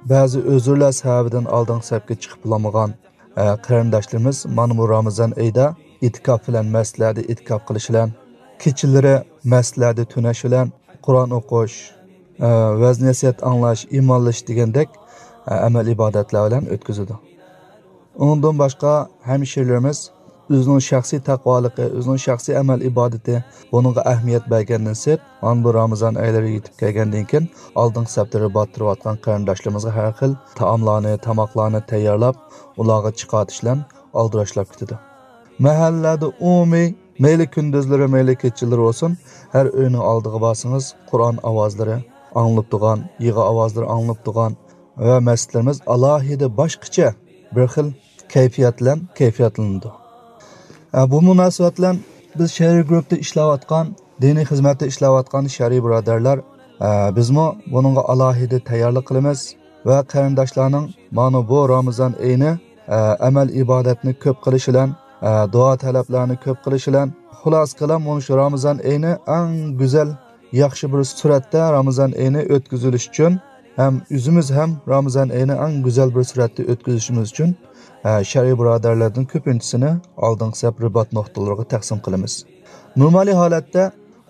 بەزى ئۆزۈرلەر سەۋەبىدىن ئالدىنقى سەپكە چىقىپ بولالمىغان، ئە، قېرىنداشلىرىمىز مانا بۇ رامىزان ئېيىدا ئېتىكاپ بىلەن مەسچىتلەردە ئېتىكاپ قىلىش بىلەن، كېچىلىرى مەسچىتلەردە تۈنەش بىلەن، قۇرئان ئوقۇش، ئە، ۋەز-نەسىھەت ئاڭلاش، ئىمانلىشىش دېگەندەك، ئە، ئەمەل-ئىبادەتلەر بىلەن ئۆتكۈزىدۇ. ئۇنىڭدىن باشقا ھەمشىرىلىرىمىز ئۆزىنىڭ شەخسىي تەقۋالىقى، ئۆزىنىڭ شەخسىي ئەمەل-ئىبادىتى، بۇنىڭغا ئەھمىيەت بەرگەندىن سىرت، مانا بۇ رامىزان ئايلىرى يېتىپ كەلگەندىن كېيىن، ئالدىنقى سەپتە رىبات تۇرۇۋاتقان قېرىنداشلىرىمىزغا ھەر خىل تائاملارنى، تاماقلارنى تەييارلاپ، ئۇلارغا چىقارتىش بىلەن ئالدىراشلاپ كېتىدۇ. مەھەللىلەردە ئومۇمىي، مەيلى كۈندۈزلىرى، مەيلى كېچىلىرى بولسۇن، ھەر ئۆينىڭ ئالدىغا بارسىڭىز، قۇرئان ئاۋازلىرى ئاڭلىنىپ تۇرغان، يىغا ئاۋازلىرى ئاڭلىنىپ تۇرغان ۋە مەسچىتلىرىمىز ئالاھىدە باشقىچە بىر خىل كەيپىيات بىلەن كەيپىياتلىنىدۇ. ئە، بۇ مۇناسىۋەت بىلەن بىز شەرئىي گۇرۇپپىدا ئىشلەۋاتقان، دىنىي خىزمەتتە ئىشلەۋاتقان شەرئىي بۇرادەرلەر، ئە، بىزمۇ بۇنىڭغا ئالاھىدە تەييارلىق قىلىمىز ۋە قېرىنداشلارنىڭ مانا بۇ رامىزان ئېيىنى، ئە، ئەمەل ئىبادەتنى كۆپ قىلىش بىلەن، ئە، دۇئا تەلەپلەرنى كۆپ قىلىش بىلەن، خۇلاسە كالام، مانا شۇ رامىزان ئېيىنى ئەڭ گۈزەل، ياخشى بىر سۈرەتتە رامىزان ئېيىنى ئۆتكۈزۈلۈش ئۈچۈن ھەم ئۆزىمىز ھەم رامىزان ئېيىنى ئەڭ گۈزەل بىر سۈرەتتە ئۆتكۈزۈشىمىز ئۈچۈن، ئە، شەرئىي بۇرادەرلەردىن كۆپىنچىسىنى ئالدىنقى سەپ رىبات نۇقتىلىرىغا تەقسىم قىلىمىز. نورمالىي ھالەتتە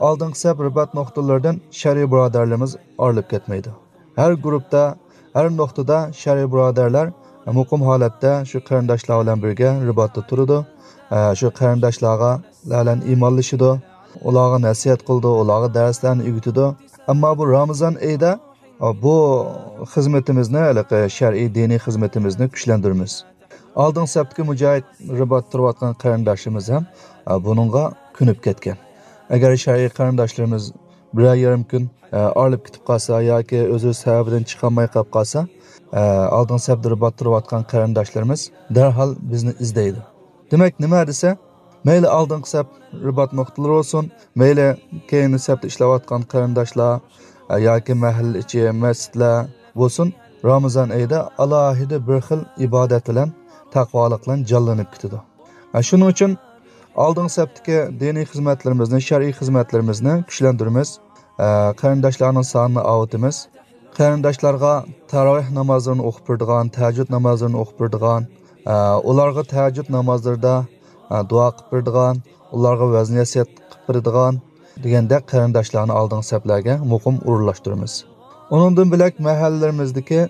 ئالدىنقى سەپ رىبات نۇقتىلىرىدىن شەرئىي بۇرادەرلىرىمىز ئايرىلىپ كەتمەيدۇ. ھەر گۇرۇپپىدا، ھەر نۇقتىدا شەرئىي بۇرادەرلەر مۇقىم ھالەتتە شۇ قېرىنداشلار بىلەن بىرگە رىباتتا تۇرىدۇ. ئە، شۇ قېرىنداشلارغا بىلەن ئىمانلىشىدۇ، ئۇلارغا نەسىھەت قىلىدۇ، ئۇلارغا دەرسلەرنى ئۆگىتىدۇ. ئەمما بۇ رامىزان ئېيىدا، ئە، بۇ خىزمىتىمىزنى، ھېلىقى شەرئىي دىنىي خىزمىتىمىزنى كۈچلەندۈرىمىز. ئالدىنقى سەپتىكى مۇجاھىد رىبات تۇرۇۋاتقان قېرىنداشلىرىمىز ھەم، ئە، بۇنىڭغا كۆنۈپ كەتكەن. ئەگەر شەرئىي قېرىنداشلىرىمىز بىرەر يېرىم كۈن، ئە، ئايرىلىپ كېتىپ قالسا ياكى ئۆزى سەۋەبىدىن چىقالماي قېلىپ قالسا، ئە، ئالدىنقى سەپتە رىبات تۇرۇۋاتقان قېرىنداشلىرىمىز دەرھال بىزنى ئىزدەيدۇ. دېمەك، نېمە دېسە، مەيلى ئالدىنقى سەپ رىبات نۇقتىلىرى بولسۇن، مەيلى كەينى سەپتە ئىشلەۋاتقان قېرىنداشلار، ئە، ياكى مەھەللە ئىچى مەسچىتلەر بولسۇن، رامىزان ئېيىدا ئالاھىدە بىر خىل ئىبادەت بىلەن، تەقۋالىق بىلەن جانلىنىپ كېتىدۇ. ئە، شۇنىڭ ئۈچۈن ئالدىنقى سەپتىكى دىنىي خىزمەتلىرىمىزنى، شەرئىي خىزمەتلىرىمىزنى كۈچلەندۈرىمىز. ئە، قېرىنداشلارنىڭ سانىنى ئاۋۇتىمىز. قېرىنداشلارغا تاراۋىھ نامازلىرىنى ئوقۇپ بېرىدىغان، تەھەججۇد نامازلىرىنى ئوقۇپ بېرىدىغان، ئە، ئۇلارغا تەھەججۇد نامازلىرىدا، ئە، دۇئا قىلىپ بېرىدىغان، ئۇلارغا ۋەز-نەسىھەت قىلىپ بېرىدىغان دېگەندەك قېرىنداشلارنى ئالدىنقى سەپلەرگە مۇقىم ئورۇنلاشتۇرىمىز. ئۇنىڭدىن بۆلەك مەھەللىلىرىمىزدىكى،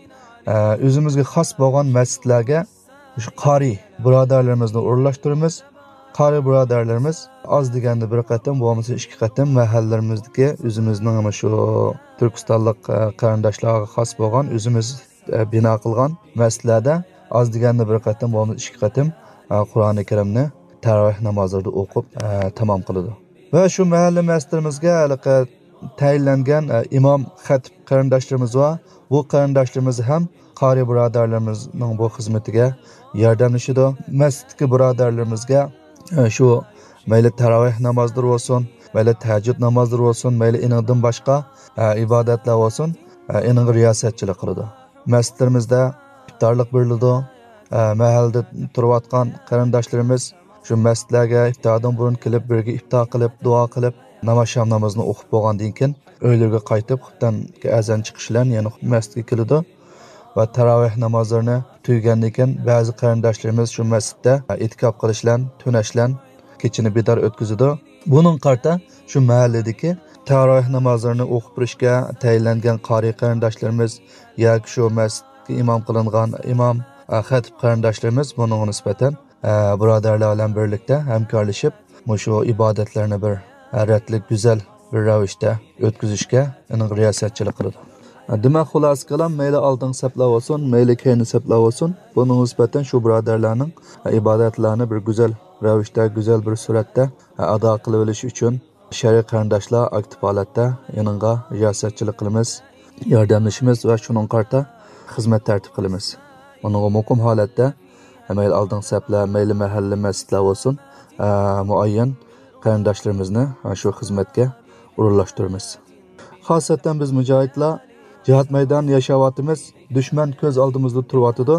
ئە، ئۆزىمىزگە خاس بولغان مەسچىتلەرگە مۇشۇ قارىي بۇرادەرلىرىمىزنى ئورۇنلاشتۇرىمىز. قارىي بۇرادەرلىرىمىز ئاز دېگەندە بىر قېتىم، بولمىسا ئىككى قېتىم مەھەللىلىرىمىزدىكى ئۆزىمىزنىڭ مۇشۇ تۈركىستانلىق، ئە، قېرىنداشلارغا خاس بولغان ئۆزىمىز، ئە، بىنا قىلغان مەسچىتلەردە ئاز دېگەندە بىر قېتىم، بولمىسا ئىككى قېتىم، ئە، قۇرئانى كەرىمنى تەراۋىھ نامازلىرىدا ئوقۇپ، ئە، تامام قىلىدۇ. ۋە شۇ مەھەللە مەسچىتلىرىمىزگە ھېلىقى تەيىنلەنگەن، ئە، ئىمام، خەتىپ قېرىنداشلىرىمىز بار. بۇ قېرىنداشلىرىمىز ھەم قارىي بۇرادەرلىرىمىزنىڭ بۇ خىزمىتىگە ياردەملىشىدۇ. مەسچىتتىكى بۇرادەرلىرىمىزگە، ئە، شۇ مەيلى تەراۋىھ نامازلىرى بولسۇن، مەيلى تەھەججۇد نامازلىرى بولسۇن، مەيلى ئېنىڭدىن باشقا، ئە، ئىبادەتلەر بولسۇن، ئە، ئېنىڭغا رىياسەتچىلىك قىلىدۇ. مەسچىتلىرىمىزدە ئىپتارلىق بېرىلىدۇ. ئە، مەھەللىدە تۇرۇۋاتقان قېرىنداشلىرىمىز شۇ مەسچىتلەرگە ئىپتاردىن بۇرۇن كېلىپ، بىرگە ئىپتار قىلىپ، دۇئا قىلىپ، ناماز شام نامىزىنى ئوقۇپ بولغاندىن كېيىن، ئۆيلىرىگە قايتىپ، خۇپتەن ئەزان چىقىش بىلەن يەنە مەسچىتكە كېلىدۇ ۋە تاراۋىھ نامازلىرىنى تۈگىگەندىن كېيىن، بەزى قېرىنداشلىرىمىز شۇ مەسچىتتە ئېتىكاپ قىلىش بىلەن، تۈنەش بىلەن كېچىنى بىدار ئۆتكۈزىدۇ. بۇنىڭغا قارىتا شۇ مەھەللىدىكى تاراۋىھ نامازلىرىنى ئوقۇپ بېرىشكە تەيىنلەنگەن قارىي قېرىنداشلىرىمىز ياكى شۇ مەسچىتكە ئىمام قىلىنغان ئىمام، ئە، خەتىپ قېرىنداشلىرىمىز بۇنىڭغا نىسبەتەن، ئە، بۇرادەرلەر بىلەن بىرلىكتە ھەمكارلىشىپ، مۇشۇ ئىبادەتلەرنى بىر، ئە، رەتلىك، گۈزەل بىر رەۋىشتە ئۆتكۈزۈشكە ئېنىق رىياسەتچىلىك قىلىدۇ. ئە، دېمەك، خۇلاسە كالام، مەيلى ئالدىنقى سەپلەر بولسۇن، مەيلى كەينى سەپلەر بولسۇن، بۇنىڭغا نىسبەتەن شۇ بۇرادەرلەرنىڭ، ئە، ئىبادەتلەرنى بىر گۈزەل رەۋىشتە، گۈزەل بىر سۈرەتتە، ئە، ئادا قىلىۋېلىش ئۈچۈن، شەرئىي قېرىنداشلار ئاكتىپ ھالەتتە ئېنىڭغا رىياسەتچىلىك قىلىمىز، ياردەملىشىمىز ۋە شۇنىڭغا قارىتا خىزمەت تەرتىپ قىلىمىز. ئۇنىڭغا مۇقىم ھالەتتە مەيلى ئالدىنقى سەپلەر، مەيلى مەھەللە مەسچىتلەر بولسۇن، ئە، مۇئەييەن قېرىنداشلىرىمىزنى، ئە، شۇ خىزمەتكە ئورۇنلاشتۇرىمىز. خاسەتەن بىز مۇجاھىدلار جىھاد مەيدانىدا ياشاۋاتىمىز. دۈشمەن كۆز ئالدىمىزدا تۇرۇۋاتىدۇ.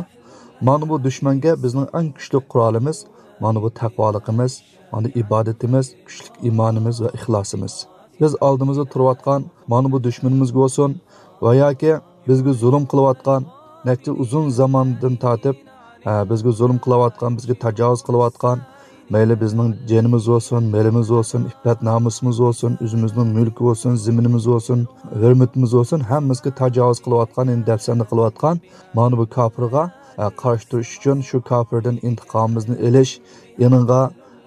مانا بۇ دۈشمەنگە بىزنىڭ ئەڭ كۈچلۈك قورالىمىز، مانا بۇ تەقۋالىقىمىز، مانا ئىبادىتىمىز، كۈچلۈك ئىمانىمىز ۋە ئىخلاسىمىز. بىز ئالدىمىزدا تۇرۇۋاتقان مانا بۇ دۈشمىنىمىزگە بولسۇن ۋە ياكى بىزگە زۇلۇم قىلىۋاتقان، نەچچە ئۇزۇن زاماندىن تارتىپ، ئە، بىزگە زۇلۇم قىلىۋاتقان، بىزگە تاجاۋۇز قىلىۋاتقان، مەيلى بىزنىڭ جېنىمىز بولسۇن، مېلىمىز بولسۇن، ئىپپەت نامۇسىمىز بولسۇن، ئۆزىمىزنىڭ مۈلكى بولسۇن، زېمىنىمىز بولسۇن، ھۆرمىتىمىز بولسۇن، ھەممىسىگە تاجاۋۇز قىلىۋاتقان، يەنى دەپسەندە قىلىۋاتقان مانا بۇ كاپىرغا، ئە، قارشى تۇرۇش ئۈچۈن، شۇ كاپىردىن ئىنتىقامىمىزنى ئېلىش، ئېنىڭغا،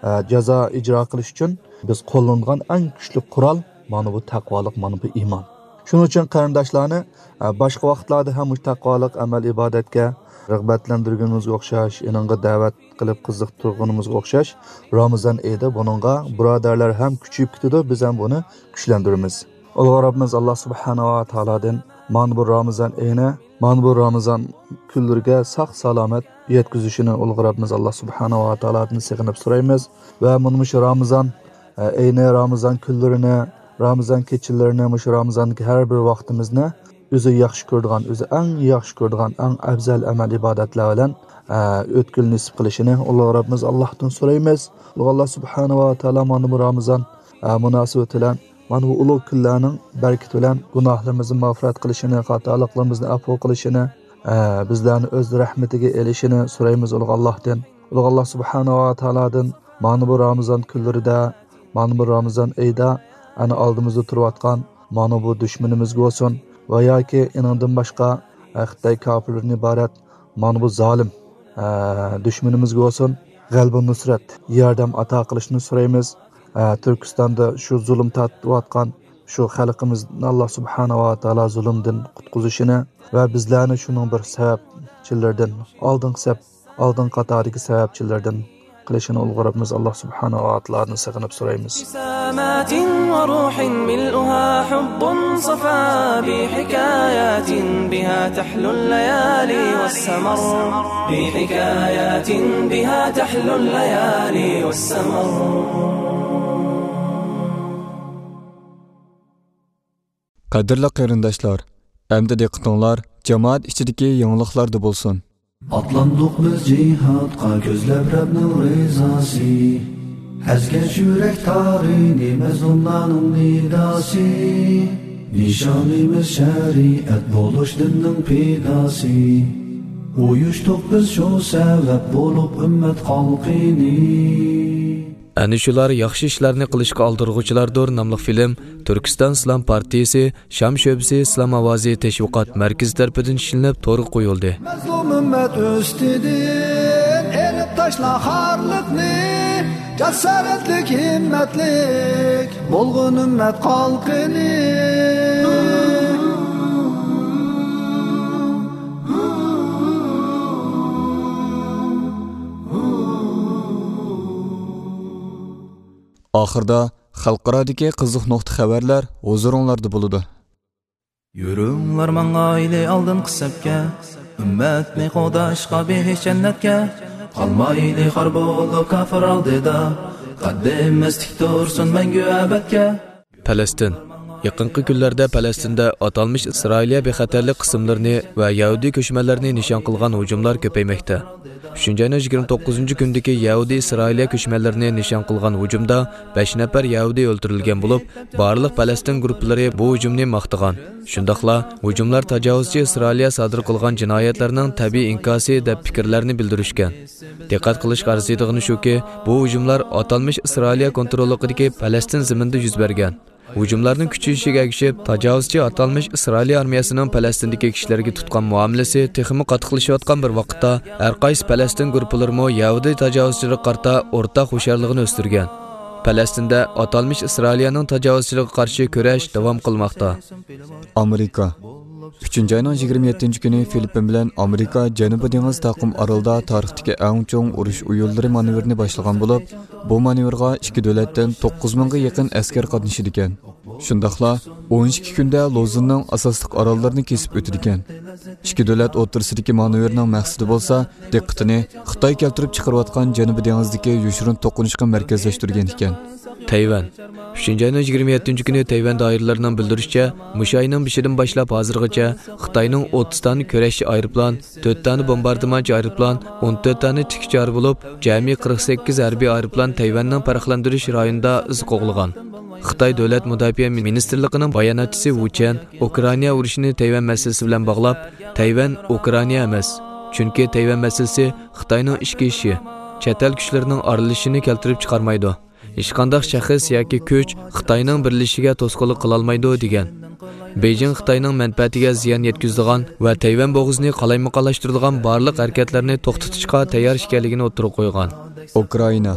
ئە، جازا ئىجرا قىلىش ئۈچۈن بىز قوللىنىدىغان ئەڭ كۈچلۈك قورال مانا بۇ تەقۋالىق، مانا بۇ ئىمان. شۇنىڭ ئۈچۈن قېرىنداشلارنى، ئە، باشقا ۋاقىتلاردا ھەم مۇشۇ تەقۋالىق ئەمەل ئىبادەتكە رىغبەتلەندۈرگىنىمىزگە ئوخشاش، ئېنىڭغا دەۋەت قىلىپ قىزىقتۇرغىنىمىزغا ئوخشاش، رامىزان ئېيىدا بۇنىڭغا بۇرادەرلەر ھەم كۈچىيىپ كېتىدۇ، بىز ھەم بۇنى كۈچلەندۈرىمىز. ئۇلۇغ رەببىمىز ئاللا سۇبھانەھۇ ۋە تائالادىن مانا بۇ رامىزان ئېيىنى، مانا بۇ رامىزان كۈنلىرىگە ساق سالامەت يەتكۈزۈشىنى ئۇلۇغ رەببىمىز ئاللا سۇبھانەھۇ ۋە تائالادىن سېغىنىپ سورايمىز. ۋە مانا مۇشۇ رامىزان، ئە، ئەينى رامىزان كۈنلىرىنى، رامىزان كېچىلىرىنى، مۇشۇ رامىزاندىكى ھەر بىر ۋاقتىمىزنى ئۆزى ياخشى كۆرىدىغان، ئۆزى ئەڭ ياخشى كۆرىدىغان، ئەڭ ئەۋزەل ئەمەل ئىبادەتلەر بىلەن، ئە، ئۆتكىلى نېسىپ قىلىشىنى ئۇلۇغ رەببىمىز ئاللاھتىن سورايمىز. ئۇلۇغ ئاللا سۇبھانەھۇ ۋە تائالا مانا بۇ رامىزان، ئە، مۇناسىۋىتى بىلەن مانا بۇ ئۇلۇغ كۈنلەرنىڭ بەرىكىتى بىلەن گۇناھلىرىمىزنى مەغپىرەت قىلىشىنى، خاتالىقلىرىمىزنى ئەپۇ قىلىشىنى، ئە، بىزلەرنى ئۆز رەھمىتىگە ئېلىشىنى سورايمىز ئۇلۇغ ئاللاھتىن. ئۇلۇغ ئاللا سۇبھانەھۇ ۋە تائالادىن مانا بۇ رامىزان كۈنلىرىدە، مانا بۇ رامىزان ئېيىدا، ئەنە ئالدىمىزدا تۇرۇۋاتقان مانا بۇ دۈشمىنىمىزگە بولسۇن ۋە ياكى ئېنىڭدىن باشقا، ئە، خىتاي كاپىرلىرىدىن ئىبارەت مانا بۇ زالىم، ئە، دۈشمىنىمىزگە بولسۇن، غەلىبە نۇسرەت، ياردەم ئاتا قىلىشنى سورايمىز. ئە، تۈركىستاندا شۇ زۇلۇم تارتىۋاتقان شۇ خەلقىمىزنى ئاللا سۇبھانەھۇ ۋە تائالا زۇلۇمدىن قۇتقۇزۇشىنى ۋە بىزلەرنى شۇنىڭ بىر سەۋەبچىلىرىدىن، ئالدىنقى سەپ، ئالدىنقى قاتاردىكى سەۋەبچىلىرىدىن قىلىشىنى ئۇلۇغ رەببىمىز ئاللا سۇبھانەھۇ ۋە تائالادىن سېغىنىپ سورايمىز. ابتسامات وروح ملؤها حب صفا بحكايات بها تحلو الليالي والسمر. بحكايات بها تحلو الليالي والسمر. قەدىرلىك قېرىنداشلار، ئەمدى دىققىتىڭلار جامائەت ئىچىدىكى يېڭىلىقلاردا بولسۇن. ئاتلاندۇق بىز جىھادقا كۆزلەپ رەبنىڭ رىزاسى. ئەزگەن يۈرەك تارىنى مەزلۇملارنىڭ نىداسى. نىشانىمىز شەرىئەت بولۇش دىننىڭ پىداسى. ئۇيۇشتۇق بىز شۇ سەۋەب بولۇپ ئۈممەت خەلقىنى. ئەنە شۇلار ياخشى ئىشلارنى قىلىشقا ئالدىرىغۇچىلاردۇر ناملىق فىلىم تۈركىستان ئىسلام پارتىيىسى شام شۆبىسى ئىسلام ئاۋازى تەشۋىقات مەركىزى تەرىپىدىن ئىشلىنىپ تورغا قويۇلدى. مەزلۇم ئۈممەت ئۈستىدىن ئېلىپ تاشلا خارلىقنى، جاسارەتلىك، ھىممەتلىك بولغىن ئۈممەت قالقىنى. ئاخىردا خەلقئارادىكى قىزىق نۇقتا خەۋەرلەر ھۇزۇرۇڭلاردا بولىدۇ. يۈرۈڭلار ماڭايلى ئالدىنقى سەپكە، ئۈممەتنى قوغداشقا بېھىشت جەننەتكە. قالمايلى خار بولۇپ كاپىر ئالدىدا، قەددىمىز تىك تۇرسۇن مەڭگۈ ئەبەدكە. پەلەستىن. يېقىنقى كۈنلەردە پەلەستىندە ئاتالمىش ئىسرائىلىيە بىخەتەرلىك قىسىملىرىنى ۋە يەھۇدىي كۆچمەنلەرنى نىشان قىلغان ھۇجۇملار كۆپەيمەكتە. ئۈچىنچى ئاينىڭ يىگىرمە توققۇزىنچى كۈنىدىكى يەھۇدىي ئىسرائىلىيە كۆچمەنلىرىنى نىشان قىلغان ھۇجۇمدا بەش نەپەر يەھۇدىي ئۆلتۈرۈلگەن بولۇپ، بارلىق پەلەستىن گۇرۇپپىلىرى بۇ ھۇجۇمنى ماختىغان. شۇنداقلا ھۇجۇملار تاجاۋۇزچى ئىسرائىلىيە سادىر قىلغان جىنايەتلەرنىڭ تەبىئىي ئىنكاسى دەپ پىكىرلەرنى بىلدۈرۈشكەن. دىققەت قىلىشقا ئەرزىيدىغىنى شۇكى، بۇ ھۇجۇملار ئاتالمىش ئىسرائىلىيە كونتروللۇقىدىكى پەلەستىن زېمىنىدا يۈز بەرگەن. ھۇجۇملارنىڭ كۈچىيىشىگە ئەگىشىپ، تاجاۋۇزچى ئاتالمىش ئىسرائىلىيە ئارمىيەسىنىڭ پەلەستىندىكى كىشىلەرگە تۇتقان مۇئامىلىسى تېخىمۇ قاتتىقلىشىۋاتقان بىر ۋاقىتتا، ھەر قايسى پەلەستىن گۇرۇپپىلىرىمۇ يەھۇدىي تاجاۋۇزچىلىرىغا قارىتا ئورتاق ھوشيارلىقىنى ئۆستۈرگەن. پەلەستىندە ئاتالمىش ئىسرائىلىيەنىڭ تاجاۋۇزچىلىقىغا قارشى كۈرەش داۋام قىلماقتا. ئامېرىكا. ئۈچىنچى ئاينىڭ يىگىرمە يەتتىنچى كۈنى فىلىپپىن بىلەن ئامېرىكا جەنۇبىي دېڭىز تاقىم ئارىلىدا تارىختىكى ئەڭ چوڭ ئۇرۇش ئويۇنلىرى مانېۋىرىنى باشلىغان بولۇپ، بۇ مانېۋىرغا ئىككى دۆلەتتىن توققۇز مىڭغا يېقىن ئەسكەر قاتنىشىدىكەن. شۇنداقلا ئون ئىككى كۈندە لوزۇننىڭ ئاساسلىق ئاراللىرىنى كېسىپ ئۆتىدىكەن. ئىككى دۆلەت ئوتتۇرىسىدىكى مانېۋىرنىڭ مەقسىتى بولسا، دىققىتىنى خىتاي كەلتۈرۈپ چىقىرىۋاتقان جەنۇبىي دېڭىزدىكى يوشۇرۇن توقۇنۇشقا مەركەزلەشتۈرگەن ئىكەن. تەيۋەن. ئۈچىنچى ئاينىڭ يىگىرمە يەتتىنچى كۈنى تەيۋەن دائىرىلىرىنىڭ بىلدۈرۈشىچە، مۇشۇ ئاينىڭ بېشىدىن باشلاپ ھازىرغىچە خىتاينىڭ ئوتتۇز دانە كۈرەشچى ئايروپىلان، تۆت دانە بومباردىمانچى ئايروپىلان، ئون تۆت دانە تىكىش چارى بولۇپ، جەمئىي قىرىق سەككىز ھەربىي ئايروپىلان تەيۋەننىڭ پەرقلەندۈرۈش رايونىدا ئىز قوغلىغان. خىتاي دۆلەت مۇداپىئە مىنىستىرلىقىنىڭ باياناتچىسى ۋۇ چيەن ئۇكرائىنا ئۇرۇشىنى تەيۋەن مەسىلىسى بىلەن باغلاپ، تەيۋەن ئۇكرائىنا ئەمەس، چۈنكى تەيۋەن مەسىلىسى خىتاينىڭ ئىچكى ئىشى، چەت ئەل كۈچلىرىنىڭ ئارىلىشىشىنى كەلتۈرۈپ چىقارمايدۇ. ھېچقانداق شەخس ياكى كۈچ خىتاينىڭ بىرلىشىشىگە توسقۇنلۇق قىلالمايدۇ، دېگەن. بېيجىڭ خىتاينىڭ مەنپەئەتىگە زىيان يەتكۈزىدىغان ۋە تەيۋەن بوغۇزىنى قالايمىقانلاشتۇرىدىغان بارلىق ھەرىكەتلەرنى توختىتىشقا تەييار ئىكەنلىكىنى ئوتتۇرىغا قويغان. ئۇكرائىنا.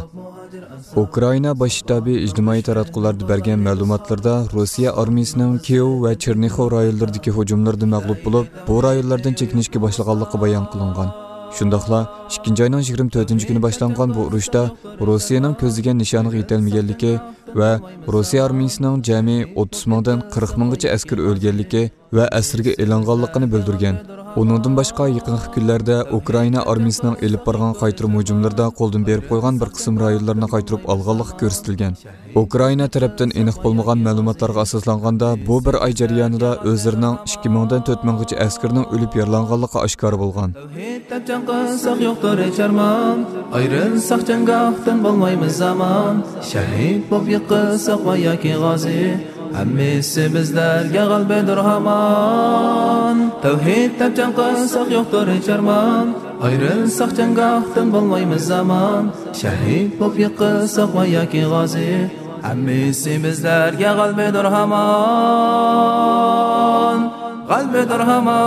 ئۇكرائىنا باش شتابى ئىجتىمائىي تاراتقۇلاردا بەرگەن مەلۇماتلىرىدا، روسىيە ئارمىيىسىنىڭ كىيېۋ ۋە چېرنىخوۋ رايونلىرىدىكى ھۇجۇملىرىدا مەغلۇپ بولۇپ، بۇ رايونلاردىن چېكىنىشكە باشلىغانلىقى بايان قىلىنغان. شۇنداقلا ئىككىنچى ئاينىڭ يىگىرمە تۆتىنچى كۈنى باشلانغان بۇ ئۇرۇشتا روسىيەنىڭ كۆزلىگەن نىشانىغا يېتەلمىگەنلىكى ۋە روسىيە ئارمىيىسىنىڭ جەمئىي ئوتتۇز مىڭدىن قىرىق مىڭغىچە ئەسكىرى ئۆلگەنلىكى ۋە ئەسىرگە ئېلىنغانلىقىنى بىلدۈرگەن. ئۇنىڭدىن باشقا، يېقىنقى كۈنلەردە ئۇكرائىنا ئارمىيىسىنىڭ ئېلىپ بارغان قايتۇرما ھۇجۇملىرىدا قولدىن بېرىپ قويغان بىر قىسىم رايونلارنى قايتۇرۇپ ئالغانلىقى كۆرسىتىلگەن. ئۇكرائىنا تەرەپتىن ئېنىق بولمىغان مەلۇماتلارغا ئاساسلانغاندا، بۇ بىر ئاي جەريانىدا ئۆزلىرىنىڭ ئىككى مىڭدىن تۆت مىڭغىچە ئەسكىرىنىڭ ئۆلۈپ يارىلانغانلىقى ئاشكارا بولغان. تەۋھىد دەپ جەڭ قىلساق يوقتۇر ھېچ ئارمان، ئايرىلساق جەڭگاھتىن بولمايمىز ئامان. شەھىد بولۇپ يىقىلساق ۋە ياكى غازى، ھەممىسى بىزلەرگە غەلىبىدۇر ھامان. تەۋھىد دەپ جەڭ قىلساق يوقتۇر ھېچ ئارمان، ئايرىلساق جەڭگاھتىن بولمايمىز ئامان. شەھىد بولۇپ يىقىلساق ۋە ياكى غازى، ھەممىسى بىزلەرگە غەلىبىدۇر ھامان، غەلىبىدۇر ھامان.